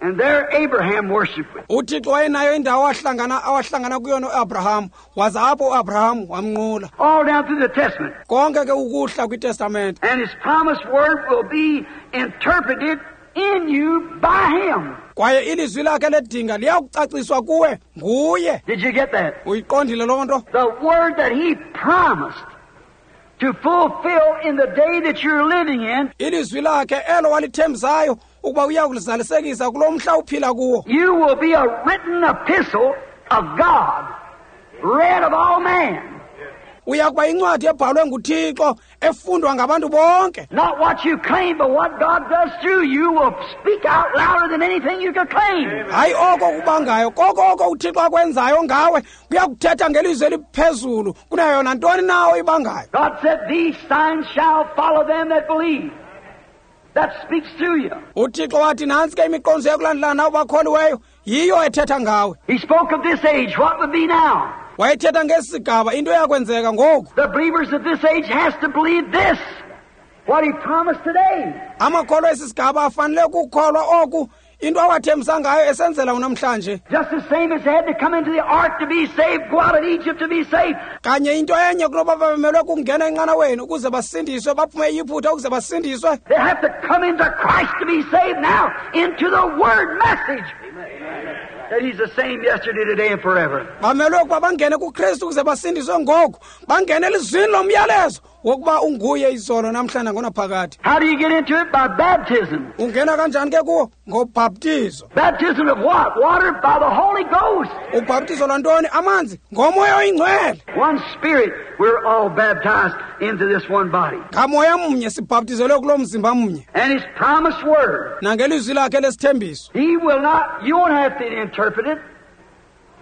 And there Abraham worshiped. UThixo wayenayo indawo awahlangana kuyo noAbraham, waza apho uAbraham wamnqula. All down through the Testament. Konke ke ukuhla kwiTestamente. And His promised word will be interpreted in you by Him. Kwaye ilizwi lakhe ledinga liyakucaciswa kuwe nguye. Did you get that? Uyiqondile loo nto? The word that He promised to fulfill in the day that you're living in. Ilizwi lakhe elo walithembisayo ukuba uya kulizalisekisa kulo mhla uphila kuwo. You will be a written epistle of God, read of all men. Uya kuba incwadi ebhalwe nguThixo efundwa ngabantu bonke. Not what you claim, but what God does through you will speak out louder than anything you could claim. Hayi oko kubangayo, koko oko uThixo akwenzayo ngawe kuya kuthetha ngelizwi eliphezulu kunayo nantoni na oyibangayo. God said, "These signs shall follow them that believe." That speaks to you. UThixo wathi nantsi ke imiqondiso yokulandelana nabo bakholiweyo, yiyo ethetha ngawe. He spoke of this age, what would be now? Wayethetha ngesi sigaba, into eyakwenzeka ngoku. The believers of this age has to believe this, what He promised today. Amakholwa esi sigaba afanele ukukholwa oku, into awathembisa ngayo esenzela unamhlanje. Just the same as they had to come into the ark to be saved, go out of Egypt to be saved. Kanye into enye kunoba babemelwe kungena enqanaweni ukuze basindiswe, baphume eYiputa ukuze basindiswe. They have to come into Christ to be saved now, into the Word message. That He's the same yesterday, today, and forever. Bamelwe ukuba bangene kuKristu ukuze basindiswe ngoku, bangene elizwini lomyalezo wokuba unguye izolo namhlanje nangonaphakade. How do you get into it? By baptism. Ungena kanjani ke kuwo? Ngobhaptizo. Baptism of what? Water by the Holy Ghost. Ubhaptizo lwantoni? Amanzi ngomoya oyingcwele. One Spirit, we're all baptized into this one body. Ngamoya mnye sibhaptizelwe kulo mzimba mnye. And His promised word. Nangelizwi lakhe lesithembiso. He will not, you won't have to interpret it.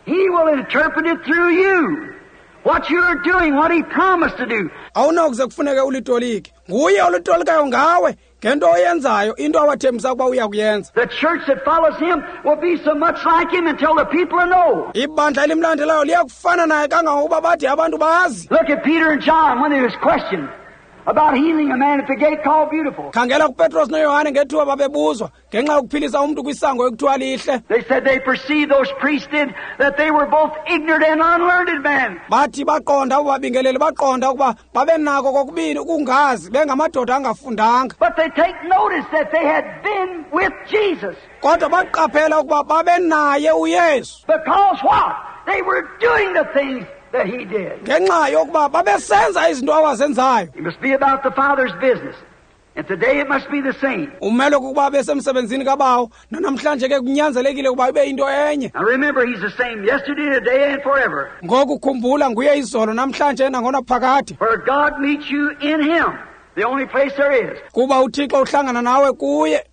He will interpret it through you. What you're doing, what He promised to do. Awunakuze kufuneke ulitolike. Nguye olutolikayo ngawe ngento oyenzayo, into awathembisa ukuba uya kuyenza. The church that follows Him will be so much like Him until the people know. Ibandla elimlandelayo liyakufana naye kangangokuba bathi abantu bazi. Look at Peter and John when they was questioned about healing a man at the gate called Beautiful. Khangela kuPetros noYohane ngethuba babebuzwa ngenxa yokuphilisa umntu kwisango ekuthiwa lihle. They said they perceived, those priests did, that they were both ignorant and unlearned men. Bathi baqonda abo babingeleli baqonda ukuba babenako kokubini ukungazi bengamadoda angafundanga. But they take notice that they had been with Jesus. Kodwa baqaphela ukuba babenaye uYesu. Because what? They were doing the things that He did. Ngenxa yokuba babesenza izinto awazenzayo. It must be about the Father's business. And today it must be the same. Umele ukuba besemsebenzini kabawo, nanamhlanje ke kunyanzelekile ukuba ibe into enye. Now remember, He's the same yesterday, today, and forever. Ngoku khumbula nguye izolo namhlanje nangonaphakade. For God meets you in Him, the only place there is. Kuba uThixo uhlangana nawe kuye,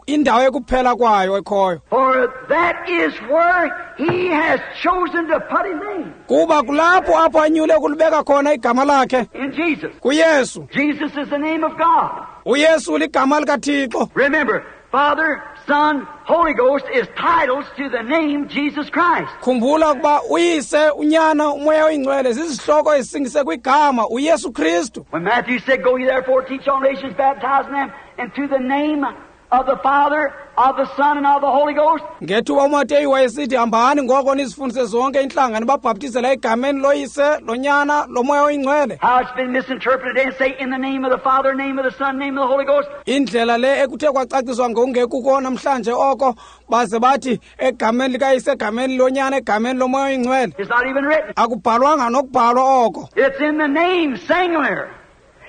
indawo ekuphela kwayo ekhoyo. For that is where He has chosen to put His name. Kuba kulapho apho anyule ukulibeka khona igama lakhe. In Jesus. KuYesu. Jesus is the name of God. UYesu ligama likaThixo. Remember, Father, Son, Holy Ghost is titles to the name Jesus Christ. Khumbula ukuba uYise, uNyana, uMoya oyiNgcwele zizihloko ezisingise kwigama uYesu Kristu. When Matthew said, "Go ye therefore, teach all nations, baptizing them into the name of the Father, of the Son, and of the Holy Ghost." Ngethuba uMateyu wayesithi, hambani ngoko nizifundise zonke iintlanga nibabhaptizela egameni loYise, loNyana, loMoya oyiNgcwele. How it's been misinterpreted and say in the name of the Father, name of the Son, name of the Holy Ghost. Indlela le ekuthe kwacaciswa ngokungekuko namhlanje oko baze bathi egameni likaYise, egameni loNyana, egameni loMoya oyiNgcwele. It's not even written. Akubhalwanga nokubhalwa oko. It's in the name singular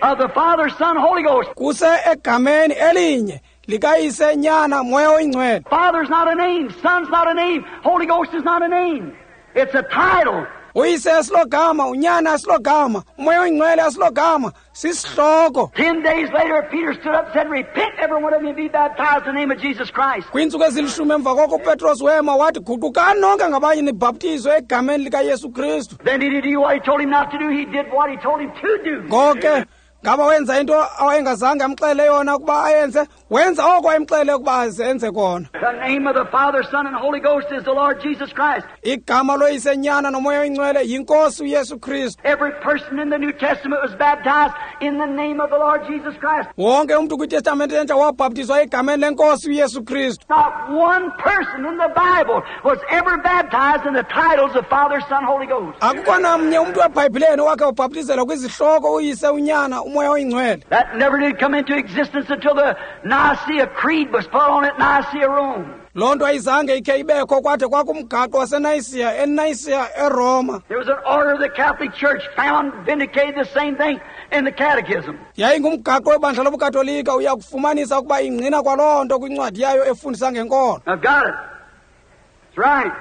of the Father, Son, Holy Ghost. Kuse egameni elinye likayise, Nyana, Moya oyiNgcwele. Father's not a name, Son's not a name, Holy Ghost is not a name. It's a title Uyise asilogama, unyana asilogama, umoya oyingcwele asilogama, sisihloko. 10 days later, Peter stood up and said, "Repent, every one of you, and be baptized in the name of Jesus Christ." Kwiintsuku ezilishumi emva koko uPetros wema wathi, guqukani nonke ngabanye nibhaptizwe egameni likaYesu Kristu. Then did he do what he told him not to do? He did what he told him to do. Ngoke ngaba wenza into awayengazange amxele yona ukuba ayenze? Wenza oko wayemxele ukuba azenze kona. The name of the Father, Son, and Holy Ghost is the Lord Jesus Christ. Igama loyise, nyana nomoya oyingcwele yinkosi uYesu Kristu. Every person in the New Testament was baptized in the name of the Lord Jesus Christ. Wonke umntu kwiTestamente entsha wabhaptizwa egameni lenkosi uYesu Kristu. Not one person in the Bible was ever baptized in the titles of Father, Son, Holy Ghost. Akukho namnye umntu eBhayibhileni owakhe wabhaptizelwa kwizihloko uyise, unyana, umoya oyingcwele. That never did come into existence until the Nicaea Creed was put on at Nicaea, Rome. Loo nto ayizange ikhe ibekho kwade kwakumgaqo waseNayisiya, eNayisiya, eRoma. There was an order of the Catholic Church found vindicated the same thing in the Catechism. Yayingumgaqo webandla lobuKatolika, uya kufumanisa ukuba ingqina kwaloo nto kwincwadi yayo efundisa ngenkolo. I've got it. That's right.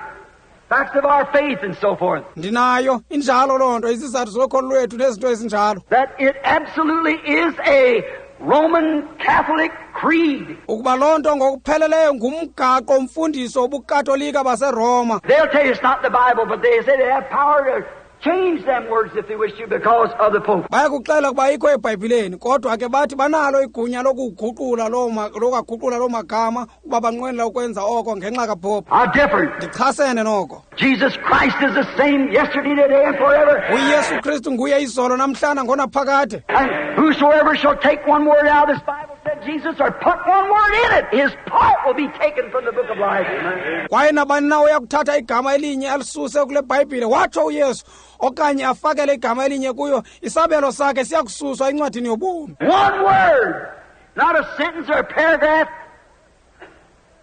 Facts of our faith and so forth. Ndinayo, injalo loo nto, izizathu zokholo lwethu nezinto ezinjalo. That it absolutely is a Roman Catholic creed. Ukuba loo nto ngokupheleleyo ngumgaqo mfundiso wobuKatolika baseRoma. They'll tell you it's not the Bible, but they say they have power to change them words if they wish to because of the Pope. Bayakuxela ukuba ayikho eBhayibhileni, kodwa ke bathi banalo igunya lokuguqula loo lokaguqula loo magama ukuba banqwenela ukwenza oko ngenxa kaPope. I differ. Ndichasene noko. Jesus Christ is the same yesterday, today, and forever. UYesu Kristu nguye izolo, namhlanje, ngonaphakade. And whosoever shall take one word out of this Bible, said Jesus, or put one word in it, his part will be taken from the book of life. Kwaye nabani na uyakuthatha igama elinye alisuse kule Bhayibhile, watsho uYesu, okanye afakele igama elinye kuyo, isabelo sakhe siyakususwa encwadini yobomi. One word, not a sentence or a paragraph,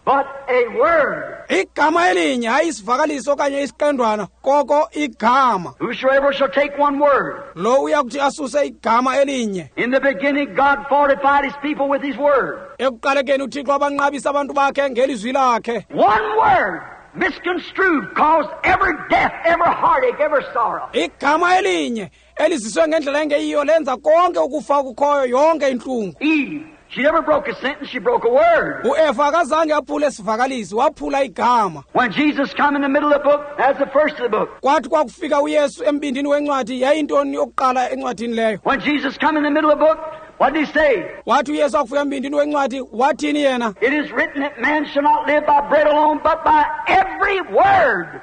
but a word. Igama elinye, hayi isivakaliso okanye isiqendwana, koko igama. Whosoever shall take one word. Lo uyakuthi asuse igama elinye. In the beginning, God fortified his people with his word. Ekuqalekeni uThixo abanqabisa abantu bakhe ngelizwi lakhe. One word misconstrued caused every death, every heartache, every sorrow. Igama elinye eliziswe ngendlela engeyiyo lenza konke ukufa okukhoyo, yonke intlungu. Eve, she never broke a sentence, she broke a word. UEva akazange aphule isivakalisi, waphula igama. When Jesus come in the middle of the book, that's the first of the book. Kwathi kwakufika uYesu embindini wencwadi, yayintoni yokuqala encwadini leyo? When Jesus come in the middle of the book, what did he say? Wathi uYesu akufika embindini wencwadi, wathini yena? It is written that man shall not live by bread alone, but by every word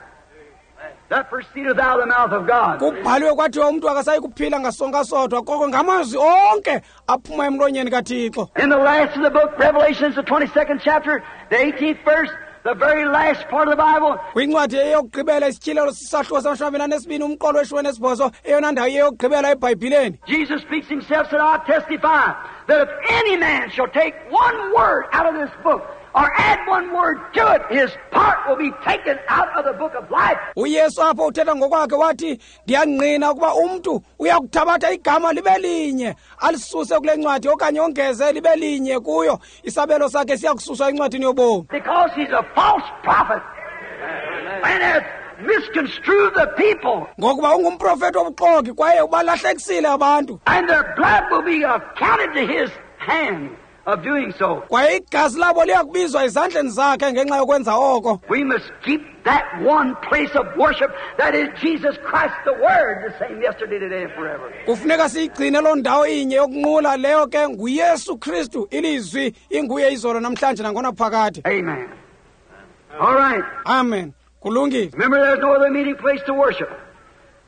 that proceedeth out of the mouth of God. Kubhaliwe kwathiwa umntu akasayi kuphila ngasonka sodwa, koko ngamazwi onke aphuma emlonyeni kaThixo. In the last of the book, Revelations, the 22nd chapter, the 18th verse, the very last part of the Bible, Kwincwadi eyokugqibela, isityhilelo, sisahluko sama-22, umqolo we-18, eyona ndawo eyokugqibela eBhayibhileni, Jesus speaks himself, said, "I testify that if any man shall take one word out of this book, or add one word to it, his part will be taken out of the book of life." UYesu apho uthetha ngokwakhe wathi, ndiyangqina ukuba umntu uyakuthabatha igama libe linye alisuse kule ncwadi okanye ongeze libe linye kuyo, isabelo sakhe siyakususwa encwadini yobomi. Because he's a false prophet and has misconstrued the people. Ngokuba ungumprofethi wobuxoki kwaye ubalahlekisile abantu. And their blood will be accounted to his hand of doing so. Kwaye igazi labo liyakubizwa ezandleni zakhe ngenxa yokwenza oko. We must keep that one place of worship that is Jesus Christ, the Word, the same yesterday, today, and forever. Kufuneka siyigcine loo ndawo inye yokunqula, leyo ke nguYesu Kristu, ilizwi, inguye izolo, namhlanje, nangonaphakade. Amen. All right. Amen, kulungile. Remember, there's no other meeting place to worship.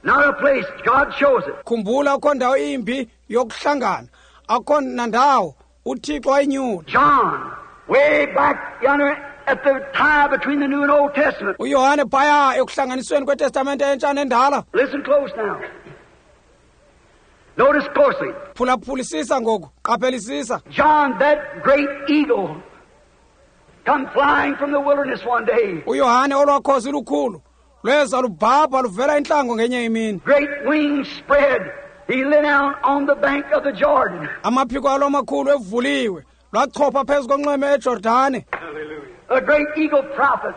Not a place. God chose it. Khumbula, akho ndawo imbi yokuhlangana, akho nandawo, uThixo wayinyula. John, way back yonder at the tie between the New and Old Testament. UYohane phaya ekuhlanganisweni kwetestamente entsha nendala. Listen close now. Notice closely. Phulaphulisisa ngoku, qaphelisisa. John, that great eagle, come flying from the wilderness one day. UYohane, olwakhozi lukhulu, lweza lubhabha luvela entlango ngenye imini. Great wings spread. He lay down on the bank of the Jordan. Amaphiko alo amakhulu evuliwe, lwachopha phezu konxweme eJordane. A great eagle prophet.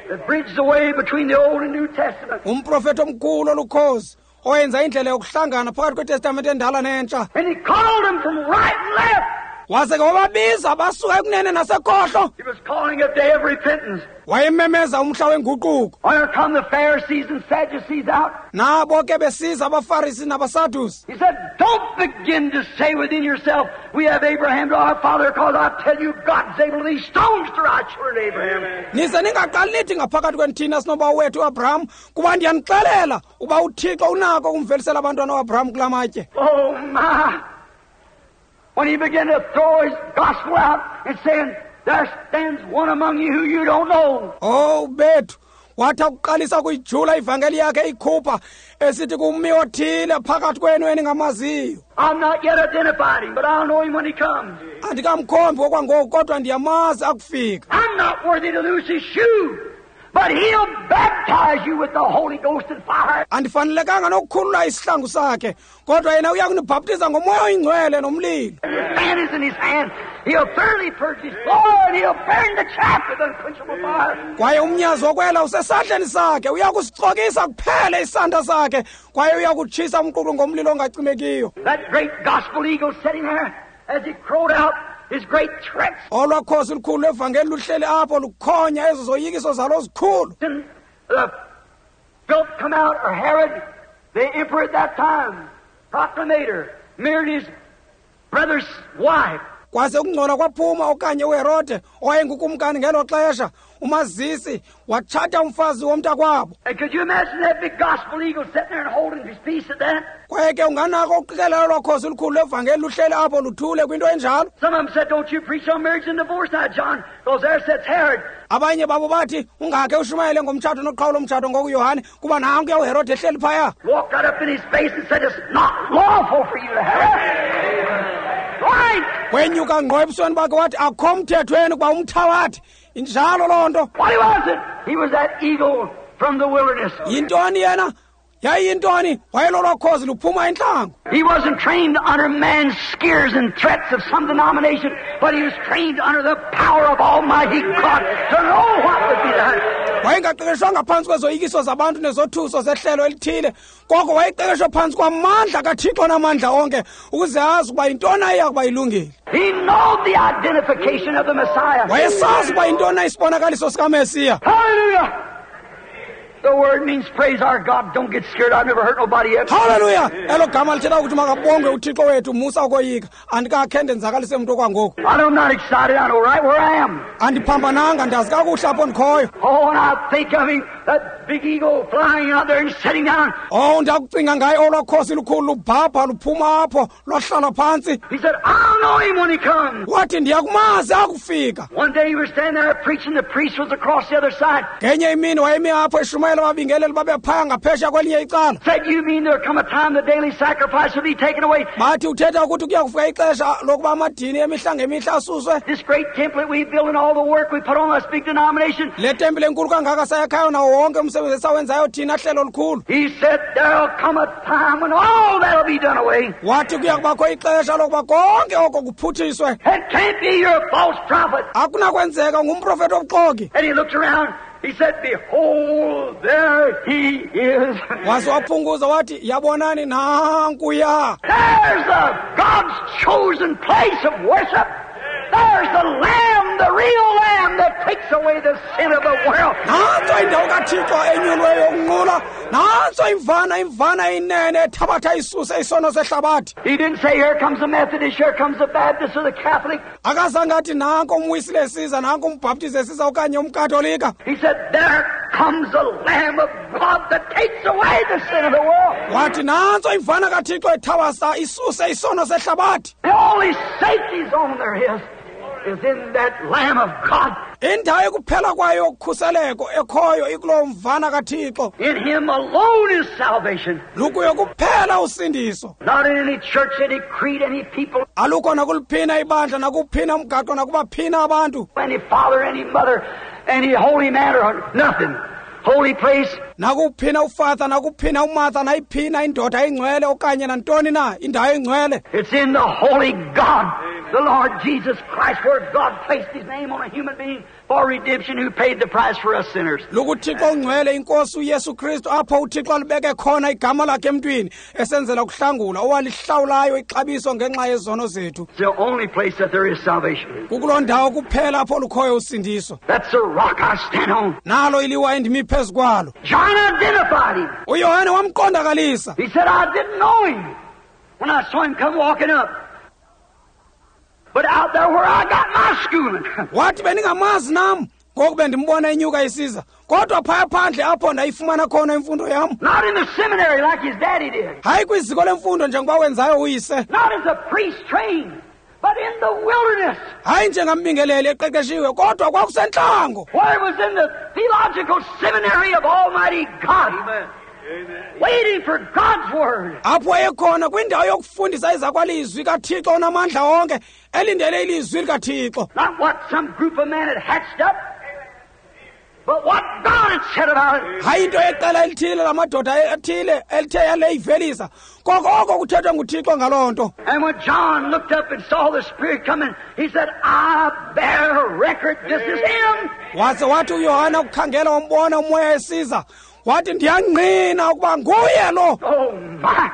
That bridged the way between the Old and New Testament. Umprofethi omkhulu olukhozi oyenza indlela yokuhlangana phakathi kwetestamente endala nentsha. And he called them from right and left. Waze ke wababiza basuka ekunene nasekhohlo. He was calling a day of repentance. Wayememeza umhla wenguquko. Here come the Pharisees and Sadducees out. Nabo ke besiza abaFarisi nabaSadusi. He said, don't begin to say within yourself, we have Abraham to our father, because I tell you, God's able these stones to rise children to Abraham. Nize ningaqali nithi ngaphakathi kwenithina sinoba wethu uAbraham, kuba ndiyanixelela uba uThixo unako ukumvelisela abantwana uAbraham kula matye. Oh my! When he began to throw his gospel out and saying, there stands one among you who you don't know. Oh, bethu, wathi akuqalisa ukuyijula ivangeli yakhe ikhupha esithi kumi othile phakathi kwenu eningamaziyo. I'm not yet identified him, but I'll know him when he comes. Andikamkhombi okwangoku, kodwa ndiyamazi akufika. I'm not worthy to loose his shoe, but he'll baptize you with the Holy Ghost and fire. Andifanelekanga nokukhulula isihlangu sakhe, kodwa yena uya kunibhaptiza ngomoya oyingcwele nomlilo. The fan is in his hand. He'll thoroughly purge his floor and he'll burn the chaff with unquenchable fire. Kwaye umnyazi wokwela usesandleni sakhe, uya kusicokisa kuphele isandla sakhe, kwaye uya kutshisa umqulu ngomlilo ongacimekiyo. That great gospel eagle sitting there as he crowed out his great threats. Olwa khosi lukhulu lwevangeli luhleli apho lukhonya ezo zoyikiso zalo zikhulu. And the filth come out, or Herod, the emperor at that time, proclamator, married his brother's wife. Kwase ukungcola kwaphuma okanye uHerode owayengukumkani ngelo xesha, umazisi watshata umfazi womntakwabo. And could you imagine that big gospel eagle sitting there and holding his peace at that? Kwaye ke unganako ukuqikelela lwakhosi olukhulu lwevangeli luhleli apho luthule kwinto enjalo. Some of them said, don't you preach on marriage and divorce now, John, because there sits Herod. Abanye babo bathi ungakhe ushumayele ngomtshato noqhawulo umtshato ngoku Yohane, kuba nankuya uHerode ehleli phaya. Walked right up in his face and said, it's not lawful for you to have it. Right. Wenyuka ngqo ebusweni bakhe wathi akho mthethweni kuba umthawathi. Injalo loo nto. What was it? He was that eagle from the wilderness. Yintoni yena? Yayiyintoni? Wayelolwa khozi luphuma entlango. He wasn't trained under man's scares and threats of some denomination, but he was trained under the power of Almighty God to know what would be done. Wayengaqeqeshwanga phantsi kwezoyikiso zabantu nezothuso zehlelo elithile, koko wayeqeqeshwe phantsi kwamandla kaThixo namandla onke ukuze azi ukuba yintoni ayiya kuba ilungile. He knew the identification of the Messiah. Wayesazi ukuba yintoni isibonakaliso sikaMesiya. Hallelujah! The word means praise our God. Don't get scared. I've never hurt nobody yet. Hallelujah. Elo gama lithetha ukuthi makabongwe uThixo wethu, musa ukoyika. Andikakhe ndenzakalise mntu okwangoku. I'm not excited. I know right where I am. Andiphambananga, ndazi kakuhle apho ndikhoyo. Oh, and I think of him, that big eagle flying out there and sitting down. Oh, ndakucinga ngaye olwa khosi lukhulu lubhabha luphuma apho lwahlala phantsi. He said, I'll know him when he comes. Wathi ndiyakumazi akufika. One day he was standing there preaching. The priest was across the other side. Ngenye imini wayemi apho eshumayela ababingeleli babephaya ngaphesheya kwelinye icala. Said, you mean there'll come a time the daily sacrifice will be taken away? Bathi uthetha ukuthi kuya kufika ixesha lokuba amadini emihla ngemihla asuswe. This great temple that we built and all the work we put on this big denomination. Le tempile enkulu kangaka sayakhayo nawo wonke umsebenzi esawenzayo thina hlelo olukhulu. He said there'll come a time when all that'll be done away. Wathi kuya kubakho ixesha lokuba konke oko kuphuthiswe. It can't be your false prophet. Akunakwenzeka ngumprofeti obuxoki. And he looked around. He said, behold, there he is. Waze waphunguza wathi, yabonani nankuya. There's the God's chosen place of worship. There's the Lamb, the real Lamb that takes away the sin of the world. Nantso indawo kaThixo enyulweyo yokunqula. Nantso imvana, imvana inene ethabatha isuse isono sehlabathi. He didn't say, here comes the Methodist, here comes the Baptist or the Catholic. Akazange athi nanko umwisile esiza, nanko umbhaptizi esiza okanye umkatolika. He said, there comes the Lamb of God that takes away the sin of the world. Wathi nantso imvana kaThixo ethabasa isuse isono sehlabathi. The only safety zone there is in that Lamb of God. Indawo ekuphela kwayo yokukhuseleko ekhoyo ikulowo mvana kaThixo. In him alone is salvation. Lukuyo kuphela usindiso. Not in any church, any creed, any people. Alukho nakuliphina ibandla, nakuphina umgaqo, nakubaphina abantu. Any father, any mother, any holy man or nothing. Holy place. Nakuphina ufatha, nakuphina umatha, nayiphina indoda engcwele okanye nantoni na indawo engcwele. It's in the holy God. The Lord Jesus Christ, where God placed His name on a human being for redemption, who paid the price for us sinners. LukuThixo ongcwele inkosi uYesu Kristu apho uThixo alibeke khona igama lakhe emntwini esenzela ukuhlangula owalihlawulayo ixabiso ngenxa yezono zethu. It's the only place that there is salvation. Kukuloo ndawo kuphela apho lukhoyo usindiso. That's the rock I stand on. Nalo iliwa endimi phezu kwalo. John identified him. UYohane wamqondakalisa. He said, I didn't know him when I saw him come walking up. But out there where I got my schooling. Wathi bendingamazi nam ngoku bendimbona enyuka isiza. Kodwa phaya phandle apho ndayifumana khona imfundo yam. Not in the seminary like his daddy did. Hayi kwiziko lemfundo njengoba wenzayo uyise. Not as a priest trained, but in the wilderness. Hayi njengambingeleli eqeqeshiwe kodwa kwakusentlango. Where it was in the theological seminary of Almighty God. Amen. Amen. Waiting for God's word. Apho wayekhona kwindawo yokufundisa izakwalizwi kaThixo onamandla onke elindele ilizwi likaThixo. Not what some group of men had hatched up, but what God had said about it. Hayi into yeqela elithile lamadoda athile elithe yaleyivelisa koko oko kuthethwe nguThixo ngaloo nto. And when John looked up and saw the Spirit coming, he said, I bear record, this is him. Waze wathi uYohane ukukhangela wambona umoya esiza. Wathi ndiyangqina ukuba nguye lo. Oh my!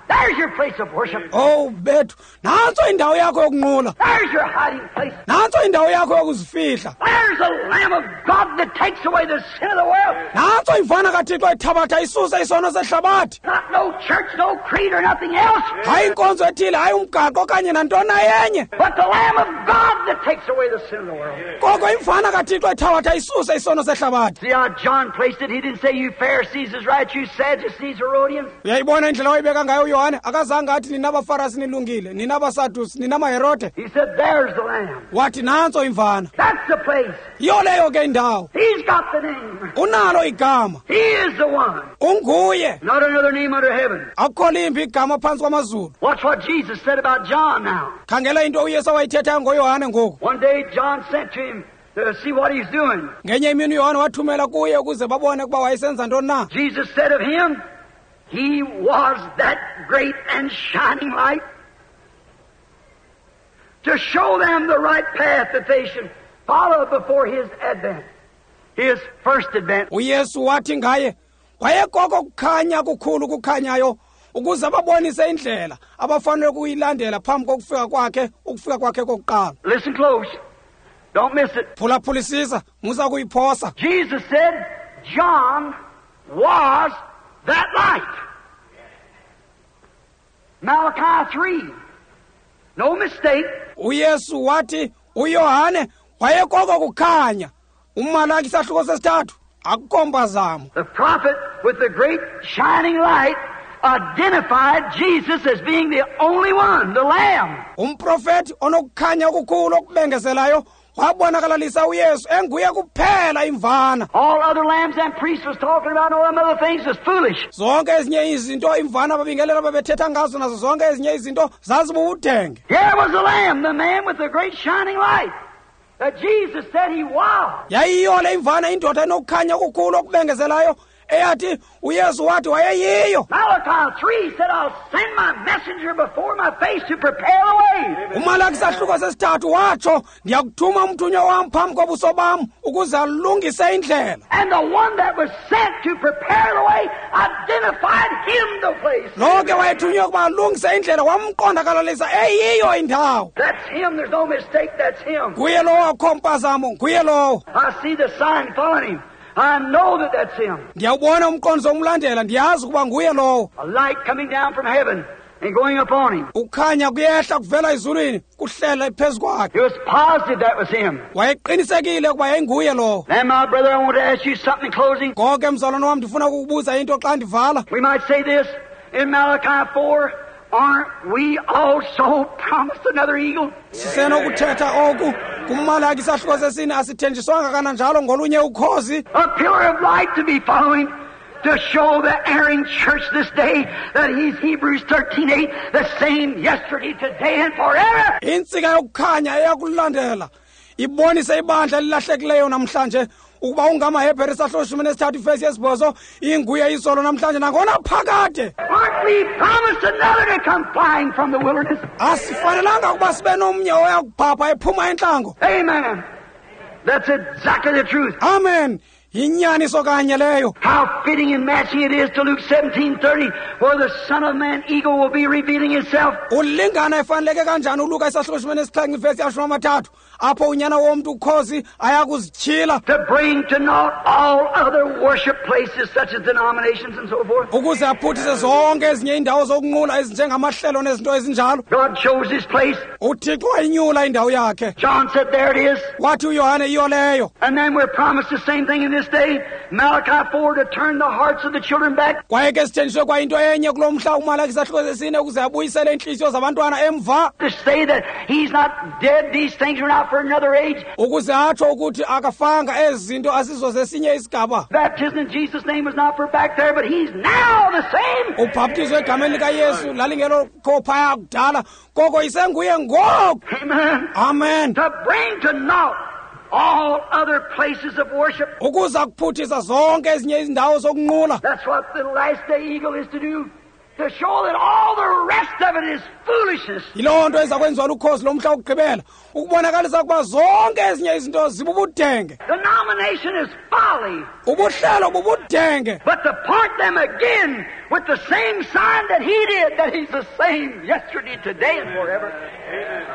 There's your place of worship. Oh bethu, nantso indawo yakho yokunqula. There's your hiding place. Nantso indawo yakho yokuzifihla. There's the Lamb of God that takes away the sin of the world. Nantso imvana kaThixo ethabatha isuse isono sehlabathi. Not no church, no creed or nothing else. Hayi inkonzo ethile, hayi umgaqo okanye nantoni yenye. But the Lamb of God that takes away the sin of the world. Koko imvana kaThixo ethabatha isuse isono sehlabathi. See how John placed it? He didn't say you Pharisees is right, you Sadducees, Herodians. Uyayibona indlela wayibeka ngayo uYohane? Akazange athi nina abaFarisi nilungile, nina abaSadusi, nina amaHerode. He said, there's the Lamb. Wathi nantso imvana. That's the place. Yiyo leyo ke indawo. He's got the name. Unalo igama. He is the one. Unguye. Not another name under heaven. Akukho limbi igama phantsi kwamazulu. Watch what Jesus said about John now. Khangela into uYesu awayithethayo ngoYohane ngoku. One day John sent to him to see what he's doing. Ngenye imini uYohane wathumela kuye ukuze babone ukuba wayesenza ntoni na. Jesus said of him, he was that great and shining light to show them the right path that they should follow before his advent, his first advent. uYesu wathi ngaye, wayekoko kukhanya kukhulu kukhanyayo ukuze babonise indlela abafanele ukuyilandela phambi kokufika kwakhe, ukufika kwakhe kokuqala. Listen close. Don't miss it. Phulaphulisisa, musa kuyiphosa. Jesus said John was that light. Malachi 3. No mistake. uYesu wathi uYohane wayekoko kukhanya. UMalaki isahluko sesithathu akukho mpazamo. The prophet with the great shining light identified Jesus as being the only one, the Lamb. Umprofeti onokukhanya okukhulu okubengezelayo wabonakalalisa uYesu enguye kuphela imvana. All other lambs and priests was talking about and all them other things was foolish. Zonke ezinye izinto imvana ababingelela babethetha ngazo nazo zonke ezinye izinto zazibubudenge. Here was the Lamb, the man with the great shining light that Jesus said he was. Yayiyo le imvana indoda enokukhanya okukhulu okubengezelayo eyathi uYesu wathi wayeyiyo. Malachi 3 said, I'll send my messenger before my face to prepare the way. UMalaki isahluko sesithathu watsho, ndiyakuthuma umthunywa wam phambi kobuso bam ukuze alungise indlela. And the one that was sent to prepare the way identified him the place. Lo ke wayethunywe ukuba alungise indlela wamqondakalalisa eyiyo indawo. That's him. There's no mistake. That's him. Nguye lowo, akukho mpazamo, nguye lowo. I see the sign following him. I know that that's him. Ndiyawubona umqondiso umlandela, ndiyazi ukuba nguye lowo. A light coming down from heaven and going upon him. Ukukhanya kuyehla kuvela ezulwini kuhlela phezu kwakhe. He was positive that was him. Wayeqinisekile ukuba yayinguye lowo. Then, my brother, I want to ask you something in closing. Ngoko ke mzalwane wam, ndifuna ukukubuza into xa ndivala. We might say this in Malachi 4, aren't we also promised another eagle? Sisenokuthetha oku kuMalaki isahluko sesine, asithenjiswanga kananjalo ngolunye ukhozi. A pillar of light to be following, to show the erring church this day that he's Hebrews 13:8, the same yesterday, today, and forever. Intsika yokukhanya eyakulandela Ibonise ibandla elilahlekileyo namhlanje ukuba ungamaHebhere isahluko 13 ivesi 8 inguye izolo namhlanje nangona phakade. Aren't we promised another to come flying from the wilderness? Asifanelanga ukuba sibe nomnye oya kuphapha ephuma entlango. Amen. That's exactly the truth. Amen. Yinyaniso kanye leyo. How fitting and matching it is to Luke 17:30, where the Son of Man eagle will be revealing himself. Ulingana efaneleke kanjani uLuka isahluko 17 ivesi 30 apho unyana womntu ukhozi ayakuzityhila to bring to naught all other worship places such as denominations and so forth. Ukuze aphuthise zonke ezinye iindawo zokunqula ezinjengamahlelo nezinto ezinjalo. God chose his place. UThixo wayinyula indawo yakhe. John said, there it is. Wathi uYohane iyo leyo. And then we're promised the same thing in this day, Malachi 4, to turn the hearts of the children back. Kwaye ke sithenjiswe kwa into enye kulo mhla uMalaki isahluko 4 ukuze abuyisele iintliziyo zabantwana emva. To say that he's not dead, these things are not for another age. Ukuze atsho ukuthi akafanga ezi zinto asizo zesinye isigaba. Baptism in Jesus' name was not for back there, but he's now the same. Ubhaptizo egameni likaYesu lalingelo phaya kudala, koko isenguye ngoku. Amen. Amen. To bring to naught all other places of worship. Ukuza kuphuthisa zonke ezinye izindawo zokunqula. That's what the last day eagle is to do. To show that all the rest of it is foolishness. Yiloo nto eza kwenziwa lukhozi lomhla wokugqibela, ukubonakalisa ukuba zonke ezinye izinto zibubudenge. Denomination is folly. Ubuhlelo bubudenge. But to point them again with the same sign that he did, that he's the same yesterday, today, and forever.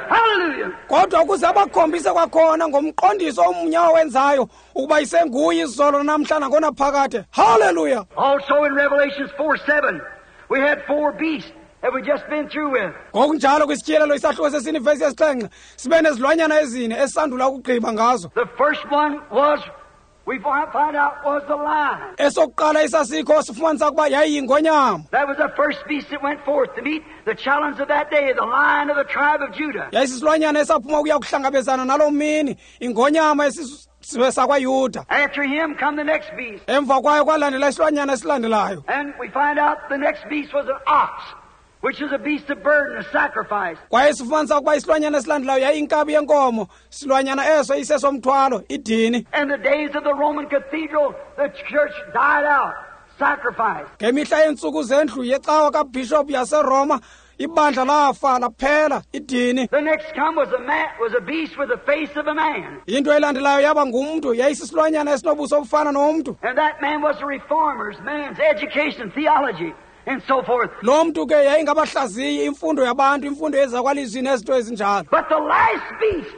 Hallelujah. Kodwa ukuze abakhombise kwakhona ngomqondiso omnye awenzayo ukuba isenguye izolo namhla nangonaphakade. Hallelujah. Also in Revelations 4:7, we had four beasts that we just been through with. Ngokunjalo kwisityhilelo isahluko 4 ivesi 7 sibe nezilwanyana ezine esisandula ukugqiba ngazo. The first one was, we find out, was the lion. Esokuqala isasikho sifumanisa ukuba yayiyingonyama. That was the first beast that went forth to meet the challenge of that day, the Lion of the tribe of Judah. Yayisisilwanyana esaphuma ukuya kuhlangabezana naloo mini, ingonyama esisizwe sakwaYuda. After him come the next beast. Emva kwayo kwalandela isilwanyana esilandelayo. And we find out the next beast was an ox, which is a beast of burden, a sacrifice. Kwaye sifumanisa ukuba isilwanyana esilandelayo yayinkabi yenkomo, silwanyana eso isesomthwalo, idini. And the days of the Roman cathedral, the church died out, sacrifice. Ngemihla yeentsuku zendlu yecawa kaBishop yaseRoma, ibandla lafa laphela, idini. The next come was a man, was a beast with the face of a man. Into elandelayo yaba ngumntu, yayisisilwanyana esinobuso obufana nomntu. And that man was the reformers, man's education, theology, and so forth. Lo mntu ke yayingabahlaziyi imfundo yabantu, imfundo yezakwalizwi nezinto ezinjalo. But the last beast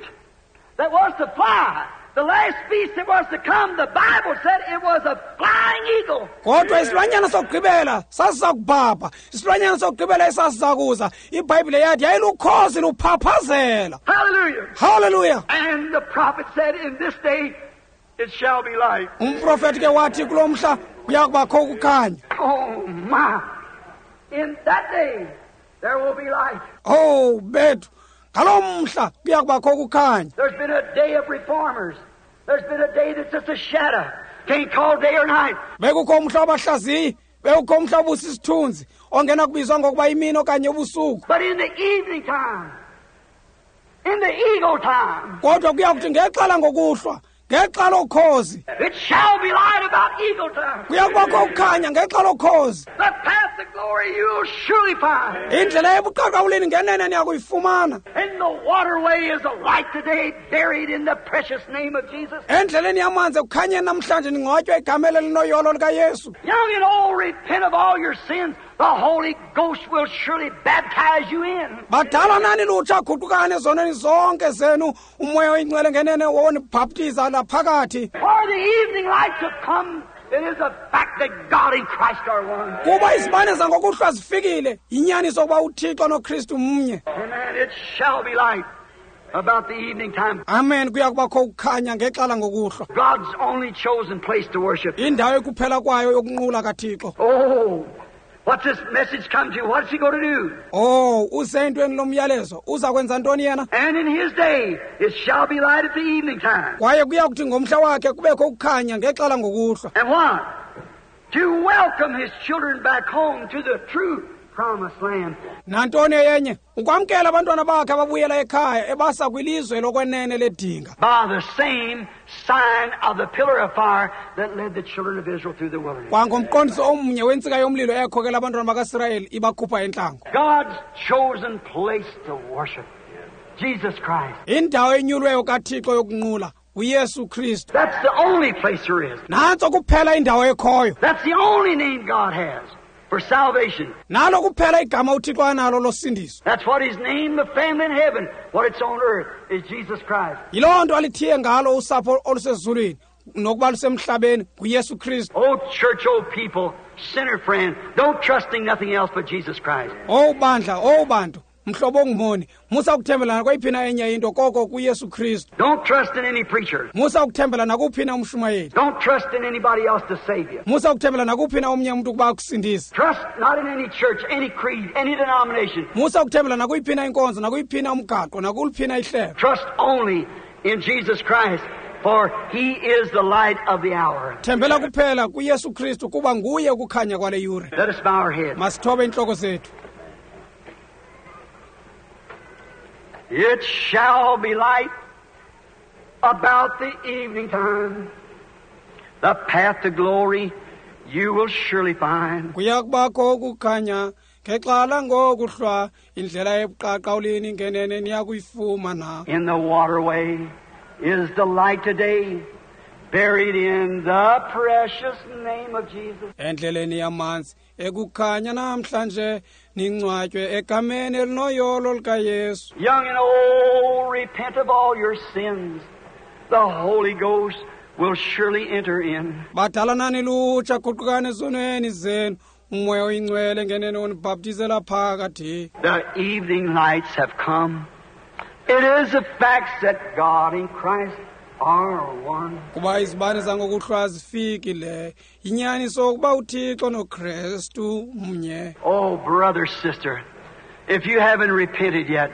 that was to fly, the last beast that was to come, the Bible said it was a flying eagle. Kodwa isilwanyana sokugqibela sasizakubhabha, isilwanyana sokugqibela esasizakuza, iBhayibhile yathi yayilukhozi luphaphazela. Hallelujah. Hallelujah. And the prophet said, in this day it shall be light. Umprofeti ke wathi kulo mhla kuya kubakho ukukhanya. Oh my. In that day there will be light. Oh bethu, ngaloo mhla kuya kubakho ukukhanya. There's been a day of reformers. There's been a day that's just a shadow. Can't call day or night. Bekukho umhla wabahlaziyi, bekukho umhla obusisithunzi ongena kubizwa ngokuba imini okanye ubusuku. But in the evening time, in the eagle time, kodwa kuya kuthi ngexhala ngokuhlwa, ngexa lokhozi, it shall be light about eagle time. Kuya kubakho ukukhanya ngexa lokhozi. The path to glory you'll surely find. Indlela ebuqaqawulini ngenene niyakuyifumana. And the waterway is a light today, buried in the precious name of Jesus. Endleleni yamanzi ekukhanyeni namhlanje ningcwatywa egameni elinoyolo likaYesu. Young and old, repent of all your sins. The Holy Ghost will surely baptize you in. Badala nani lutsha, guqukani ezonweni zonke zenu, uMoya oyiNgcwele ngenene wonibhaptiza laphakathi. For the evening lights have come. It is a fact that God and Christ are one. Kuba izibane zangokuhlwa zifikile, yinyaniso ukuba uThixo noKristu mnye. Amen. It shall be light about the evening time. Amen. Kuya kubakho ukukhanya ngexhala ngokuhlwa. God's only chosen place to worship. Indawo ekuphela kwayo yokunqula kaThixo. Oh, what's this message come to? What's he going to do? Oh, usentweni lomyalezo uza kwenza ntoni yena? And in his day it shall be light at the evening time. Kwaye kuya kuthi ngomhla wakhe kubekho ukukhanya ngexhala ngokuhlwa. And what? To welcome his children back home to the true promised land. Nantoni eyenye? Ukwamkela abantwana bakhe ababuyela ekhaya ebasa kwilizwe lokwenene ledinga. By the same sign of the pillar of fire that led the children of Israel through the wilderness. Kwangomqondiso omnye wentsika yomlilo eyakhokela abantwana bakaSirayeli ibakhupha entlango. God's chosen place to worship, Jesus Christ. Indawo enyulweyo kaThixo yokunqula, uYesu Kristu. That's the only place there is. Nantso kuphela indawo ekhoyo. That's the only name God has for salvation. Nalo kuphela igama uThixo analo losindiso. That's what He's named the family in heaven. What it's on earth is Jesus Christ. Yiloo nto alithiye ngalo usapho olusezulwini nokuba lusemhlabeni, nguYesu Kristu. Oh, church, oh, people, sinner friend, don't trust in nothing else but Jesus Christ. Owu bandla, owu bantu, mhlobo ongumoni, musa ukuthembela nakweyiphi na enye into koko kuYesu Kristu. Don't trust in any preacher. Musa ukuthembela nakuphi na umshumayeli. Don't trust in anybody else to save you. Musa ukuthembela nakuphi na omnye umntu ukuba akusindise. Trust not in any church, any creed, any denomination. Musa ukuthembela nakuyiphi na inkonzo, nakuyiphi na umgaqo, nakuluphi na ihlelo. Trust only in Jesus Christ, for He is the light of the hour. Thembela kuphela kuYesu Kristu, kuba nguye ukukhanya kwale yure. Let us bow our heads. Masithobe intloko zethu. It shall be light about the evening time. The path to glory you will surely find. Kuya kubakho ukukhanya ngexa langokuhlwa, indlela ebuqaqawulini ngenene niya kuyifumana. In the waterway is the light today, buried in the precious name of Jesus. Endleleni yamanzi ekukhanya namhlanje, ningcwatywe egameni elinoyolo likaYesu. Young and old, repent of all your sins. The Holy Ghost will surely enter in. Badala nani lutsha, guqukani ezonweni zenu, uMoya oyiNgcwele ngenene unibhaptizela phakathi. The evening lights have come. It is a fact that God and Christ are one. Kuba izibane zangokuhlwa zifikile, yinyaniso ukuba uThixo noKristu mnye. Oh, brother, sister, if you haven't repented yet,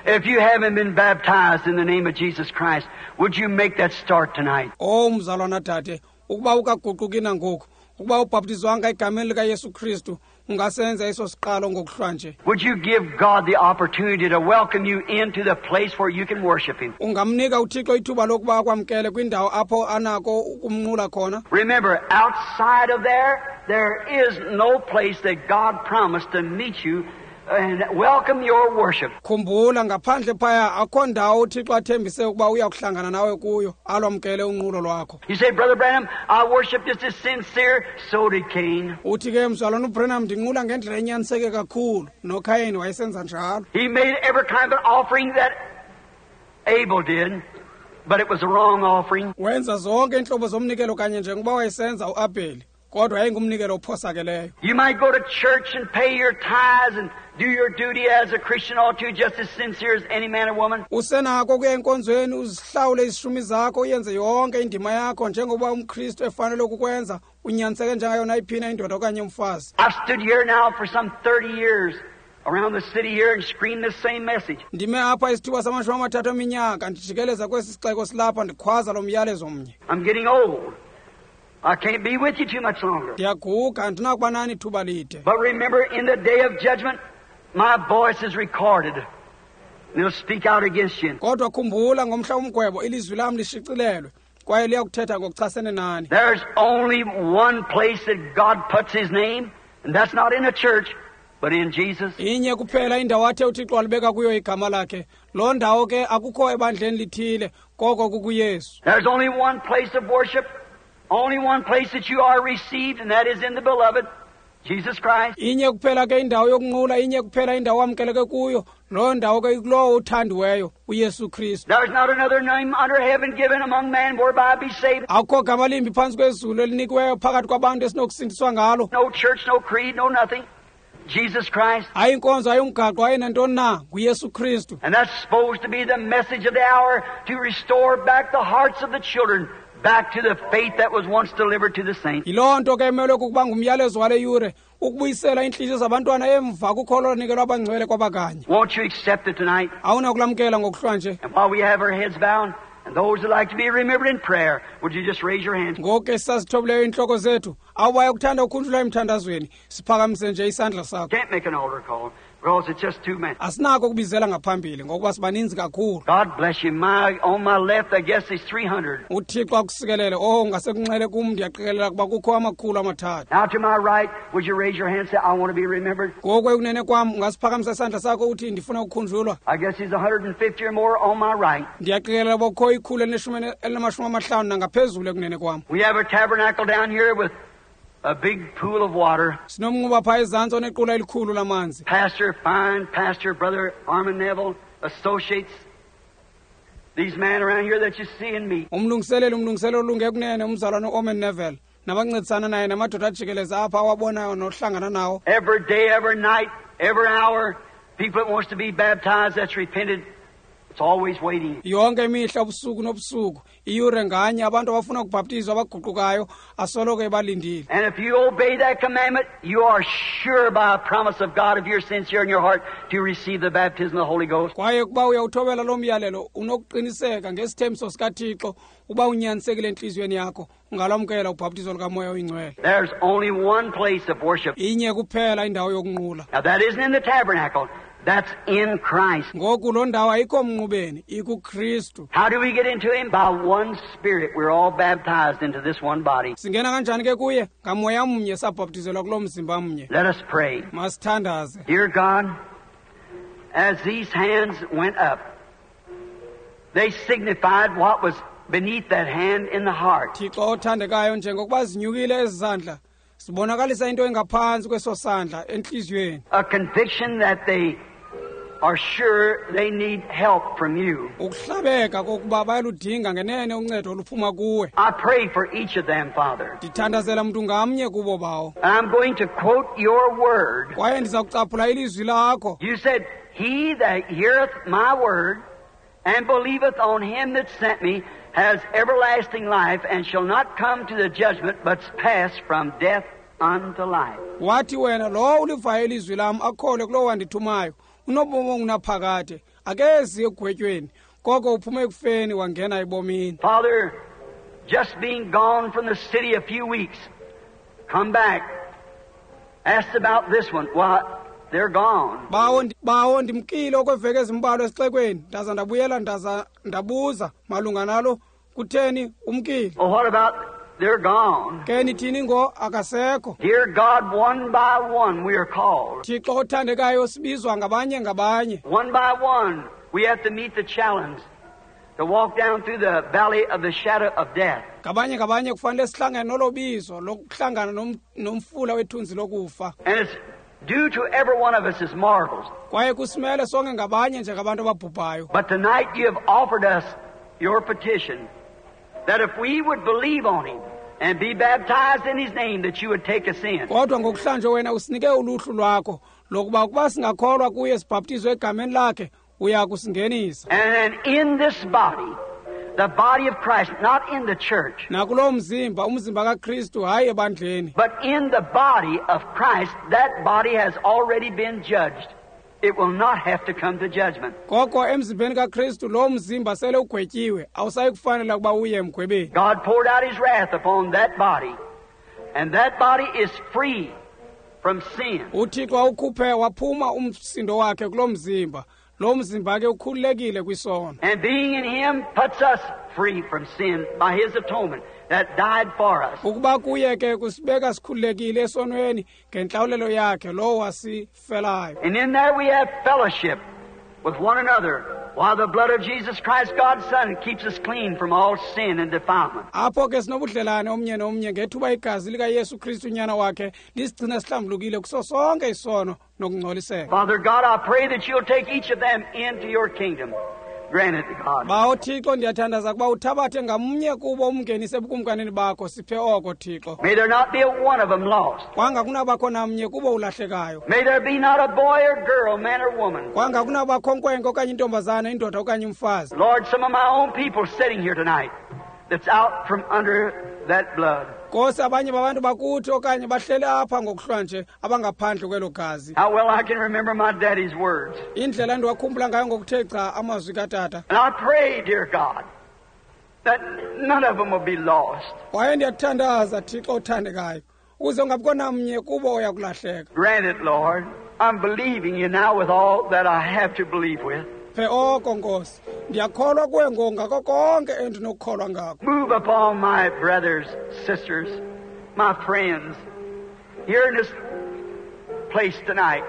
if you haven't been baptized in the name of Jesus Christ, would you make that start tonight? Oh, mzalwana dade, ukuba ukaguquki nangoku, ukuba ubhaptizwanga egameni likaYesu Kristu, ungasenza eso siqalo ngokuhlwa nje. Would you give God the opportunity to welcome you into the place where you can worship Him? Ungamnika uThixo ithuba lokuba akwamkele kwindawo apho anako ukumnqula khona. Remember, outside of there, there is no place that God promised to meet you and welcome your worship. Khumbula, ngaphandle phaya akho ndawo uThixo athembise ukuba uya kuhlangana nawe kuyo, alwamkele unqulo lwakho. You say, Brother Branham, I worship just as sincere, so did Cain. Uthi ke, mzalwana uBranham, ndinqula ngendlela enyaniseke kakhulu, noKayin wayesenza njalo. He made every kind of offering that Abel did, but it was the wrong offering. Wenza zonke iintlobo zomnikelo kanye njengoba wayesenza uAbheli, kodwa yayingumnikelo ophosakeleyo. You might go to church and pay your tithes and do your duty as a Christian ought to, just as sincere as any man or woman. Usenako ukuya enkonzweni, uzihlawule izishumi zakho, uyenze yonke indima yakho njengoba umKristu efanele ukukwenza, unyaniseke njengayo nayiphi na indoda okanye umfazi. I've stood here now for some 30 years around the city here and screamed the same message. Ndime apha isithuba sama-30 eminyaka ndijikeleza kwesi sixeko silapha ndikhwaza lo myalezo mnye. I'm getting old. I can't be with you too much longer. Ndiyaguga, andinakuba nani ithuba lide. But remember, in the day of judgment, my voice is recorded. And it'll speak out against you. Kodwa khumbula, ngomhla womgwebo ilizwi lam lishicilelwe, kwaye liyakuthetha ngokuchasene nani. There's only one place that God puts His name, and that's not in a church, but in Jesus. Inye kuphela indawo athe uThixo alibeka kuyo igama lakhe. Loo ndawo ke akukho ebandleni lithile, koko kukuYesu. There's only one place of worship, only one place that you are received, and that is in the beloved, Jesus Christ. Inye kuphela ke indawo yokunqula, inye kuphela indawo amkeleke kuyo, loo ndawo ke ikulowo uthandiweyo, uYesu Kristu. There's not another name under heaven given among men whereby be saved. Akukho gama limbi phantsi kwezulu elinikiweyo phakathi kwabantu esinokusindiswa ngalo. No church, no creed, no nothing. Jesus Christ. Hayi inkonzo, hayi umgaqo, hayi nantoni na, nguYesu Kristu. And that's supposed to be the message of the hour, to restore back the hearts of the children back to the faith that was once delivered to the saints. Yiloo nto ke emelwe kukuba ngumyalezo wale yure, ukubuyisela iintliziyo zabantwana emva kukholo lonikelwa abangcwele kwabakanye. Won't you accept it tonight? Awunakulamkela ngokuhlwa nje? And while we have our heads bowed And those that like to be remembered in prayer, would you just raise your hands? Ngoku ke sisazithobileyo iintloko zethu, abo bayakuthanda ukukhunjulwa emthandazweni, siphakamise nje isandla sakho. Can't make an altar call because it's just too many. Asinako ukubizela ngaphambili ngokuba sibaninzi kakhulu. God bless you. On my left, I guess there's 300. UThixo akusikelele. Oh, ngasekunxele kum ndiyaqikelela kuba kukho 300. Now to my right, would you raise your hand and say, I want to be remembered? Ngoku ekunene kwam, ungasiphakamisa isandla sakho uthi ndifuna ukukhunjulwa. I guess there's 150 or more on my right. Ndiyaqikelela uba kukho 150 nangaphezulu ekunene kwam. We have a tabernacle down here with a big pool of water. Sinomnquba phaa ezantsi onequla elikhulu lamanzi. Pastor, fine pastor, Brother Armin Neville, associates, these men around here that you see and meet. Umlungiseleli, umlungiseleli olunge kunene, umzalwane uOrman Neville, nabancedisana naye namadoda ajikeleza apha awabonayo nohlangana nawo. Every day, every night, every hour, people that wants to be baptized, that's repented, it's always waiting. Yonke imihla, ubusuku nobusuku, iyure nganye, abantu abafuna ukubhaptizwa abaguqukayo asoloko ebalindile. And if you obey that commandment, you are sure by a promise of God, if you're sincere in your heart, to receive the baptism of the Holy Ghost. Kwaye ukuba uyawuthobela loo myalelo, unokuqiniseka ngesithembiso sikaThixo uba unyanisekile entliziyweni yakho, ungalwamkela ubhaptizo lukaMoya oyiNgcwele. There's only one place of worship. Inye kuphela indawo yokunqula. Now that isn't in the tabernacle. That's in Christ. Ngoku loo ndawo ayikho mnqubeni, ikuKristu. How do we get into Him? By one Spirit. We're all baptized into this one body. Singena kanjani ke kuye? Ngamoya mnye sabhaptizelwa kuloo mzimba mnye. Let us pray. Masithandaze. Dear God, as these hands went up, they signified what was beneath that hand in the heart. Thixo othandekayo, njengokuba zinyukile ezi zandla, sibonakalisa into engaphantsi kweso sandla entliziyweni. A conviction that they are sure they need help from you. Ukuhlabeka kokuba bayaludinga ngenene uncedo oluphuma kuwe. I pray for each of them, Father. Ndithandazela mntu ngamnye kubo, Bawo. I'm going to quote your word. Kwaye ndiza kucaphula ilizwi lakho. You said, He that heareth my word and believeth on him that sent me has everlasting life and shall not come to the judgment, but pass from death unto life. Wathi wena, lowo ulivayo ilizwi lam akholwe kulowo wandithumayo, unobomi obungunaphakade, akezi ekugwetyweni, koko uphume ekufeni wangena ebomini. Father, just being gone from the city a few weeks, come back, asked about this one. Why, they're gone. Bawo ndimkile okweveki ezimbalwa esixekweni, ndaza ndabuyela, ndaza ndabuza malunga nalo, kutheni umkile? Well, what about they're gone? Ke nithini ngo akasekho? Dear God, one by one we are called. Thixo othandekayo, sibizwa ngabanye ngabanye. One by one we have to meet the challenge to walk down through the valley of the shadow of death. Ngabanye ngabanye kufanele sihlangane nolo bizo lokuhlangana nomfula wethunzi lokufa. And it's due to every one of us as mortals. Kwaye kusimele sonke ngabanye njengabantu ababhubhayo. But tonight you have offered us your petition that if we would believe on him and be baptized in his name, that you would take us in. Kodwa ngokuhlanje wena usinike uluhlu lwakho lokuba ukuba singakholwa kuye sibhaptizwe egameni lakhe, uya kusingenisa. And then in this body, the body of Christ, not in the church. Nakulo mzimba, umzimba kaKristu, hayi ebandleni. But in the body of Christ, that body has already been judged. It will not have to come to judgment. Koko emzimbeni kaKristu lo mzimba sele ugwetyiwe, awusayi kufanela ukuba uye emgwebeni. God poured out his wrath upon that body, and that body is free from sin. UThixo awukhuphe waphuma umsindo wakhe kulo mzimba. Lo mzimba ke ukhululekile kwisono. And being in him puts us free from sin by his atonement that died for us. Ukuba kuye ke kusibeka sikhululekile esonweni ngentlawulelo yakhe lo wasifelayo. And in there we have fellowship with one another while the blood of Jesus Christ, God's Son, keeps us clean from all sin and defilement. Apho ke sinobudlelane omnye nomnye ngethuba igazi likaYesu Kristu unyana wakhe lisigcina sihlambulukile kuso sonke isono nokungcoliseka. Father God, I pray that you'll take each of them into your kingdom. Grant it, God. Bawo Thixo, ndiyathandaza ukuba uthabathe ngamnye kubo umngenise ebukumkanini bakho, siphe oko Thixo. May there not be a one of them lost. Kwanga kunabakho namnye kubo ulahlekayo. May there be not a boy or girl, man or woman. Kwanga kunabakho nkwenkwe okanye intombazana, indoda okanye umfazi. Lord, some of my own people sitting here tonight that's out from under that blood. Nkosi, abanye babantu bakuthi okanye bahlele apha ngokuhlwa nje abangaphandle kwelo gazi. How well I can remember my daddy's words. Indlela endiwakhumbula ngayo ngokuthe gca amazwi katata. And I pray, dear God, that none of them will be lost. Kwaye ndiyakuthandaza, Thixo othandekayo, ukuze ungabikho namnye kubo oya kulahleka. Grant it, Lord. I'm believing you now with all that I have to believe with. Phe oko, Nkosi. Ndiyakholwa kuwe ngoku ngako konke endinokukholwa ngako. Move upon my brothers, sisters, my friends, here in this place tonight,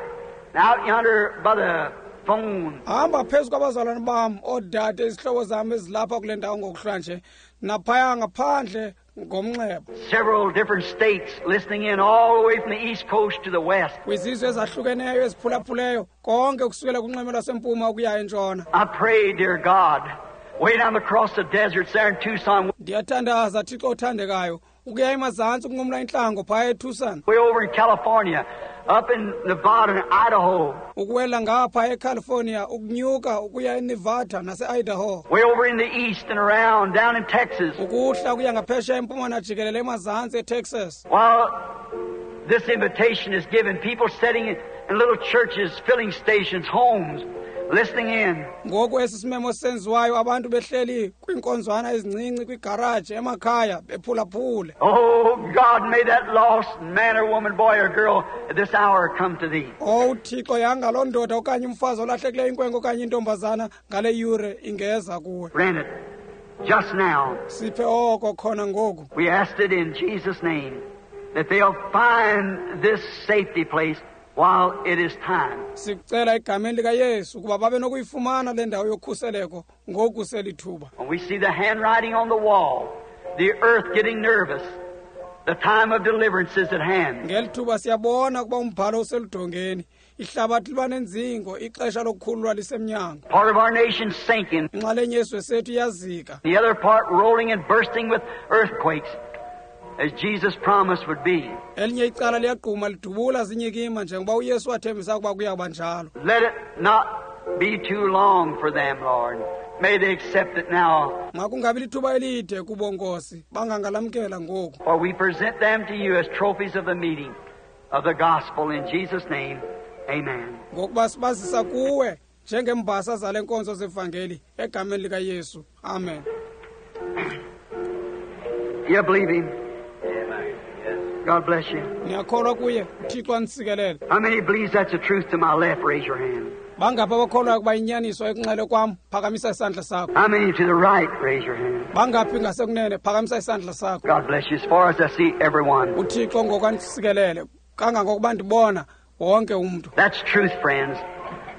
out yonder by the phone. Hamba phezu kwabazalwane bam, oodade, izihlobo zam ezilapha kule ndawo ngokuhlwanje, naphaya ngaphandle ngomnxeba. Several different states listening in all the way from the East Coast to the West. Kwizizwe ezahlukeneyo eziphulaphuleyo, konke kusukela kunxweme lwasempuma ukuya entshona. I pray, dear God, way down across the deserts there in Tucson, Ndiyathandaza, Thixo othandekayo, ukuya emazantsi ukunqumla intlango phaya eTucson, way over in California, up in Nevada and Idaho, ukuwela ngapha eCalifornia, ukunyuka ukuya eNevada nase-Idaho, way over in the East and around, down in Texas. Ukuhla ukuya ngaphesheya empuma najikelele emazantsi eTexas. While this invitation is given, people sitting in little churches, filling stations, homes, listening in. Ngoku esi simemo senziwayo, abantu behleli kwiinkonzwana ezincinci, kwigaraji, emakhaya, bephulaphule. Oh, God, may that lost man or woman, boy or girl at this hour come to Thee. Owu Thixo, yanga loo ndoda okanye umfazi olahlekileyo, inkwenkwe okanye intombazana, ngale yure ingeza kuwe. Grant it just now. Siphe oko khona ngoku. We asked it in Jesus' name that they'll find this safety place while it is time. Sikucela egameni likaYesu ukuba babe nokuyifumana le ndawo yokhuseleko ngoku selithuba. When we see the handwriting on the wall, the earth getting nervous, the time of deliverance is at hand. Ngeli thuba siyabona ukuba umbhalo useludongeni, ihlabathi liba nenzingo, ixesha lokukhululwa lisemnyango. Part of our nation sinking, Inxalenye yesizwe sethu iyazika, the other part rolling and bursting with earthquakes, as Jesus promised would be. Elinye icala liyagquma lidubula zinyikima njengoba uYesu wathembisa ukuba kuya kuba njalo. Let it not be too long for them, Lord. May they accept it now, Makungabi lithuba elide kubo, Nkosi, bangangalamkela ngoku. For we present them to you as trophies of the meeting of the gospel in Jesus' name. Amen. Ngokuba sibazisa kuwe njengembasa zale nkonzo zevangeli egameni likaYesu. Amen. You believe him? God bless you. Niyakholwa kuye? UThixo anisikelele. How many believes that's the truth to my left? Raise your hand. Bangaphi abakholwayo ukuba inyaniso ekunxele kwam? Phakamisa isandla sakho. How many to the right? Raise your hand. Bangaphi ngasekunene? Phakamisa isandla sakho. God bless you. As far as I see, everyone. UThixo ngoku andisikelele kangangokuba ndibona wonke umntu. That's truth, friends.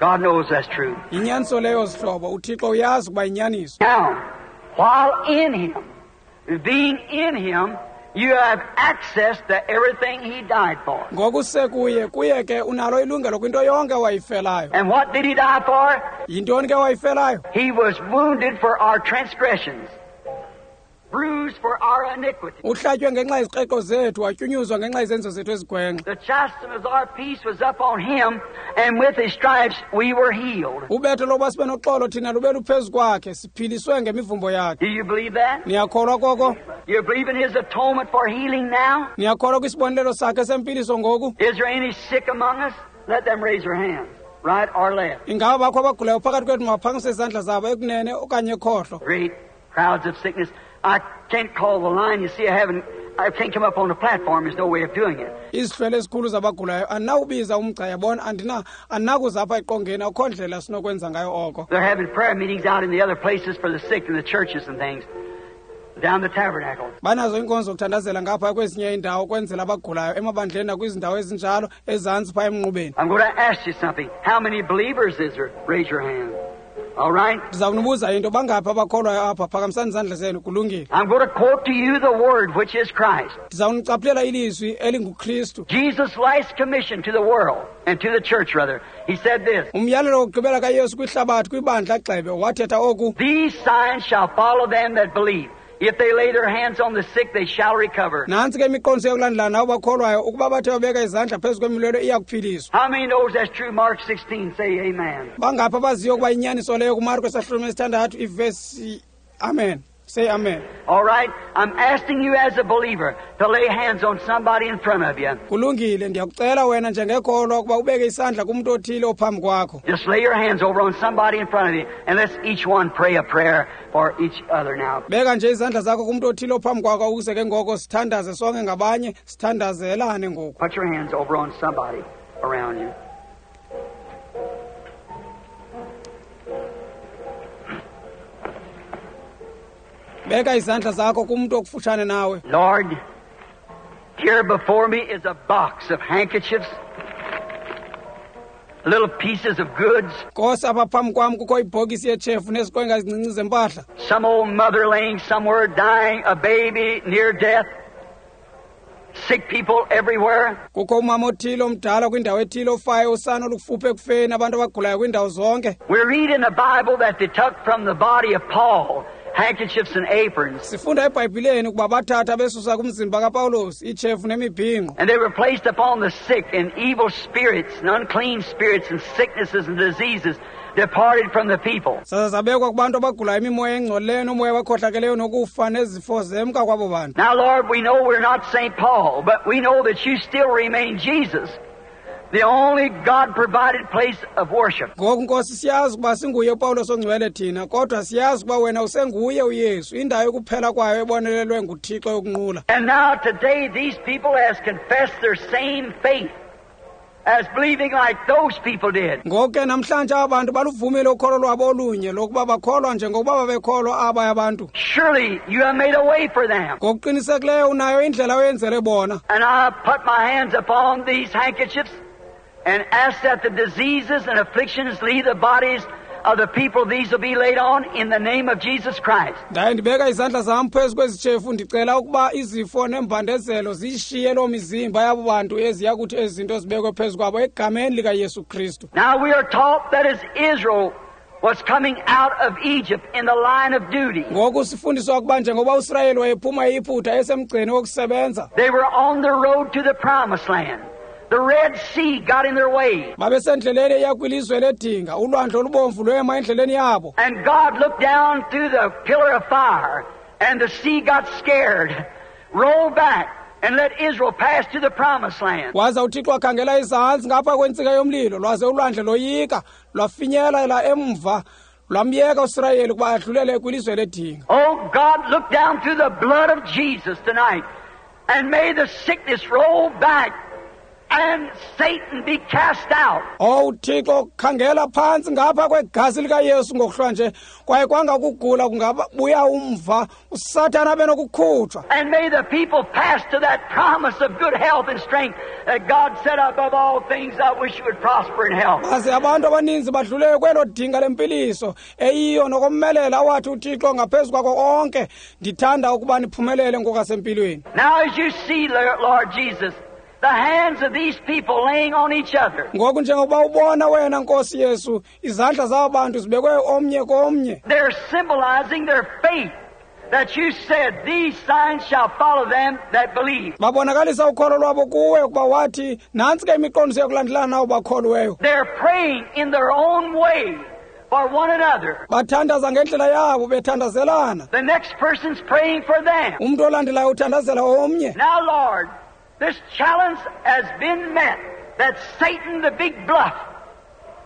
God knows that's true. Yinyaniso leyo, zihlobo. UThixo uyazi ukuba yinyaniso. Now, while in Him, being in Him, you have access to everything He died for. Ngoku sekuye, kuye ke unalo ilungelo kwinto yonke wayifelayo. And what did He die for? Yintoni ke wayifelayo? He was wounded for our transgressions, bruised for our iniquity. Uhlatywe ngenxa yezikreqo zethu, watyunyuzwa ngenxa yezenzo zethu ezigwenxa. The chastisement of our peace was up on Him, and with His stripes we were healed. Ubetho lokuba sibe noxolo thina lube luphezu kwakhe, siphiliswe ngemivumbo yakhe. Do you believe that? Niyakholwa koko? You believe in His atonement for healing now? Niyakholwa kwisibonelelo sakhe sempiliso ngoku? Is there any sick among us? Let them raise their hands, right or left. Ingaba bakho abagulayo phakathi kwethu? Mabaphakamise izandla zabo, ekunene okanye ekhohlo. Great crowds of sickness. I can't call the line. You see, I haven't. I can't come up on the platform. There's no way of doing it. Izihlwele ezikhulu zabagulayo. Andinawubiza umgca, yabona, andinakuza apha eqongeni, akukho ndlela sinokwenza ngayo oko. They're having prayer meetings out in the other places for the sick in the churches and things, down the tabernacle. Banazo iinkonzo zokuthandazela ngapha kwezinye iindawo kwenzela abagulayo emabandleni nakwizindawo ezinjalo ezantsi phaa emnqubeni. I'm going to ask you something. How many believers is there? Raise your hand. All right? Ndiza kunibuza into. Bangaphi abakholwayo apha? Phakamisani izandla zenu. Kulungile. I'm going to quote to you the Word, which is Christ. Ndiza kunicaphulela ilizwi elinguKristu. Jesus' last commission to the world, and to the church, rather. He said this: Umyalelo wokugqibela kaYesu kwihlabathi, kwibandla gxebe, wathetha oku: "These signs shall follow them that believe. If they lay their hands on the sick, they shall recover." Nantsi ke imiqondiso yokulandela nabo bakholwayo, ukuba bathe babeka izandla phezu kwemilwelwe, iya kuphiliswa. How many knows that's true? Mark 16, say amen. Bangaphi abaziyo ukuba inyaniso leyo kuMarko esahlulo 6 ivesi? Amen. Say amen. All right, I'm asking you as a believer to lay hands on somebody in front of you. Kulungile, ndiyakucela wena njengekholwa ukuba ubeke isandla kumntu othile ophambi kwakho. Just lay your hands over on somebody in front of you, and let's each one pray a prayer for each other now. Beka nje izandla zakho kumntu othile ophambi kwakho ukuze ke ngoko sithandaze sonke ngabanye, sithandazelane ngoku. Put your hands over on somebody around you. Beka izandla zakho kumntu okufutshane nawe. Lord, here before me is a box of handkerchiefs, little pieces of goods. Nkosi, apha phambi kwam kukho ibhokisi yetshefu neziqwenga ezincinci zempahla. Some old mother laying somewhere dying, a baby near death, sick people everywhere. Kukho umama othile omdala kwindawo ethile ofayo, usana olukufuphi ekufeni, abantu abagulayo kwiindawo zonke. We read in the Bible that they took from the body of Paul handkerchiefs and aprons. Sifunda eBhayibhileni ukuba bathatha besusa kumzimba kaPawulos iitshefu nemibhinqo. And they were placed upon the sick, and evil spirits and unclean spirits and sicknesses and diseases departed from the people. Zaza zabekwa kubantu abagulayo imimoya engcolileyo nomoya abakhohlakeleyo nokufa nezifo zemka kwabo bantu. Now, Lord, we know we're not St. Paul, but we know that you still remain Jesus, the only God-provided place of worship. Ngoku Nkosi siyazi ukuba singuye uPawulos ongcwele thina, kodwa siyazi ukuba wena usenguye uYesu, indawo yokuphela kwayo ebonelelwe nguThixo yokunqula. And now today these people has confessed their same faith as believing like those people did. Ngoku ke namhlanje aba bantu baluvumile ukholo lwabo olunye lokuba bakholwa njengokuba babekholwa abaya abantu. Surely you have made a way for them. Ngokuqinisekileyo unayo indlela oyenzele bona. And I put my hands upon these handkerchiefs and ask that the diseases and afflictions leave the bodies of the people these will be laid on in the name of Jesus Christ. Ndaye ndibeka izandla zam phezu kwezi tshefu, ndicela ukuba izifo neembandezelo ziyishiye loo mizimba yabo bantu eziya kuthi ezi zinto zibekwe phezu kwabo egameni likaYesu Kristu. Now we are taught that as Israel was coming out of Egypt in the line of duty, Ngoku sifundiswa ukuba njengoba uSirayeli wayephuma eYiputa esemgceni wokusebenza, they were on their road to the promised land. The Red Sea got in their way. babesendleleni eya kwilizwe ledinga, ulwandle olubomvu lwema endleleni yabo. And God looked down through the pillar of fire, and the sea got scared, rolled back, and let Israel pass to the promised land. Waza uThixo wakhangela izantsi ngapha kwentsika yomlilo, lwaze ulwandle loyika, lwafinyelela emva, lwamyeka uSirayeli ukuba adlulele kwilizwe ledinga. Oh, God, look down through the blood of Jesus tonight, and may the sickness roll back and Satan be cast out. Oh, uThixo, khangela phantsi ngapha kwegazi likaYesu ngokuhlwa nje, kwaye kwanga ukugula kungabuya umva, uSathana abe nokukhutshwa. And may the people pass to that promise of good health and strength that God said, above all things, I wish you would prosper in health. Baze abantu abaninzi badlulele kwelo dinga lempiliso eyiyo nokomelela awathi uThixo ngaphezu kwako konke, ndithanda ukuba niphumelele ngokwasempilweni. Now as you see, Lord Jesus, the hands of these people laying on each other. Ngoku njengokuba ubona wena Nkosi Yesu, izandla zabo bantu zibekwe omnye komnye. They're symbolizing their faith that you said these signs shall follow them that believe. Babonakalisa ukholo lwabo kuwe ukuba wathi nantsi ke imiqondiso yokulandelana nawo bakholiweyo. They're praying in their own way for one another. Bathandaza ngendlela yabo bethandazelana. The next person's praying for them. Umntu olandelayo uthandazela omnye. Now, Lord, this challenge has been met that Satan, the big bluff,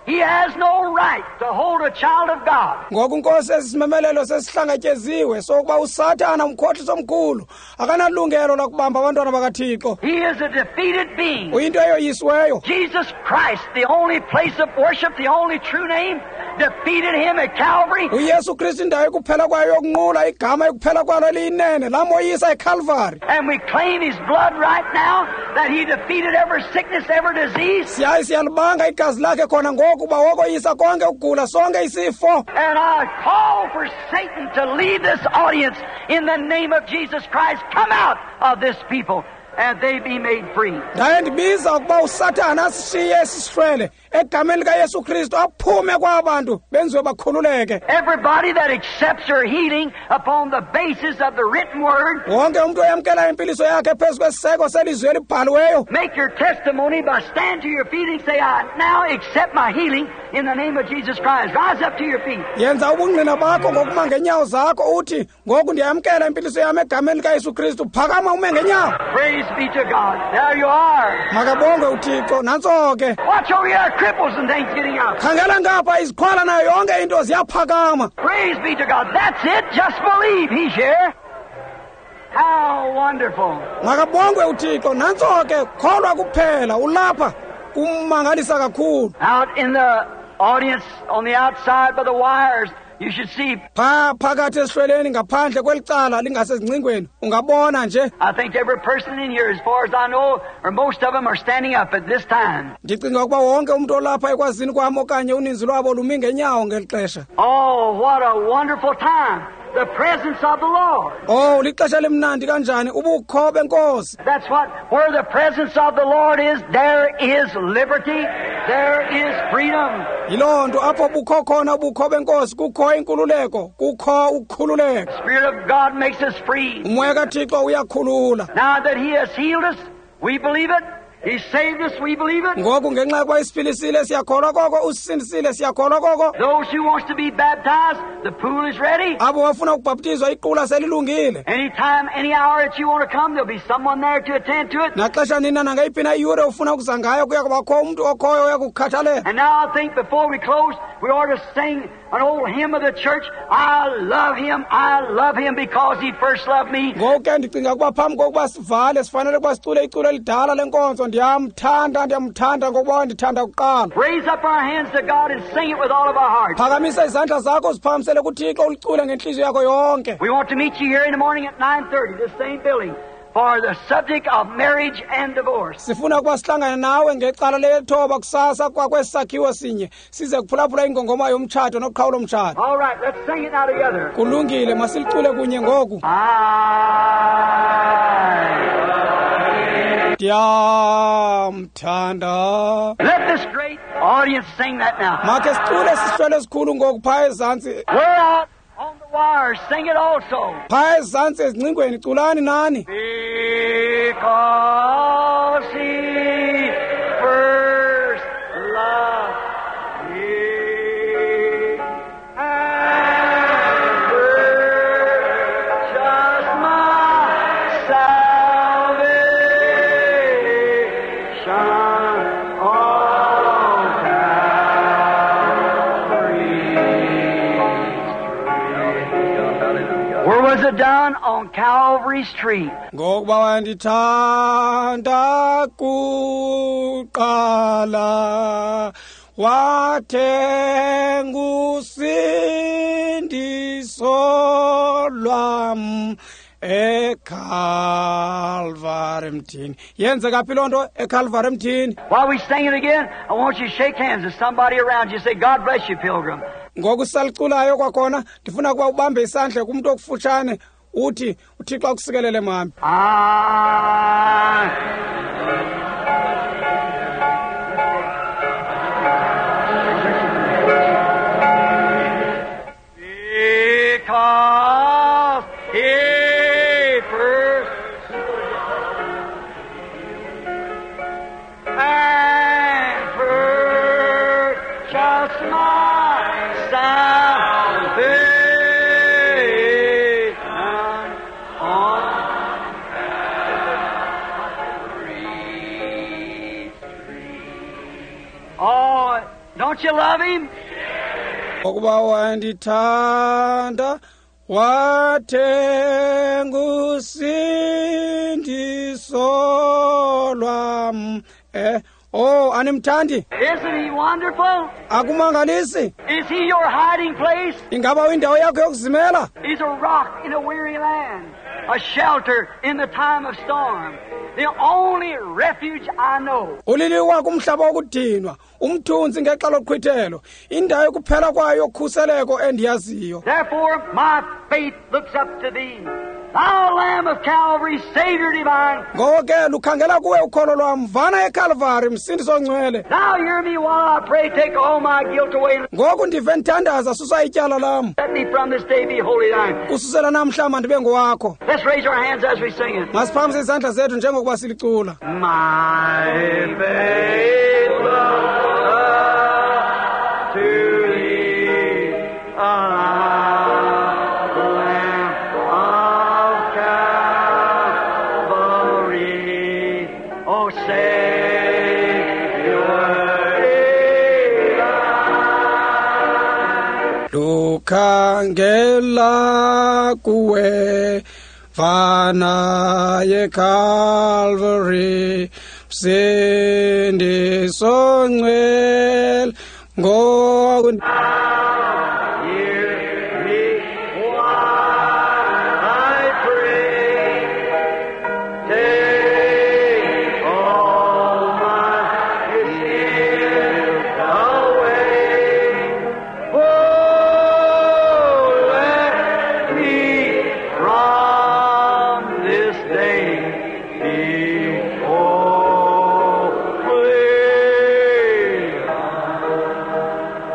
he has no right to hold a child of God. Ngoku Nkosi, esi simemelelo sesihlangatyeziwe sokuba uSathana umkhohlisi omkhulu akanalungelo lokubamba abantwana bakaThixo. He is a defeated being. Uyinto eyoyisiweyo. Jesus Christ, the only place of worship, the only true name, defeated him at Calvary. uYesu Kristu indawo ekuphela kwayo yokunqula, igama ekuphela kwalo eliyinene, lamoyisa eCalvary. And we claim his blood right now that he defeated every sickness, every disease. Siyaye siyalibanga igazi lakhe khona ngoku uba wokoyisa konke ukugula, sonke isifo. And I call for Satan to leave this audience in the name of Jesus Christ. Come out of this people. and they be made free. Ndaye ndibiza ukuba uSathana asishiye esisihlwele egameni likaYesu Kristu aphume kwaba bantu benziwe bakhululeke. Everybody that accepts their healing upon the basis of the written word, Wonke umntu oyamkela impiliso yakhe phezu kwesiseko selizwi elibhaliweyo, make your testimony by stand to your feet and say, I now accept my healing in the name of Jesus Christ. Rise up to your feet. Yenza ubungqina bakho ngokuma ngeenyawo zakho uthi, ngoku ndiyamkela impiliso yam egameni likaYesu Kristu. Phakama ume ngeenyawo. Praise be to God. There you are. Makabongwe uThixo. Nantso ke. Watch over here, cripples and things getting up. Khangela ngapha, iziqhwala nayo yonke into ziyaphakama. Praise be to God. That's it. Just believe He's here. How wonderful. Makabongwe uThixo. Nantso ke, kholwa kuphela, ulapha. Kumangalisa kakhulu. Out in the audience on the outside by the wires, you should see. Pha phakathi esihlweleni ngaphandle kwelicala lingasezingcingweni ungabona nje. I think every person in here, as far as I know, or most of them are standing up at this time. Ndicinga ukuba wonke umntu olapha ekwazini kwam okanye uninzi lwabo lumi ngeenyawo ngeli xesha. Oh, what a wonderful time. The presence of the Lord. Oh, lixesha limnandi kanjani ubukho benkosi. That's what, where the presence of the Lord is, there is liberty, there is freedom. Yiloo nto apho bukho khona ubukho benkosi kukho inkululeko, kukho ukukhululeka. The Spirit of God makes us free. Umoya kaThixo uyakhulula. Now that He has healed us, we believe it. He saved us, we believe it. Ngoku ngenxa yokuba isiphilisile siyakholwa koko, usisindisile siyakholwa koko. Those who wants to be baptized, the pool is ready. Abo bafuna ukubhaptizwa iqula selilungile. Any time, any hour that you want to come, there'll be someone there to attend to it. Naxesha nina nangeyiphi na iyure ufuna ukuza ngayo kuya kubakho umntu okhoyo oya kukukhathalela. And now I think before we close, we ought to sing an old hymn of the church. I love Him, I love Him because He first loved me. Ngoku ke ndicinga ukuba phambi kokuba sivale sifanele ukuba sicule iculo elidala lenkonzo. Ndiyamthanda, ndiyamthanda ngokuba wandithanda kuqala. Raise up our hands to God and sing it with all of our hearts. Phakamisa izandla zakho uziphakamisele kuThixo ulicule ngentliziyo yakho yonke. We want to meet you here in the morning at 9:30, this same building, for the subject of marriage and divorce. Sifuna ukuba sihlangane nawe ngecala lethoba kusasa kwakwesi sakhiwo sinye size kuphulaphula ingongoma yomtshato noqhawulo mtshato. All right, let's sing it now together. Kulungile, masilicule kunye ngoku. Ndiyamthanda. Let this great audience sing that now. Makhe sicule sihlwele esikhulu ngoku phaya ezantsi. We're out on the wires, sing it also. Phaya ezantsi ezingcingweni culani nani. Because He first loved me and purchased my salvation on Calvary's. Where was it done? On Calvary's tree. Ngokuba wandithanda kuqala wathenga usindiso lwam eCalvary mthini. Yenzeka phi loo nto eCalvary mthini? While we sing it again, I want you to shake hands with somebody around you. Say, God bless you, pilgrim. Ngoku sisaliculayo kwakhona ndifuna ukuba ubambe isandla kumntu okufutshane uthi uThixo akusikelele mami. Because He first and purchased my salvation on Calvary's tree. Oh, don't you love Him? Ngokuba wandithanda wathenga usindiso lwam. Oh, animthandi? Isn't He wonderful? Akumangalisi? Is He your hiding place? Ingaba uyindawo yakho yokuzimela? He's a rock in a weary land, a shelter in the time of storm, the only refuge I know. Uliliwa kumhlaba wokudinwa, umthunzi ngexa loqhwithelo, indawo yokuphela kwayo yokhuseleko endiyaziyo. Therefore my faith looks up to thee, Thou Lamb of Calvary, Savior divine. Ngoko ke lukhangela kuwe ukholo lwam, Mvana eKalvari, Msindisi ongcwele. Now hear me while I pray, take all my guilt away. Ngoku ndive ndithandaza, susa ityala lam. Let me from this day be wholly thine. Kususela namhla mandibe ngowakho. Let's raise our hands as we sing it. Masiphakamise izandla zethu njengokuba silicula. My faith looks up to thee, Lamb of Calvary, O Savior divine. Lukhangela kuwe, Mvana yeCalvary, Msindisi ongcwele. Ngoku Hear me while I pray. Take all my guilt away. Oh, let me from this day be holy.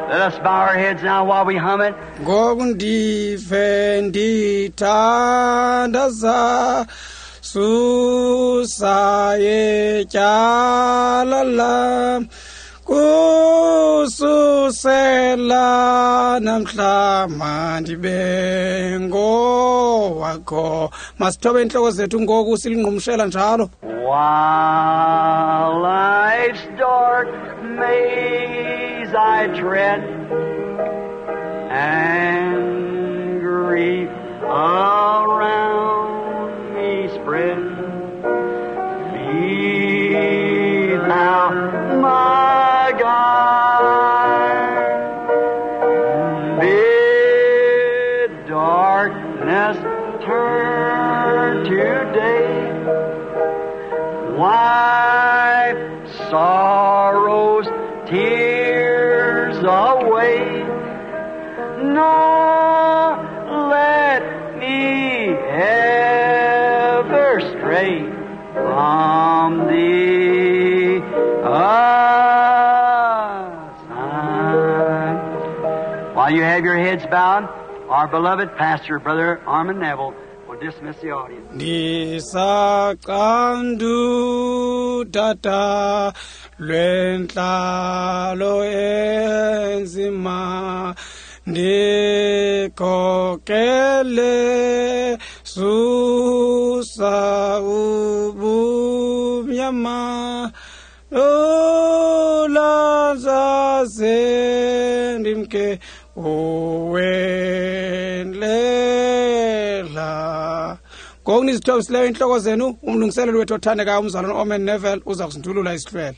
Let us bow our heads now while we hum it. Ngoku ndive ndithandaza, susa ityala lam, kususela namhla mandibe ngowakho. Masithobe intloko zethu ngoku silingqumshela njalo. While life's dark maze I tread, and grief around me spread, be thou my guide. Bid darkness turn to day, wipe sorrow's tears away, nor let me ever stray from thee aside. While you have your heads bowed, our beloved pastor, Brother Armand Neville, will dismiss the audience. Ndisaqandudada lwentlalo enzima, ndikhokele, susa ubumnyama, ulanzaze ndimke uwendlela. Ngoku nizithobisileyo intloko zenu, umlungiseleli wethu othandekayo umzalwana Orman Neville uza kusindulula isihlwele.